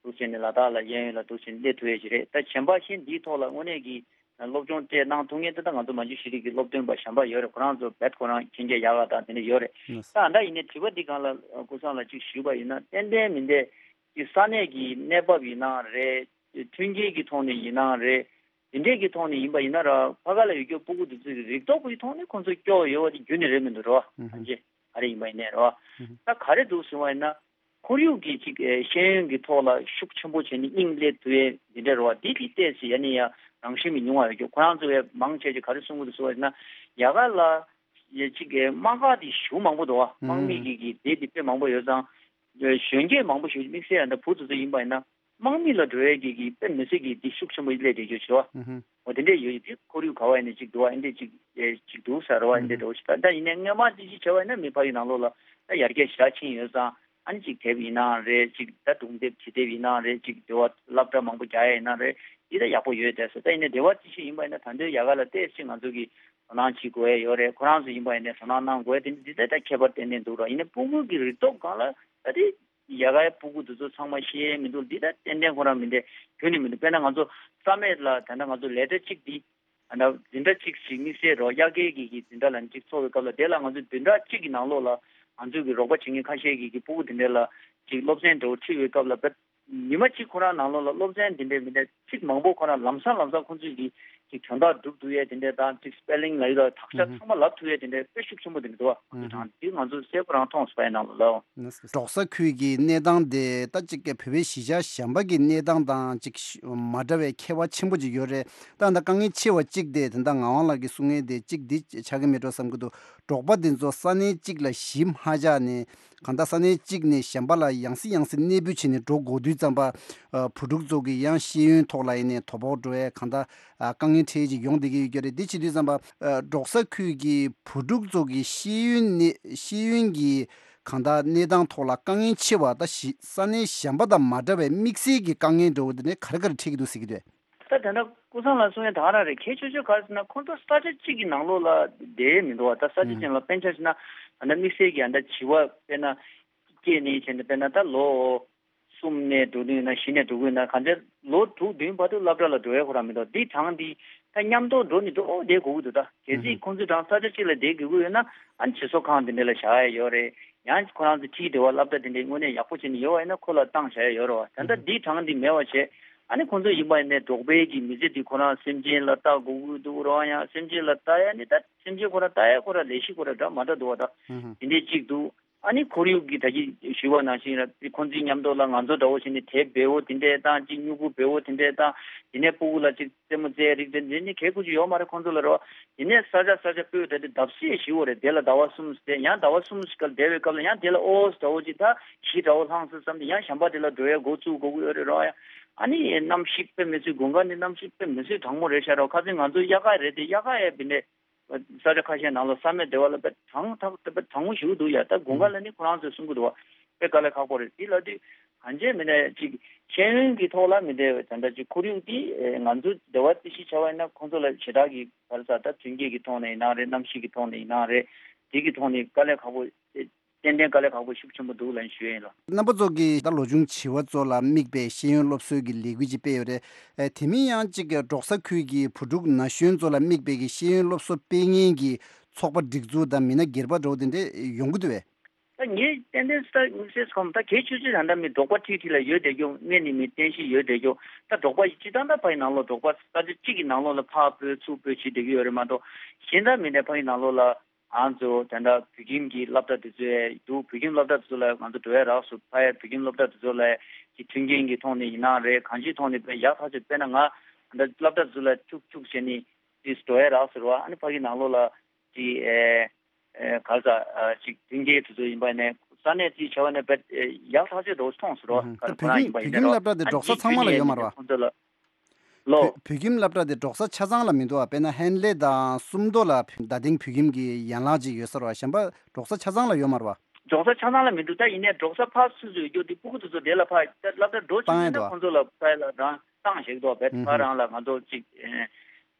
འདུག་བྱས་ནས་ལ་དྭགས་ལ་ཤེས་ཡོན་ལ་འདུག་བྱས་ནས་སླེབས་ཐུབ་ཡ་ཅིག་རེད། ད་གཞན་པ་གཞན་འདིའི་ཐོག་ལ་དངོས་གནས་ཀྱི་སློབ་སྦྱོང་སྤྲད་གནང་ཐུབ་མཁན་དེ་ད་ང་ཚོ་མ་འཇུ་ཤེས་རིག་གི་སློབ་སྟོན་པ་གཞན་པ་ཡོད་རེད། ཁོ་རང་ཚོ་རྦད་ཁོ་རང་མཁྱེན་རྒྱ་ཡག་ག་དང་དེ་འདྲ་ཡོད་རེད། ལགས་སོ། ད་ཨ་འདྲ་ཡིན་ནའི་དྲི་བ་འདི་སྒང་ལ་ཨ་ཀུན་བཟང་ལགས་ཅིག་ཞུས་པ་ཡིན་ན། ཏན་ཏན་མི་འདྲ་གི་ས་གནས་ཀྱི་གནས་བབ་ཡིན་ནའང་རེད། མཐུན་རྐྱེན་གྱི་ཐོག་ནས་ཡིན་ནའང་རེད། དེ་འདྲས་ཀྱི་ཐོག་ནས་ཡིན་པ་ཡིན་ན་ར། ཕ་ག་ལ་ཡོད་རྒྱུ་སྤུ་གུ་དེ་ཚོ་གི་རིག་སྟོབས་ཀྱི་ཐོག་ནས་ཁོང་ཚོ་སྐྱོ་བོ་ཡོད་པ་དེ་རྒྱུན་ནས་རེད་མི་འདུག་རེད་བ། ཨུ་ཧུ། ཐམས་ཅད་ག་རེ་ཡིན་པ་ཡིན་ནའི་རེད་བ། ཨུ་ཧུ། ད་ག་རེ་འདུག་ཟེར་བ་ཡིན་ན། ཁོར་ཡུག་གི་ཅིག་ཨེ་ཤེས་ཡོན་གྱི་ཐོག་ལ་ཤུགས་ཆེན་པོ་བྱས་ནས་དབྱིངས་སླེབས་ཐུབ་ཡས་འདི་འདྲ་རེད་བ། འདི་གི་ཏོག་ཙམ་ཡ་ནི་ཡ་རང་བཞིན་མི་ཉུང་བ་ཡོད་རྒྱུ། ཁོ་རང་ཚོ་ཡ་མང་ཆེ་ཆེ་ག་རེ་གསུང་གི་འདུག་ཟེར་བ་ཡིན་ན། ཡ་ག་ལ་ཡ་ཅིག་ཨེ་དམག་སྒར་དེ་ཞེ་པོ་མང་པོ་འདུག་བ། དམག་མི་གི་གི་སྡེ་དེ་དཔེ་མང་པོ་ཡོད་ཙང་། གཞོན་སྐྱེས་མང་པོ་ཞིག་དམིགས་བསལ་ཡང་ད་བུ་དེ་ཚོ་ཡིན་པ་ཡིན་ན། དམག་མི་ལ་འགྲོ་ཡས་ཀྱི་གི་དཔེ་མི་སྲིད་ཀྱི་འདི་ཤུགས་ཆེན་པོ་སླེབས་བསྡད་རྒྱུ་བྱས་བ། ཨུ་ཧུ། འོ་དེ་འདྲས་ཡོད་དེ། ཁོར་ཡུག་ག་བ་ཡིན་ནའི་ཅིག་འདུག་བ། ཨེ་འདྲས་ཅིག་ཨེ་ཅིག་འདུག་ཟེར་བ། ཨེ་འདྲས་འགྲོ་ཞིག་ད་ད་ཡིན་ནའི་སྔོན་མ་དེ་ཅིག་བྱས་པ་ཡིན་ན་མི་ཕ་ཡུལ་ནང་ལོགས་ལ་ད་ཡར་རྒྱས་ཞེ་དྲག་ཕྱིན་ཡོད་ཙང་། ཨ་ནི་ཅིག་དེབ་ཡིན་ནའང་རེད། ཅིག་ད་སྒྲུང་དེབ་བྲིས་དེབ་ཡིན་ནའང་རེད། ཅིག་དེ་བ་སློབ་གྲྭ་མང་པོ་རྒྱག་ཡ་ཡིན་ནའང་རེད། འདི་ད་ཡག་པོ་ཡོད་བསྡད་སོང་། ད་ཡིན་ནའི་དེ་བ་ཅི་ཞིག་ཡིན་པ་ཡིན་ན་ད་འདོད་ཡ་ག་ལ་ཏོག་ཙམ་ང་ཚོ་གི་དོ་སྣང་བྱེད་དགོས་ཡ་ཡོད་རེད། ཁོ་རང་ཚོ་ཡིན་པ་ཡིན་ནའི་དོ་སྣང་གནང་དགོས་ཡ་དེ་འདི་ད་ད་ཁྱད་པར་ཏན་ཏན་འདུག་ར། ཡིན་ནའི་སྤུ་གུ་གི་རིག་སྟོབས་སྒང་ལ་ད་དེ། ཡ་གའི་སྤུ་གུ་དེ་ཚོ་ཚང་མ་ཤེས་ཡས་མི་འདུག་འདི་ད་ཏན་ཏན་ཁོ་རང་མི་འདྲ་ཁྱོན་ནས་མི་འདུག་དཔེར་ན་ང་ཚོ་ས་མེད་ལ་ད་ལྟ་ང་ཚོ་ལེ་ཊར་གཅིག་འདི་ད་ལྟ་འཛིན་གྲྭ་གཅིག་ཞིག་དམིགས་བསལ་རོགས་དབྱར་ཁའི་གི་གི་འཛིན་གྲྭ་ལ་གཅིག་འཚོགས་པའི་སྐབས་ལ། དེ་ལ་ང་ཚོ་བདུན་ཕྲག་གཅིག་གི་ནང་ལོགས་ལ་ང་ཚོ་གི་རོགས་པ་བྱེད་མཁན་ཁ་ཤས་ཀྱིས་གི་སྤུ་གུ་དེ་འདྲ་ལ་ཅིག་སློབ་ཚན་འདྲ་བོ་ཁྲིད་པའི་སྐབས་ལ་བེད། ཉི་མ་གཅིག་ཁོ་རང་ནང་ལོགས་ལ་སློབ་ཚན་དེ་འདྲའི་མི་འདྲ་ཚིག་མང་པོ་ཁོ་རང་ལམ་སང་ལམ་སང་ཁོ་ཚོས་ཀྱིས་ཅིག་དོན་དག་སྒྲུབ་ཐུབ་ཡས་དེ་འདྲ་དང་། ཅིག་སྤེ་ལིང་ལབ་ཡས་དང་དག་ཆ་ཚང་མ་ལབ་ཐུབ་ཡས་དེ་འདྲ་དཔེ་ཤུགས་ཆེན་པོ་དེ་འདྲ་འདུག་བ། ང་ཚོ་དང་དེ་ང་ཚོ་གསལ་པོ་རང་མཐོང་སོང་ཡ་ནང་ལ་ལབ། འབྲོག་ས་ཁུལ་གྱི་གནས་སྟངས་དེ་ད་ཅིག་བོད་པའི་གཞིས་ཆགས་གཞན་པ་གི་གནས་སྟངས་དང་ཅིག་མ་འདྲ་བའི་ཁྱད་པར་ཆེན་པོ་ཅིག་ཡོད་རེད། ད་ད་དཀའ་ངལ་ཆེ་བ་གཅིག་དེ་ད་ད་ངག་དབང་ལགས་ཀྱིས་གསུང་མཁན་དེ་གཅིག་འདི་ཆགས་ཀྱི་མེད་འགྲོ་བསམ་གྱི་འདུག་འབྲོག་པ་འདི་ཚོ་ས་གནས་གཅིག་ལ་གཞིས་མ་ཆགས་ནས། གང་ལྟར་ས་གནས་གཅིག་ནས་གཞན་པ་ལ་ཡང་སེ་ཡང་སེ་གནས་སྤོས་བྱས་ནས་འགྲོ་དགོས་དུས་ཙམ་པ། ཨ་བུ་ཕྲུག་ཚོ་གི་ཡང་ཤེས་ཡོན་ཐོག་ལ་ཡིན་ནའི་དོ་ཕོག་འགྲོ་ཡས་གང་ལྟར་ཨ་དཀའ་ངལ་འཕྲད་ཀྱི་ཡོང་བསྡད་ཀྱི་ཡོད་ཀྱི་རེད། འདི་བྱེད་དུས་ཙམ་པ་ཨ་འབྲོག་ས་ཁུལ་གྱི་བུ་ཕྲུག་ཚོ་གི་ཤེས་ཡོན་ནི་ཤེས་ཡོན་གྱི་གང་ལྟར་གནས་སྟངས་ཐོག་ལ་དཀའ་ངལ་ཆེ་བ། ད་གཞི་ས་གནས་གཞན་པ་དང་མ་འདྲ་བའི་དམིགས་བསལ་གྱི་དཀའ་ངལ་འདྲ་བོ་འདི་ནས་ག་རེ་ག་རེ་འཕྲད་ཀྱི་འདུག་ཟེར་གྱི་འདུག་ད་ད་ལྟ་ཀུན་བཟང་ལགས་གསུང་ཡ་ད་ག་རང་རེད། གལ་ཆེ་ཤོས་ག་རེ་ཟེར་ན། ཁོང་ཚོ་ས་ཆ་གཅིག་གི་ནང་ལོགས་ལ་བསྡད་མི་འདུག་བ། ད་ས་ཆ་ཨུ་གཅིག་ལ་དཔེ་ཆ་བཞག་ན་ད་ལྟ་དམིགས་བསལ་གྱི་ཨ་ད་བྱིས་པ་དཔེར་ན་སྐྱེས་ནས་བྱས་ནས་དཔེར་ན་ད་ལོ་གསུམ་ནས་འགྲོ་གི་ཡོད་ན། བཞི་ནས་འགྲོ་གི་ཡོད་ན། གང་ལྟར་ལོ་དྲུག་བདུན་བར་དུ་སློབ་གྲྭ་ལ་འགྲོ་ཡ་ཁོ་རང་མི་འདུག་འདི་གྲངས་འདི་ད་མཉམ་དུ་འགྲོ་ནས་འགྲོ་བསྡད་དགོས་ཀྱི་འདུག་ད་གལ་སྲིད་ཨུ་ཁོང་ཚོའི་གྲངས་ས་ཆ་གཅིག་ལ་བསྡད་དགོས་ཀྱི་ཡོད་ན། ཨ་ནི་བྱིས་གསོ་ཁང་འདི་འདྲ་ལ་བཞག་ཡ་ཡོད་རེད། ཡང་ཁོ་རང་ཚོ་ཁྲིད་བདེ་བ་སློབ་གྲྭ་དེ་འདྲའི་དངོས་གནས་ཡག་པོ་བྱས་ནས་ཡོད་པ་ཡིན་ན་ཁོ་ལ་བཏང་བཞག་ཡ་ཡོད་རེད་བ། ད་ལྟ་འདིའི་གྲངས་འདི་མེད་པ་བྱས། ཨ་ནི་ཁོང་ཚོ་ཡིན་པ་ཡིན་ནའི་འབྲོག་པའི་གི་མི་ཚེ་འདི་ཁོ་རང་སེམས་ཅན་ལ་ལྟ་དགོས་ཀྱི་འདུག་རེད་བ། ཡང་སེམས་ཅན་ལ་ལྟ་ཡ་ནི་ད་སེམས་ཅན་ཁོ་རང་ལྟ་ཡ་ཁོ་རང་ལས་གཞི་ཁོ་རང་འདྲ་མ་འདྲ་འདུག་བ། ད་དེ་འདྲའི་གཅིག་འདུག་ཨ་ནི་ཁོར་ཡུག་གི་ད་གིན་ཞུས་པ་ནང་བཞིན་ར། ཁོང་ཚོའི་མཉམ་དུ་ལ་ང་ཚོ་འདྲ་བོ་བྱས་ནས་དེབ་འབེལ་བོ་དེ་འདྲས་དང་། ཅིག་སྨྱུ་གུ་འབེལ་བོ་དེ་འདྲས་དང་། དེ་ནས་སྤུ་གུ་ལ་ཅིག་རྩེད་མོ་རྩེ་རིགས་དེ་འདྲས་ནི་གལ་ཁུར་ཅིག་ཡོད་མ་རེད་ཁོང་ཚོ་ལ་རོ། དེ་ནས་ས་ཆ་ས་ཆ་སྤོས་ད་དེ་བརྡབ་གསིག་ཞིག་ཡོད་རེད། དེ་ལ་ཟླ་བ་གསུམ་ཟེར། ཡང་ཟླ་བ་གསུམ་ཞིག་ག་ལ་བསྡད་པའི་སྐབས་ལ་ཡང་དེ་ལ་ཨོ་འདྲ་བོ་ཅིག་ད་གཞི་འདྲ་བོ་ལྷང་སོང་བསམ་སྟེ་ཡང་གཞན་པ་དེ་ལ་འགྲོ་ཡ་འགོ་བཙུགས་དགོས་ཀྱི་ཡོད་རེད་རོ། ཨ་ནི་གནམ་གཤིས་དཔེ་མི་སྲིད་དགུན་ཁ་ནི་གནམ་གཤིས་དཔེ་མི་སྲིད་གྲང་མོ་རེད་ཤག་རོ། ཁ་སང་ང་ཚོ་དབྱར་ཁ་རེད་དེ། དབྱར་ཁ་ཡ་བི་ནས། ས་ཆ་ཁ་ཤས་ནང་ལ་ས་མེད་བདེ་བ་ལ་དཔེ་གྲང་ཐག་དཔེ་གྲང་མོ་ཞིག་འདུག་ཡ། ད་དགུན་ཁ་ལ་ནི་ཁོ་རང་ཚོས་གསུང་གི་འདུག་བ། དཔེ་དཀའ་ལས་ཁག་པོ་རེད། དེ་ལ་དུས་གང་ཅི་མིན་ན་ཅིག་ཤེས་ཡོན་གྱི་ཐོག་ལ་མི་བདེ་བའི་ད་ལྟ་ཅིག་ཁོར་ཡུག་དེ་ང་ཚོ་བདེ་བ་དེ་ཤི་བྱ་བ་ཡིན་ན་ཁོང་ཚོ་ལ་ཞེ་དྲག་གི་ག་རེ་ཟ། ད་མཐུན་རྐྱེན་གྱི་ཐོག་ནས་ཡིན་ན་རེད། གནམ་གཤིས་ཀྱི་ཐོག་ནས་ཡིན་ན་རེད། དེ་གི་ཐོག་ནས་དཀའ་ལས་ཁག་པོ། ཏན་ཏན་དཀའ་ལས་ཁག་པོ་ཤུགས་ཆེན་པོ་འདུག་ལབ་ཞུ་ཡ་ཡིན་ལ། རྣམ་པ་ཚོ་གིས་ད་ལོ་ཆུང་བྱིས་པ་ཚོ་ལ་དམིགས་པའི་ཤེས་ཡོན་སློབ་གསོའི་གི་ལས་འགུལ་ཅིག་སྤེལ་ཡོད་རེད། ཨེ་དེ་མིན་ཡང་གཅིག་གི་འབྲོག་ས་ཁུལ་གྱི་བུ་ཕྲུག་ན་གཞོན་ཚོ་ལ་དམིགས་པའི་གི་ཤེས་ཡོན་སློབ་གསོ་སྤེལ་མཁན་གྱི་ཚོགས་པ་སྒྲིག་འཛུགས་དང་མི་སྣ་སྒེར་པ་འདྲ་བོ་དེ་འདྲ་ཡོང་གི་འདུག་བས། ད་ངས་ཏན་ཏན་ས་དམིགས་བསལ་ཁོམ་ད་གལ་ཆེ་ཤོས་ད་ལྟ་མི་འབྲོག་པ་ཁྲིད་ཁྲིད་ལ་ཡོད་བསྡད་རྒྱུ། སྔོན་ནས་མི་རྟེན་གཞི་ཡོད་བསྡད་རྒྱུ། ད་འབྲོག་པ་ཡི་སྤྱི་བཏང་ད་ཕ་ཡི་ནང་ལོགས་འབྲོག་པ་ས་ཆ་གཅིག་གི་ནང་ལོགས་ལ་ཕར་སྤོས་ཚུར་སྤོས་བྱེད་བསྡད་ཀྱི་ཡོད་རེད་མ་གཏོགས། གཞན་ད་མི་འདྲ་ཕ་ཡི་ནང་ལོགས་ལ། ང་ཚོ་དེ་འདྲ་བོད་ཁྱིམ་གྱི་སློབ་གྲྭ་དེ་ཚོ་ཡ་འདུག་བོད་ཁྱིམ་སློབ་གྲྭ་དེ་ཚོ་ལ་ང་ཚོ་འགྲོ་ཡ་རག་སོང་། ཕ་ཡ་བོད་ཁྱིམ་སློབ་གྲྭ་དེ་ཚོ་ལ་ཀྱི་མཐུན་རྐྱེན་གྱི་ཐོག་ནས་ཡིན་ནའང་རེད། གང་ཅིའི་ཐོག་ནས་དཔེ་ཡག་ཐག་ཆོད། དཔེར་ན་ང་ད་སློབ་གྲྭ་དེ་ཚོ་ལ་ཁྱུག་ཁྱུག་བྱས་ནས་ དེ་འགྲོ་ཡ་རག་ཟེར་བ། ཨ་ནི་ཕ་གི་ནང་ལོགས་ལ་དེ་ཨེ་ཨེ་ག་ས་ཨ་ཅིག་མཐུན་རྐྱེན་དེ་ཚོ་ཡིན་པ་ནས་ས་གནས་དེ་བྱ་བ་ནས་བེད་ཡག་ཐག་ཆོད་འགྲོ་མཐོང་ཟེར་བ། ད་ཁོ་རང་ཡིན་པ་ཡིན་ན་རོ། བོད་ཁྱིམ་སློབ་གྲྭ་དེ་འབྲོག་ས་ཚང་མ་ལ་ཡོད་མ་རེད་བ། ཁོང་ཚོ་ལ་ལོ། བོད་ཁྱིམ་སློབ་གྲྭ་དེ་འབྲོག་ས་ཆ་ཚང་ལ་མི་འདུག་བ། དཔེར་ན་ཧན་ལེ་དང་སུམ་མདོ་ལ་བརྡ་གཏིང་བོད་ཁྱིམ་གྱི་ཡན་ལག་ཅིག་ཡོད་ས་རེད་བ། གཞན་པ་འབྲོག་ས་ཆ་ཚང་ལ་ཡོད་མ་རེད་བ། འབྲོག་ས་ཆ་ཚང་ལ་མི་འདུག་ད་ཡིན་ནའི་འབྲོག་ས་ཕར་སུ་སུ་ཡོད་རྒྱུ་དེ་སྤུ་གུ་དེ་ཚོ་དེ་ལ་ཕར་ད་སློབ་གྲྭ་འགྲོ་བཅུག་ཡིན་ན་ཁོང་ཚོ་ལ་ཕར་ལ་རང་བཏང་བཞག་འདུག་བེད་ཕར་རང་ལ་ང་ཚོ་ཅིག་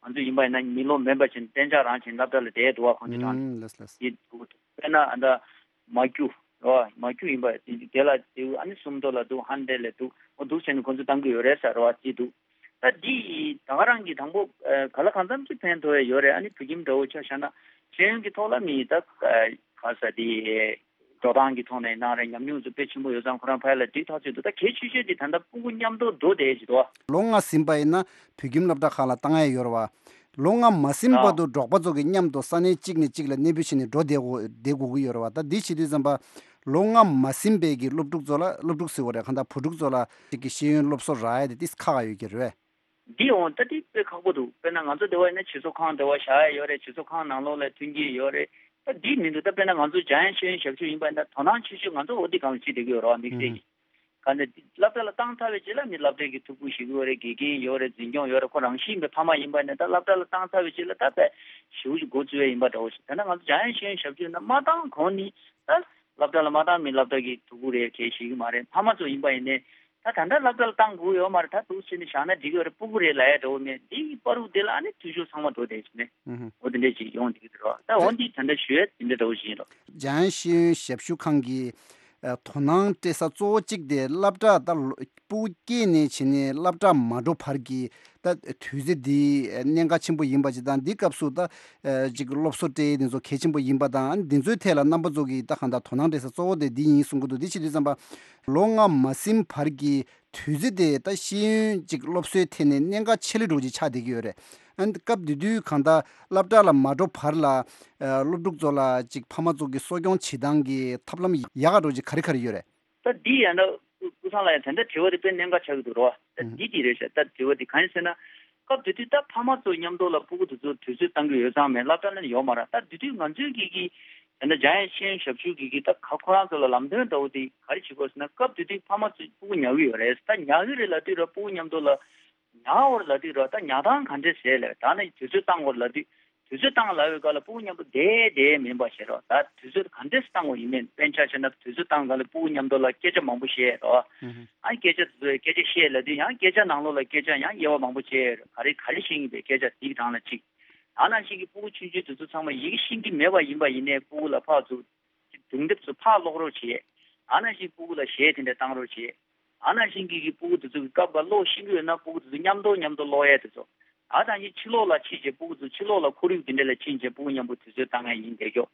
ང་ཚོ་ཡིན་པ་ཡིན་ན་མི་ལོ་མེད་པ་བཞིན་གཏན་འཇགས་རང་བཞིན་སློབ་གྲྭ་ལ་བསྡད་འདུག་བ། ཁོང་ཚོ་རང་ལགས་ལགས། དེ་འདུག་དཔེར་ན་ཨ་ད་མ་རྒྱུ་རོ། མ་རྒྱུ་ཡིན་པ་དེ་ལ་དེ་ཨ་ནི་སུམ་མདོ་ལ་འདུག་ཧན་ལེ་ལ་འདུག་འོ་འདུག་བྱས་ནས་ཁོང་ཚོ་བཏང་གི་ཡོད་རེད་ཟེར་བ་ཅིག་འདུག་ད་འདི་ད་ག་རང་གི་དང་པོ་ག་ལ་གང་འཚམ་ཅིག་ཕན་ཐོགས་ཡ་ཡོད་རེད། ཨ་ནི་བོད་ཁྱིམ་འདྲ་བོ་ཆ་བཞག་ན་ཤེས་ཡོན་གྱི་ཐོག་ལ་མི་ད་ག་ས་དེ་འགྲོ་སྟངས་ཀྱི་ཐོག་ནས་གནང་རེད། ཉམས་མྱོང་ཚོ་དཔེ་ཆེན་པོ་ཡོད་ཙང་ཁོ་རང་ཕ་ཡུལ་ལ་འགྲིག་ཐག་ཆོད་འདུག་ད་གལ་ཆེ་ཤོས་དེ་ད་ལྟ་སྤུ་གུ་མཉམ་དུ་འགྲོ་བསྡད་ཀྱི་འདུག་ལོ་ལྔ་ཟིན་པ་ཡིན་ན་བོད་ཁྱིམ་སློབ་གྲྭ་ཁག་ལ་བཏང་ཡ་ཡོད་རེད་བ། ལོ་ལྔ་མ་ཟིན་བར་དུ་འབྲོག་པ་ཚོ་གི་མཉམ་དུ་ས་གནས་གཅིག་ནས་གཅིག་ལ་གནས་སྤོས་བྱས་ནས་འགྲོ་བསྡད་དགོས་བསྡད་དགོས་ཀྱི་ཡོད་རེད་བ། ད་འདི་བྱེད་དུས་ཙམ་པ་ལོ་ལྔ་མ་ཟིན་པའི་གི་སློབ་ཕྲུག་ཚོ་ལ་སློབ་ཕྲུག་ཟེར་བ་རེད། གང་ལྟར་བུ་ཕྲུག་ཚོ་ལ་གཅིག་གི་ཤེས་ཡོན་སློབ་གསོ་རག་ཡ་དེ་ཏིས་ཁག་ཡོད་ཀྱི་རེད། འདི་འོང་ད་འདི་དཔེ་ཁག་པོ་འདུག་དཔེར་ན་ང་ཚོ་འདི་བ་ཡིན་ན་སྤྱི་ཚོགས་ཁང་འདི་བ་བཞག་ཡ་ཡོད་རེད། སྤྱི་ཚོགས་ཁང་ནང་ལོགས་ལ་མཐུན་རྐྱེན་ཡོད་རེད། ད་འདི་མི་འདུག་ད་དཔེར་ན་ང་ཚོ་འཇམ་དབྱངས་ཤེས་ཡོན་ཞབས་ཞུ་ཡིན་པ་ཡིན་ན་དོ་སྣང་ཆེ་ཤོས་ང་ཚོ་འོ་འདི་སྒང་ལ་བྱེད་བསྡད་ཀྱི་ཡོད་རེད་བ། དམིགས་བསལ་གྱི་ག་ནས་སློབ་གྲྭ་ལ་བཏང་ཚར་བའི་རྗེས་ལ་ནི་སློབ་གྲྭའི་གི་ཐུགས་ཁུར་ཞུ་གི་ཡོད་རེད། དགེ་རྒན་ཡོད་རེད། འཛིན་སྐྱོང་ཡོད་རེད། ཁོ་རང་བཞིན་གྱི་ཕ་མ་ཡིན་པ་ཡིན་ན་ད་སློབ་གྲྭ་ལ་བཏང་ཚར་བའི་རྗེས་ལ་ད་དཔེ་ཞེ་པོ་ཅིག་འགོ་བཙུགས་ཡ་ཡིན་པ་འདྲ་བོ་ཞིག་ད་ནི་ང་ཚོ་འཇམ་དབྱངས་ཤེས་ཡོན་ཞབས་ཞུ་ཡིན་ན་མ་བཏང་གོང་ནི་ད་སློབ་གྲྭ་ལ་མ་བཏང་མི་སློབ་གྲྭ་གི་ཐུགས་ཁུར་རེད་གལ་ཞིག་གི་མ་རེད། ཕ་མ་ཚོ་ཡིན་པ་ཡིན་ནའི་ད་ད་ལྟ་སློབ་གྲྭ་ལ་བཏང་དགོས་ཡོད་མ་རེད། ད་འདུག་སེ་ནས་བཞག་ན་འགྲིག་གི་ཡོད་རེད། སྤུ་གུ་རེད་ལབ་ཡ་འདྲ་བོ་མེད། འདི་གི་བར་དུ་དེ་ལ་ཨ་ནི་འཐུས་ཤོར་ཚང་མ་འགྲོ་བསྡད་ཀྱི་མེད། ཨུ་ཧུ། འོ་དེ་འདྲས་ཅིག་ཡོང་བསྡད་ཀྱི་འདུག་རོགས། ད་འོ་འདི་ད་ལྟ་ཞུ་ཡ་དེ་འདྲ་འདྲ་བོ་ཞིག་ཡིན་རོགས། འཇམ་དབྱངས་ཤེས་ཡོན་ཞབས་ཞུ་ཁང་གི་ཨ་དོ་སྣང་སྤྲད་ས་གཙོ་བོ་གཅིག་དེ་སློབ་གྲྭ་ད་ལོ་སྤུ་གུ་སྐྱེས་ནས་བྱས་ནས་སློབ་གྲྭ་མ་འགྲོ་བར་གྱི་ད་དུས་ཚོད་འདི་གནད་འགག་ཆེན་པོ་ཡིན་པ་ཅིག་དང་། འདི་སྐབས་སུ་ད་ཨ་ཅིག་སློབ་གསོ་སྤྲད་ཡས་འདི་ཚོ་གལ་ཆེན་པོ་ཡིན་པ་དང་། འདི་ཚོའི་ཐད་ལ་རྣམ་པ་ཚོ་གིས་ད་གང་ལྟར་དོ་སྣང་སྤྲད་ས་གཙོ་བོ་དེ་འདི་ཡིན་གསུང་གི་འདུག་འདི་བྱེད་དུས་ཙམ་པ་ལོ་ལྔ་མ་ཟིན་བར་གྱི་དུས་ཚོད་དེ་ད་ཤེས་ཡོན་ཅིག་སློབ་གསོའི་ཐད་ནས་གནད་འགག་ཆེ་ལེ་འགྲོ་ཅིག་ཆགས་བསྡད་ཀྱི་ཡོད་རེད། ཨ་ནི་སྐབས་དེ་དུས་གང་ལྟར་སློབ་གྲྭ་ལ་མ་འགྲོ་བར་ལ་ཨ་སློབ་ཕྲུག་ཚོ་ལ་ཅིག་ཕ་མ་ཚོ་གི་གསོ་སྐྱོང་བྱེད་སྟངས་ཀྱི་ཐབས་ལམ་ཡག་ག་འགྲོ་ཅིག་ག་རེ་ག་རེ་ཡོད་རེད། ད་འདི་ཡང་ན་སྐུ་སང་ལ་ཡང་དེ་འདྲ་དྲི་བ་དེ་དཔེ་གནད་འགག་ཆགས་ཀྱི་འདུག་རོ། ད་འདི་འདི་རེད་ཤག་ད་དྲི་བ་དེ་གང་ཡིན་ཟེར་ན། སྐབས་དེ་དུས་ད་ཕ་མ་ཚོ་མཉམ་དུ་ལ་སྤུ་གུ་དེ་ཚོ་དུས་ཚོད་བཏང་གི་ཡོད་ཙང་མེད། སློབ་གྲྭ་ནང་ཡོད་མ་རེད། ད་དེ་དུས་ང་ཚོའི་གི་གི་ད་ལྟ་འཇམ་དབྱངས་ཤེས་ཡོན་ཞབས་ཞུ་གི་གི་ད་ག་ཁོ་རང་ཚོ་ལ་ལམ་སྟོན་འདྲ་བོ་དེ་ག་རེ་བྱེད་དགོས་ཟེར་ན། སྐབས་དེ་དུས་ཕ་མ་ཚོས་སྤུ་གུ་ཉར་གི་ཡོད་རེད། ད་ཉར་གི་རེད་ལབ་དུས་ར་སྤུ་གུ་མཉམ་དུ་ལ་ཉར་བར་ལབ་དུས་ར་ད་ཉར་སྟངས་ག་འདྲས་བྱས་ལབ། ད་ནི་དུས་ཚོད་བཏང་བར་ལབ་དུས་དུས་ཚོད་བཏང་ལབ་པའི་སྐབས་ལ་སྤུ་གུ་མཉམ་པོ་བསྡད་བསྡད་མིན་པ་བྱས་རོགས། ད་དུས་ཚོད་ག་འདྲས་བཏང་བ་ཡིན་མིན། དཔེར་ཆ་བཞག་ན་དུས་ཚོད་བཏང་སྐབས་ལ་སྤུ་གུ་མཉམ་དུ་ལ་སྐད་ཆ་མང་པོ་བཤད་རོགས། ཨ་སྐད་ཆ་དེ་ཚོ་སྐད་ཆ་བཤད་ལབ་དུས་ཡང་སྐད་ཆ་ནང་ལོགས་ལ་སྐད་ཆ་ཡང་དབྱེ་བ་མང་པོ་བྱས་རོགས། ག་རེ་ག་རེ་བཤད་ཀྱི་འདུག་སྐད་ཆ་དེའི་སྒང་ལ་གཅིག་ཨ་ནང་བཞིན་གྱི་སྤུ་གུ་ཆུང་ཆུང་དེ་ཚོ་ཚང་མ་ཡི་གེ་ཤེས་ཀྱི་མེད་པ་ཡིན་པ་ཡིན་ནའི་སྤུ་གུ་ལ་ཕར་ཚུར་སྒྲུང་དེབ་ཚོ་ཕར་ཀློག་རོགས་བྱེད། ཨ་ནང་བཞིན་སྤུ་གུ་ལ་གཞས་དེ་འདྲ་བཏང་རོགས་བྱེད། ཨ་ནང་བཞིན་གྱི་གི་སྤུ་གུ་དེ་ཚོ་གི་སྐབས་འགའ་ཀློག་ཤེས་ཀྱི་ཡོད་ན་སྤུ་གུ་དེ་ཚོ་མཉམ་དུ་མཉམ་དུ་ཀློག་ཡས་དེ་ཚོ། ཨ་ནང་བཞིན་ཕྱི་ལོགས་ལ་ཕྱིན་བྱས་སྤུ་གུ་ཚོ་ཕྱི་ལོགས་ལ་ཁོར་ཡུག་དེ་འདྲ་ལ་ཕྱིན་བྱས་སྤུ་གུ་མཉམ་པོ་དུས་ཚོད་བཏང་ཡས་ཡིན་བསྡད་ཀྱོག་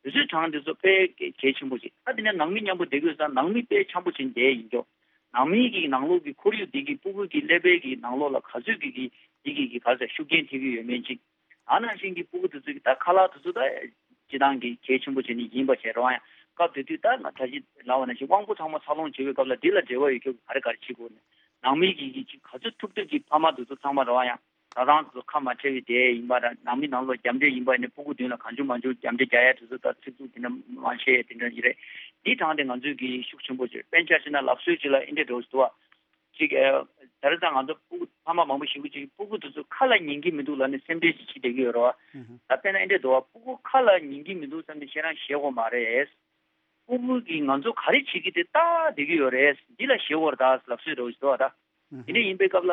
དུས་ཚོད་གྲངས་དེ་ཚོ་དཔེ་གལ་ཆེན་པོ་ཅིག་ཨ་དེ་ནས་ནང་མི་མཉམ་པོ་བསྡད་ཀྱི་ཡོད་ཙང་ནང་མི་དཔེ་འཆམ་པོ་བྱས་བསྡད་ཡིན་ཀྱོག་ནང་མི་གི་ནང་ལོགས་ཀྱི་ཁོར་ཡུག་དེ་གི་སྤུ་གུ་གི་ཀླད་པའི་གི་ནང་ལོགས་ལ་ག་ཚོད་ཀྱི་གི་དེ་གི་གི་ག་ཚོད་ཤུགས་རྐྱེན་ཐེབས་ཀྱི་ཡོད་མེད་ཅིག་ཨ་ནང་བཞིན་གྱི་སྤུ་གུ་དེ་ཚོ་གི་ད་ཁ་ལག་དེ་ཚོ་ད་སྤྱི་བཏང་གི་གལ་ཆེན་པོ་བྱས་ནས་ཡིན་པ་བྱས་རོགས། ཡང་སྐབས་དེ་དུས་ད་ང་ད་ཅི་ལབ་པ་ནང་བཞིན་དབང་པོ་ཚང་མ་འཚར་ལོངས་བྱེད་པའི་སྐབས་ལ་འདི་ལ་འབྲེལ་བ་ཡོད་ཀྱོག་ག་རེ་ག་རེ་བྱེད་དགོས་ནས་ནང་མི་གི་གི་ཅིག་ག་ཚོད་ཐུབ་ཐུབ་ཀྱི་ཕ་མ་དེ་ཚོ་ཚང་མ་རོགས། ཡང་ད་རང་དེ་ཚོ་ཁ་མ་བྲལ་བའི་དེ་ཡིན་པ་ར་ནང་མི་ནང་ལོགས་རྒྱབ་འདྲེ་ཡིན་པ་ནས་སྤུ་གུ་མདུན་ལ་གང་བྱུང་མང་བྱུང་རྒྱབ་འདྲེ་རྒྱག་ཡ་དེ་ཚོ་ད་ཚིག་རྩུབ་དེ་འདྲ་མ་བཤད་དེ་འདྲ་ཡིན་རེད། འདི་དྲངས་ཏེ་ང་ཚོས་གི་ཤུགས་ཆེན་པོ་བྱས། དཔེར་ཆ་བཞག་ན་ལབ་སྲོལ་ཅིག་ལ་ཨིན་འདྲེ་འགྲོ་ཞིག་འདུག་བ། ཅིག་ཨ། ད་རེས་ད་ང་ཚོ་སྤུ་གུ་ཕ་མ་མང་པོ་ཞིག་གིས་ཅིག་སྤུ་གུ་དེ་ཚོ་ཁ་ལ་ཉན་གྱི་མི་འདུག་ལབ་ནས་སེམས་ཁྲལ་ཅིག་བྱེད་ཀྱི་ཡོད་རེད་བ། ད་དཔེར་ན་ཨེ་འདྲས་འདུག་བ། སྤུ་གུ་ཁ་ལ་ཉན་གྱི་མི་འདུག་བསམ་ནས་ཁྱེད་རང་ཞེད་དགོས་མ་རེད། སྤུ་གུ་གིས་ང་ཚོ་ག་རེ་བྱེད་ཀྱི་དེ་ལྟ་བསྡད་ཀྱི་ཡོད་རེད། འདི་ལ་ཞེད་དགོས་རེད་ད་ལབ་སྲོལ་རེད་འདུག་བ་ད། དེ་འདྲ་ཡིན་པའི་སྐབས་ལ་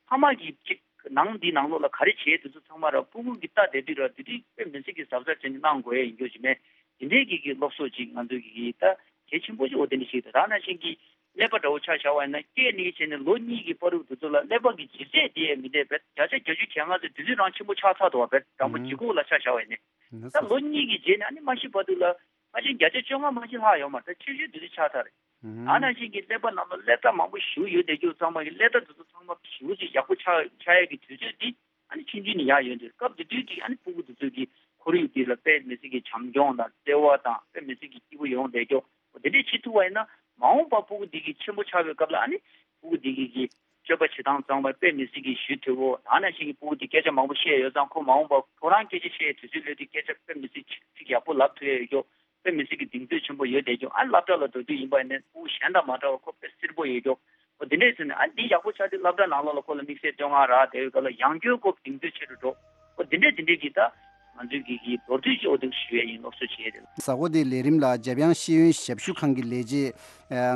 ཕ་མ་གིས་ཅིག་ནང་འདི་ནང་ལོགས་ལ་ག་རེ་བྱེད་དེ་ཚོ་ཚང་མ་ར་སྤུ་གུ་གིས་ལྟ་བསྡད་དུས་ར་དེ་དུས་དཔེ་མི་སྲིད་ཀྱི་གཟབ་གཟབ་བྱས་ནས་གནང་དགོས་ཡ་ཡིན་རྒྱུ་ཅིག་མེད། དེ་འདྲའི་གི་གི་སློབ་གསོ་ཅིག་ང་ཚོ་གི་གི་ད་གལ་ཆེན་པོ་ཅིག་འོ་དེ་འདྲ་ཞིག་རེད། ད་ནང་བཞིན་གྱི་ཀླད་པ་འདྲ་བོ་ཆ་བཞག་པ་ཡིན་ན་སྐྱེས་ནས་བྱས་ནས་ལོ་གཉིས་ཀྱི་བར་དུ་དེ་ཚོ་ལ་ཀླད་པ་གི་ལྗིད་ཚད་དེ་ཡང་མི་འདྲ་བས། བརྒྱ་ཆ་བརྒྱད་ཅུ་གྱ་ལྔ་ཚོ་དེ་དུས་རང་ཆེན་པོ་ཆགས་ཚར་འདུག་བ། བེད་དྲང་པོ་ལྗིད་ཁོག་ལ་ཆ་བཞག་པ་ཡིན་ནས། ད་ལོ་གཉིས་ཀྱི་རྗེས་ནས་ཨ་ནི་མ་ཤི་བར་དུ་ལ་ཕལ་ཆེར་བརྒྱ་ཆ་བཅོ་ལྔ་མ་ཤི་ལྷག་ཡོད་མ་རེད། ད་ཆེ་ཤོས་དེ་དུས་ཆགས་ཚར་རེད། ཨ་ནང་བཞིན་གྱི་ཀླད་པ་ནང་ལ་ཀླད་རྟགས་མང་པོ་ཞིག་ཡོད་བསྡད་རྒྱུ་ཚང་མ་གི་ཀླད་རྟགས་དེ་ཚོ་ཚང་མ་ཞེ་པོ་ཅིག་ཡག་པོ་ཆགས་ཆགས་ཡས་ཀྱི་དུས་ཚོད་འདི་ཨ་ནི་ཆུང་ཆུང་ནས་ཡར་ཡོང་དུས་སྐབས་དེ་དུས་ཀྱི་ཨ་ནི་སྤུ་གུ་དེ་ཚོ་གི་ཁོར་ཡུག་འདི་ལ་དཔེ་མི་སྲིད་ཀྱི་བྱམས་སྐྱོང་དང་བརྩེ་བ་དང་དཔེ་མི་སྲིད་ཀྱི་སྐྱིད་པོ་ཡོང་བསྡད་རྒྱུ་འོ་དེ་འདྲས་བྱེད་ཐུབ་པ་ཡིན་ན་མ་འོངས་པ་སྤུ་གུ་འདི་གི་ཆེན་པོ་ཆགས་པའི་སྐབས་ལ་ཨ་ནི་སྤུ་གུ་འདི་གི་གི་ སྤྱོད་པ་བྱེད་སྟངས་གཙང་མ་དཔེ་མི་སྲིད་ཀྱི་ཞུ་དོད་པོ། ད་ནང་བཞིན་གྱི་ཕྲུ་གུ་དེ་སྐད་ཆ་མང་པོ་བཤད་ཡོད་ཙང་ཁོ་མ་འོངས་པ་ཁོ་རང་སྐད་ཆ་བཤད་དུས་ཚོད་སླེབས་དུས་སྐད་ཆ་དཔེ་མི་སྲིད་ཚིག་ཡག་པོ་ལབ་ཐུབ་ཡ་ཡོད་ཀྱོ། དཔེ་མི་སྲིད་ཀྱི་གདེང་ཚོད་ཆེན་པོ་ཡོད་བསྡད་ཀྱོ། ཨ་སློབ་གྲྭ་ལ་འགྲོ་དུས་ཡིན་པ་ཡིན་ན་ཕྲུ་གུ་གཞན་དང་མ་འདྲ་བར་ཁོ་དཔེ་སེར་པོ་ཡོད་ཀྱོ། ཨོ་དེ་འདྲས་ཟེར་ནས་ཨ་འདི་ཡག་པོ་ཆགས་དུས་སློབ་གྲྭ་ནང་ལོགས་ལ་ཁོ་ལ་དམིགས་བསལ་བསྟོད་བསྔགས་རག་བསྡད་ཡོད་སྐབས་ལ་ཡང་སྐྱོན་སྐོར་གདེང་ཚོད་ཆེ་རུ་འགྲོ། ཨོ་དེ་འདྲས་དེ་འདྲས་ཀྱི་ད་ང་ཚོའི་གི་གི་མདོར་བསྡུས་ཀྱི་ཨོ་དེ་ཞུ་ཡས་ཡིན། སློབ་གསོ་བྱེད་ཡས་དེ་ལ། གཟའ་འཁོར་འདིའི་ལས་རིམ་ལ་འཇམ་དབྱངས་ཤེས་ཡོན་ཞབས་ཞུ་ཁང་གི་ལས་བྱེད་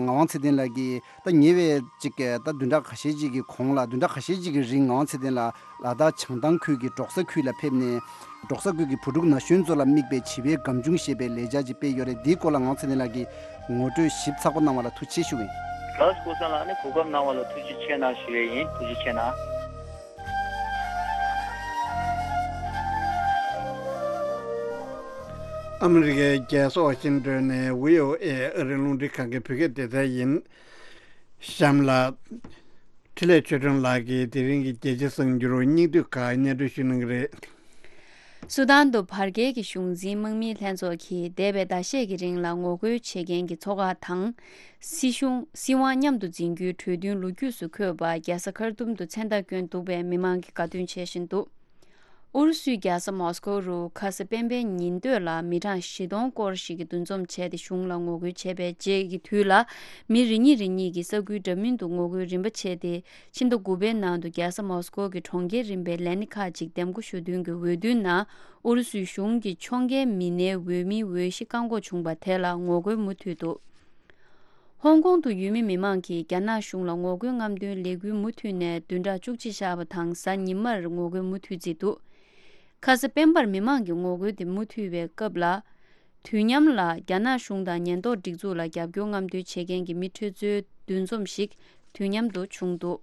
ངག་དབང་ཚེ་བརྟན་ལགས་ཀྱིས་ད་ཉེ་བའི་ཅིག་ད་བདུན་ཕྲག་ཁ་ཤས་ཅིག་གི་གོང་ལ་བདུན་ཕྲག་ཁ་ཤས་ཅིག་གི་རིང་ངག་དབང་ཚེ་བརྟན་ལགས་ལ་དྭགས་བྱང་ཐང་ཁུལ་གྱི་འབྲོག་ས་ཁུལ་ལ་ཕེབས་ནས། འབྲོག་ས་ཁུལ་གྱི་བུ་ཕྲུག་ན་གཞོན་ཚོ་ལ་དམིགས་པའི་བྱིས་པའི་སྒམ་ཆུང་ཞེས་པའི་ལས་འཆར་ཅིག་སྤེལ་ཡོད་རེད། འདིའི་སྐོར་ལ་ངག་དབང་ཚེ་བརྟན་ལགས་ཀྱིས་ངོ་སྤྲོད་ཞིབ་ཚགས་པོ་གནང་བ་ལ་ཐུགས་རྗེ་ཆེ་ཞུ་གི་ཡིན། ལགས་སོ། ཀུན་བཟང་ལགས་ནི་གོ་སྐབས་གནང་བ་ལ་ཐུགས་རྗེ་ཆེ་གནང་ཞུ་ཡས་ཡིན། ཐུགས་རྗེ་ཆེ་གནང་། ཨ་མི་རི་ཀའི་རྒྱལ་ས་ཝ་ཤིང་ཏོན་ནས་བྷི་ཨོ་ཨེ་ཨ་རིའི་རླུང་འཕྲིན་ཁང་གི་བོད་སྐད་སྡེ་ཚན་ཡིན། གཤམ་ལ། འཕྲིན་ལས་ཆོས་སྒྲོན་ལགས་ཀྱིས་དེ་རིང་གི་རྒྱལ་སྤྱིའི་གསར་འགྱུར་སྙིང་བསྡུས་ཁག་སྙན་སྒྲོན་ཞུ་གནང་གི་རེད། སུ་དཱན་དུ་བར་བརྒལ་གྱི་གཞུང་འཛིན་དམག་མིའི་ལྷན་ཚོགས་ཀྱིས་འདས་པའི་ཟླ་ཤས་ཀྱི་རིང་ལ་ངོ་རྒོལ་བྱེད་མཁན་གྱི་ཚོགས་ཁག་དང་། སྲིད་གཞུང་སྲིད་དབང་མཉམ་དུ་འཛིན་རྒྱུའི་གྲོས་མཐུན་ལོ་རྒྱུས་སུ་འཁོད་པ་རྒྱལ་ས་ཁར་ཏུམ་དུ་མཚན་རྟགས་བསྐྱོན་འདུག་པས་མི་མང་གིས་དགའ་སྟོན་བྱེད་བཞིན་འདུག་ཨུ་རུ་སུའི་རྒྱལ་ས་མོ་སི་ཀོ་རུ་ཁ་སང་སྤེན་པའི་ཉིན་སྟོད་ལ་མི་གྲངས་བཞི་སྟོང་སྐོར་ཞིག་གིས་འདུ་འཛོམས་བྱས་ཏེ་གཞུང་ལ་ངོ་རྒོལ་བྱས་པའི་རྗེས་ཀྱི་དུས་ལ། མི་རེ་གཉིས་རེ་གཉིས་ཀྱིས་ས་ཁུལ་འདྲ་མིན་དུ་ངོ་རྒོལ་རིམ་པ་བྱས་ཏེ། ཕྱི་ཟླ་དགུ་པའི་ནང་དུ་རྒྱལ་ས་མོ་སི་ཀོ་གི་གྲོང་ཁྱེར་རིམ་པའི་ལས་སྣེ་ཁག་ཅིག་འདེམས་བསྐོ་ཞུ་དོན་གྱི་འོས་བསྡུའི་ནང་ཨུ་རུ་སུའི་གཞུང་གི་ཕྱོགས་འགལ་མི་སྣའི་འོས་མིའི་འོས་གཞི་བཀག་འགོག་བྱུང་བ་དེ་ལ་ངོ་རྒོལ་མུ་མཐུད་འདུག་ཧོང་ཀོང་དུ་ཡུལ་མི་མི་མང་གིས་རྒྱ་ནག་གཞུང་ལ་ངོ་རྒོལ་རྔམ་སྟོན་ལས་འགུལ་མུ་མཐུད་ནས་བདུན་ཕྲག་བཅུ་གཅིག་བཞག་པ་དང་གཟའ་ཉི་མར་ངོ་རྒོལ་མུ་མཐུད་བརྩིས་འདུག་ཁ་སང་སྤེན་པར་མི་མང་གི་ངོ་རྒོལ་དེ་མུ་མཐུད་པའི་སྐབས་ལ། དུས་མཉམ་ལ་རྒྱ་ནག་གཞུང་དང་ཉེན་རྟོག་སྒྲིག་འཛུགས་ལ་རྒྱབ་སྐྱོར་རྔམ་སྟོན་བྱེད་མཁན་གྱི་མི་ཁྲི་ཚོའི་འདུ་འཛོམས་ཤིག་དུས་མཉམ་དུ་བྱུང་འདུག་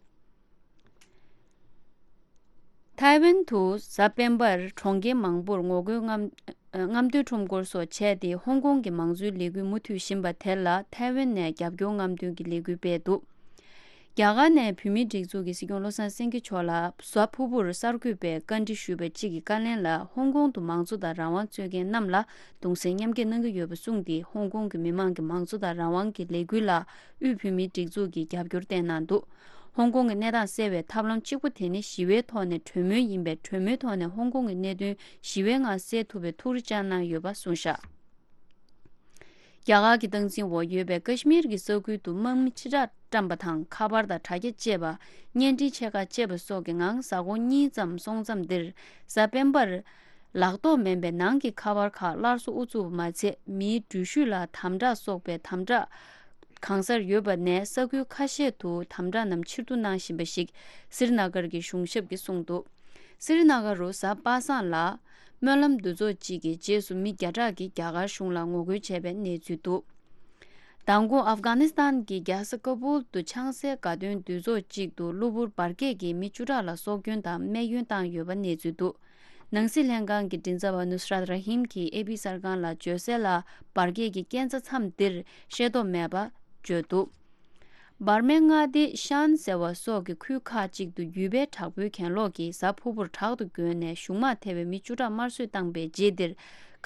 ཐའེ་ཝན་དུ་གཟའ་སྤེན་པར་གྲོང་ཁྱེར་མང་པོར་ངོ་རྒོལ་རྔམ་རྔམ་སྟོན་ཁྲོམ་སྐོར་སོགས་བྱས་ཏེ་ཧོང་ཀོང་གི་མང་གཙོའི་ལས་འགུལ་མུ་མཐུད་བཞིན་པ་དེ་ལ་ཐའེ་ཝན་ནས་རྒྱབ་སྐྱོར་རྔམ་སྟོན་གྱི་ལས་འགུལ་སྤེལ་འདུག་རྒྱ་གར་ནས་བོད་མིའི་སྒྲིག་འཛུགས་ཀྱི་སྲིད་སྐྱོང་བློ་བཟང་སེང་གེ་མཆོག་ལ་གཟའ་ཕུར་བུར་གསར་འགོད་པས་བཀའ་འདྲི་ཞུས་པ་གཅིག་གི་བཀའ་ལན་ལ་ཧོང་ཀོང་དུ་མང་གཙོ་དང་རང་དབང་རྩོད་མཁན་རྣམས་ལ་གདུང་སེམས་མཉམ་སྐྱེད་གནང་གི་ཡོད་པ་གསུངས་ཏེ། ཧོང་ཀོང་གི་མི་མང་གི་མང་གཙོ་དང་རང་དབང་གི་ལས་འགུལ་ལ་དབུས་བོད་མིའི་སྒྲིག་འཛུགས་ཀྱིས་རྒྱབ་སྐྱོར་བསྟན་གནང་འདུག་ཧོང་ཀོང་གི་གནས་སྟངས་གསལ་བའི་ཐབས་ལམ་གཅིག་པུ་དེ་ནི་ཞི་བའི་ཐོག་ནས་གྲོས་མོལ་ཡིན་པས། གྲོས་མོལ་ཐོག་ནས་ཧོང་ཀོང་གི་གནད་དོན་ཞི་བའི་ངང་སེལ་ཐུབ་པའི་ཐུགས་རེ་བཅངས་གནང་ཡོད་པ་གསུངས་བཞག་རྒྱ་གར་གྱི་སྟངས་འཛིན་འོག་ཡོད་པའི་ཀ་ཤི་མིར་གྱི་ས་ཁུལ་དུ་དམག་མི་ཕྱིར་བསྒྲགས་བཀྲམ་པ་དང་། ཁ་པར་དང་དྲ་རྒྱ་བཅད་པ། བརྙན་འཕྲིན་ཆེ་ཁག་བཅད་པ་སོགས་ཀྱི་ངང་གཟའ་འཁོར་གཉིས་ཙམ་སོང་མཚམས་འདིར། གཟའ་སྤེན་པར་ལག་ཐོགས་མེད་པའི་ནང་གི་ཁ་པར་ཁག་སླར་གསོ་དབུ་ཚུགས་པ་མ་ཚད། མིའི་འགྲུལ་བཞུད་ལ་དམ་དྲག་སོགས་པའི་དམ་དྲག་གང་སར་ཡོད་པ་ནས། ས་ཁུལ་ཁ་ཤས་དུ་དམ་དྲག་རྣམས་ཕྱིར་བསྡུ་གནང་བཞིན་པ་ཞིག་སི་རི་ན་གར་གྱི་གཞུང་ཞབས་ཀྱིས་གསུངས་འདུག་སི་རི་ན་གར་རུ་གཟའ་པ་སངས་ལ་སྨོན་ལམ་འདུ་ཚོགས་གཅིག་གི་རྗེས་སུ་མི་བརྒྱ་ཕྲག་གིས་རྒྱ་གར་གཞུང་ལ་ངོ་རྒོལ་བྱས་པའི་གནས་ཚུལ་འདུག་མདང་དགོང་ཨབ་གྷ་ནི་སི་ཐན་གྱི་རྒྱལ་ས་ཀ་བུལ་དུ་ཆང་སའི་དགའ་སྟོན་འདུ་ཚོགས་གཅིག་ཏུ་གློ་བུར་འབར་གས་ཀྱིས་མི་བཅུ་ཕྲག་ལ་སྲོག་སྐྱོན་དང་རྨས་སྐྱོན་བཏང་ཡོད་པ་གནས་ཚུལ་འདུག་ནང་སྲིད་ལྷན་ཁང་གི་མགྲིན་ཚབ་པ་ནུ་སི་རཱད་ར་ཧིམ་གྱིས་ཨེ་པི་གསར་ཁང་ལ་བརྗོད་གསལ་ལ། འབར་གས་ཀྱི་རྐྱེན་རྩ་མཚམས་འདིར་ཤེས་རྟོགས་མེད་པ་བརྗོད་འདུག་འབར་མའི་མངའ་སྡེ་ཤན་ཟེར་བ་སོགས་ཀྱི་ཁུལ་ཁག་ཅིག་ཏུ་ཡུལ་པའི་དྲག་པོའི་གྱེན་ལོག་གིས་གཟའ་ཕུར་བུར་དྲག་ཏུ་རྒོལ་ནས་གཞུང་དམག་ཐེ་བའི་མི་བཅུ་ཕྲག་དམར་གསོད་བཏང་པའི་རྗེས་འདིར།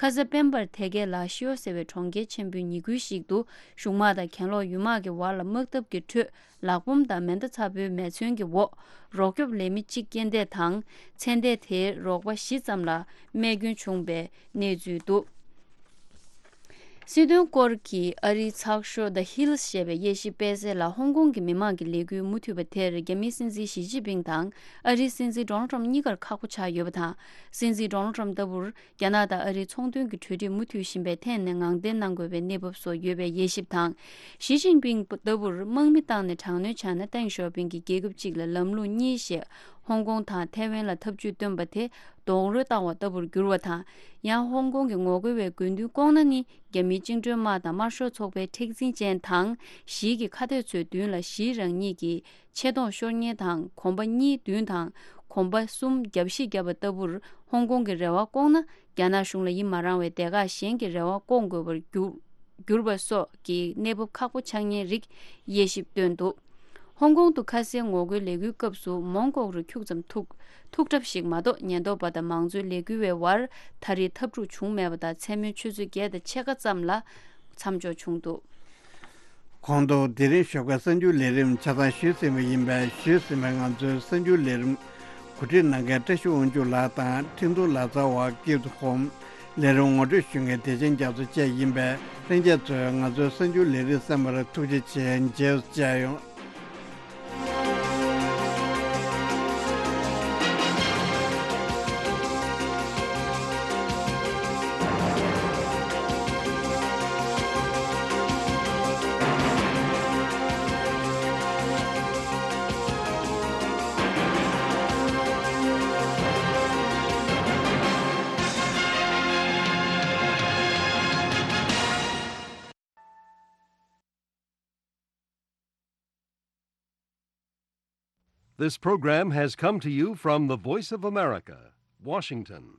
ཁ་ས་སྤེན་པར་ཐེ་གའི་ལ་ཤིའོ་ཟེར་བའི་གྲོང་ཁྱེར་ཆེན་པོའི་ཉེ་ཁུལ་ཞིག་ཏུ་གཞུང་དམག་དང་གྱེན་ལོག་ཡུལ་དམག་གི་བར་ལ་དམག་འཐབ་ཀྱི་ཁྲོད། ལག་འབོམ་དང་མེ་མདའ་ཚ་པོའི་མེ་མཚོན་གྱི་འོག་རོགས་སྐྱོབ་ལས་མི་གཅིག་རྐྱེན་འདས་དང་། ཚེ་འདས་དེའི་རོགས་པ་བཞི་ཙམ་ལ་རྨས་སྐྱོན་བྱུང་བའི་གནས་ཚུལ་འདུག་སྲིད་དོན་སྐོར་གྱི་ཨ་རིའི་ཚགས་ཤོག་The Hills ཞེས་པའི་དབྱེ་ཞིབ་སྤེལ་གསལ་ལ། ཧོང་ཀོང་གི་མི་མང་གི་ལས་འགུལ་མུ་མཐུད་པ་དེར་རྒྱ་མིའི་སྲིད་འཛིན་ཞི་ཅིན་ཕིང་དང་ཨ་རིའི་སྲིད་འཛིན་ཌོ་ནལ་ཊམ་གཉིས་ཀར་ཁག་པོ་ཆགས་ཡོད་པ་དང་། སྲིད་འཛིན་ཌོ་ནལ་ཊམ་ལྟ་བུར། རྒྱ་ནག་དང་ཨ་རིའི་ཚོང་དོན་གྱི་གྲོས་འགྲིག་མུ་མཐུད་བཞིན་པའི་ཐད་ནས་ངང་བརྟན་གནང་དགོས་པའི་གནས་བབ་སོགས་ཡོད་པའི་དབྱེ་ཞིབ་དང་། ཞི་ཅིན་ཕིང་ལྟ་བུར་དམག་མི་བཏང་ནས་དྲག་གནོན་བྱས་ན་ཏེང་ཞའོ་ཕིང་གིས་རྒྱལ་ཁབ་གཅིག་ལ་ལམ་ལུགས་གཉིས་ཞེས་ཧོང་ཀོང་དང་ཐའེ་ཝན་ལ་ཐབས་ཇུས་བཏོན་པ་དེ་རྡོག་རོལ་བཏང་བ་ལྟ་བུར་གྱུར་བ་དང་། ཡང་ཧོང་ཀོང་གི་ངོ་རྒོལ་བའི་དགོས་འདུན་ལྐོག་ན་ནི་རྒྱ་མིའི་བཅིངས་འགྲོལ་དམག་དང་དམར་ཤོག་ཚོགས་པའི་མཁྲེགས་འཛིན་ཅན་དང་། ཞིའི་གི་ཁ་གཏད་ཚོའི་མདུན་ལ་ཞི་རང་ཉིད་ཀྱི་ཆེ་མཐོང་ཤོར་ཉེན་དང་གོམ་པ་གཉིས་བདུན་དང་གོམ་པ་གསུམ་རྒྱབ་བཤིག་བརྒྱབ་པ་ལྟ་བུར་ཧོང་ཀོང་གི་རེ་བ་བསྐོང་ན། རྒྱ་ནག་གཞུང་ལ་ཡིད་མ་རངས་བའི་སྡེ་ཁག་གཞན་གྱི་རེ་བ་བསྐོང་དགོས་པར་གྱུར་གྱུར་པ་སོགས་ཀྱི་གནས་བབ་ཁག་པོ་ཆགས་ཉེན་རིགས་དབྱེ་ཞིབ་བཏོན་འདུག་ཧོང་ཀོང་དུ་ཁ་སའི་ངོ་རྒོལ་ལས་འགུལ་སྐབས་སུ་མོན་ལྐོག་རུ་ཁྱུག་ཙམ་ཐུག་ཐུག་གྲབས་ཤིག་མ་གཏོགས། ཉེན་རྟོག་པ་དང་མང་གཙོའི་ལས་འགུལ་བའི་བར་ད་རེས་འཐབ་འཁྲུག་བྱུང་མེད་པ་དང་། མཚན་མོའི་ཆུ་ཚོད་བརྒྱད་དང་ཕྱེད་ཀ་ཙམ་ལ་མཚམས་འཇོག་བྱུང་འདུག་གོང་དུ་དེ་རིང་ཞོགས་ཀའི་གསར་འགྱུར་ལས་རིམ་ཆ་ཚང་ཞུས་ཟིན་པ་ཡིན་པས། ཞུས་ཟིན་པའི་ང་ཚོའི་གསར་འགྱུར་ལས་རིམ་གོ་སྒྲིག་གནང་མཁན་བཀྲ་ཤིས་དབང་ཕྱུག་ལགས་དང་འཕྲིན་གཏོང་ལག་རྩལ་བ་ཀིབ་ཧོམ། ལས་རིམ་ངོ་སྤྲོད་ཞུ་མཁན་བདེ་ཆེན་རྒྱ་མཚོ་བཅས་ཡིན་པས། ལྷན་རྒྱས་ཚོས་ང་ཚོའི་གསར་འགྱུར་ལས་རིམ་གསན་པར་ཐུགས་རྗེ་ཆེ། མཇལ་བཅར་ཡོང་། This program has come to you from the Voice of America, Washington.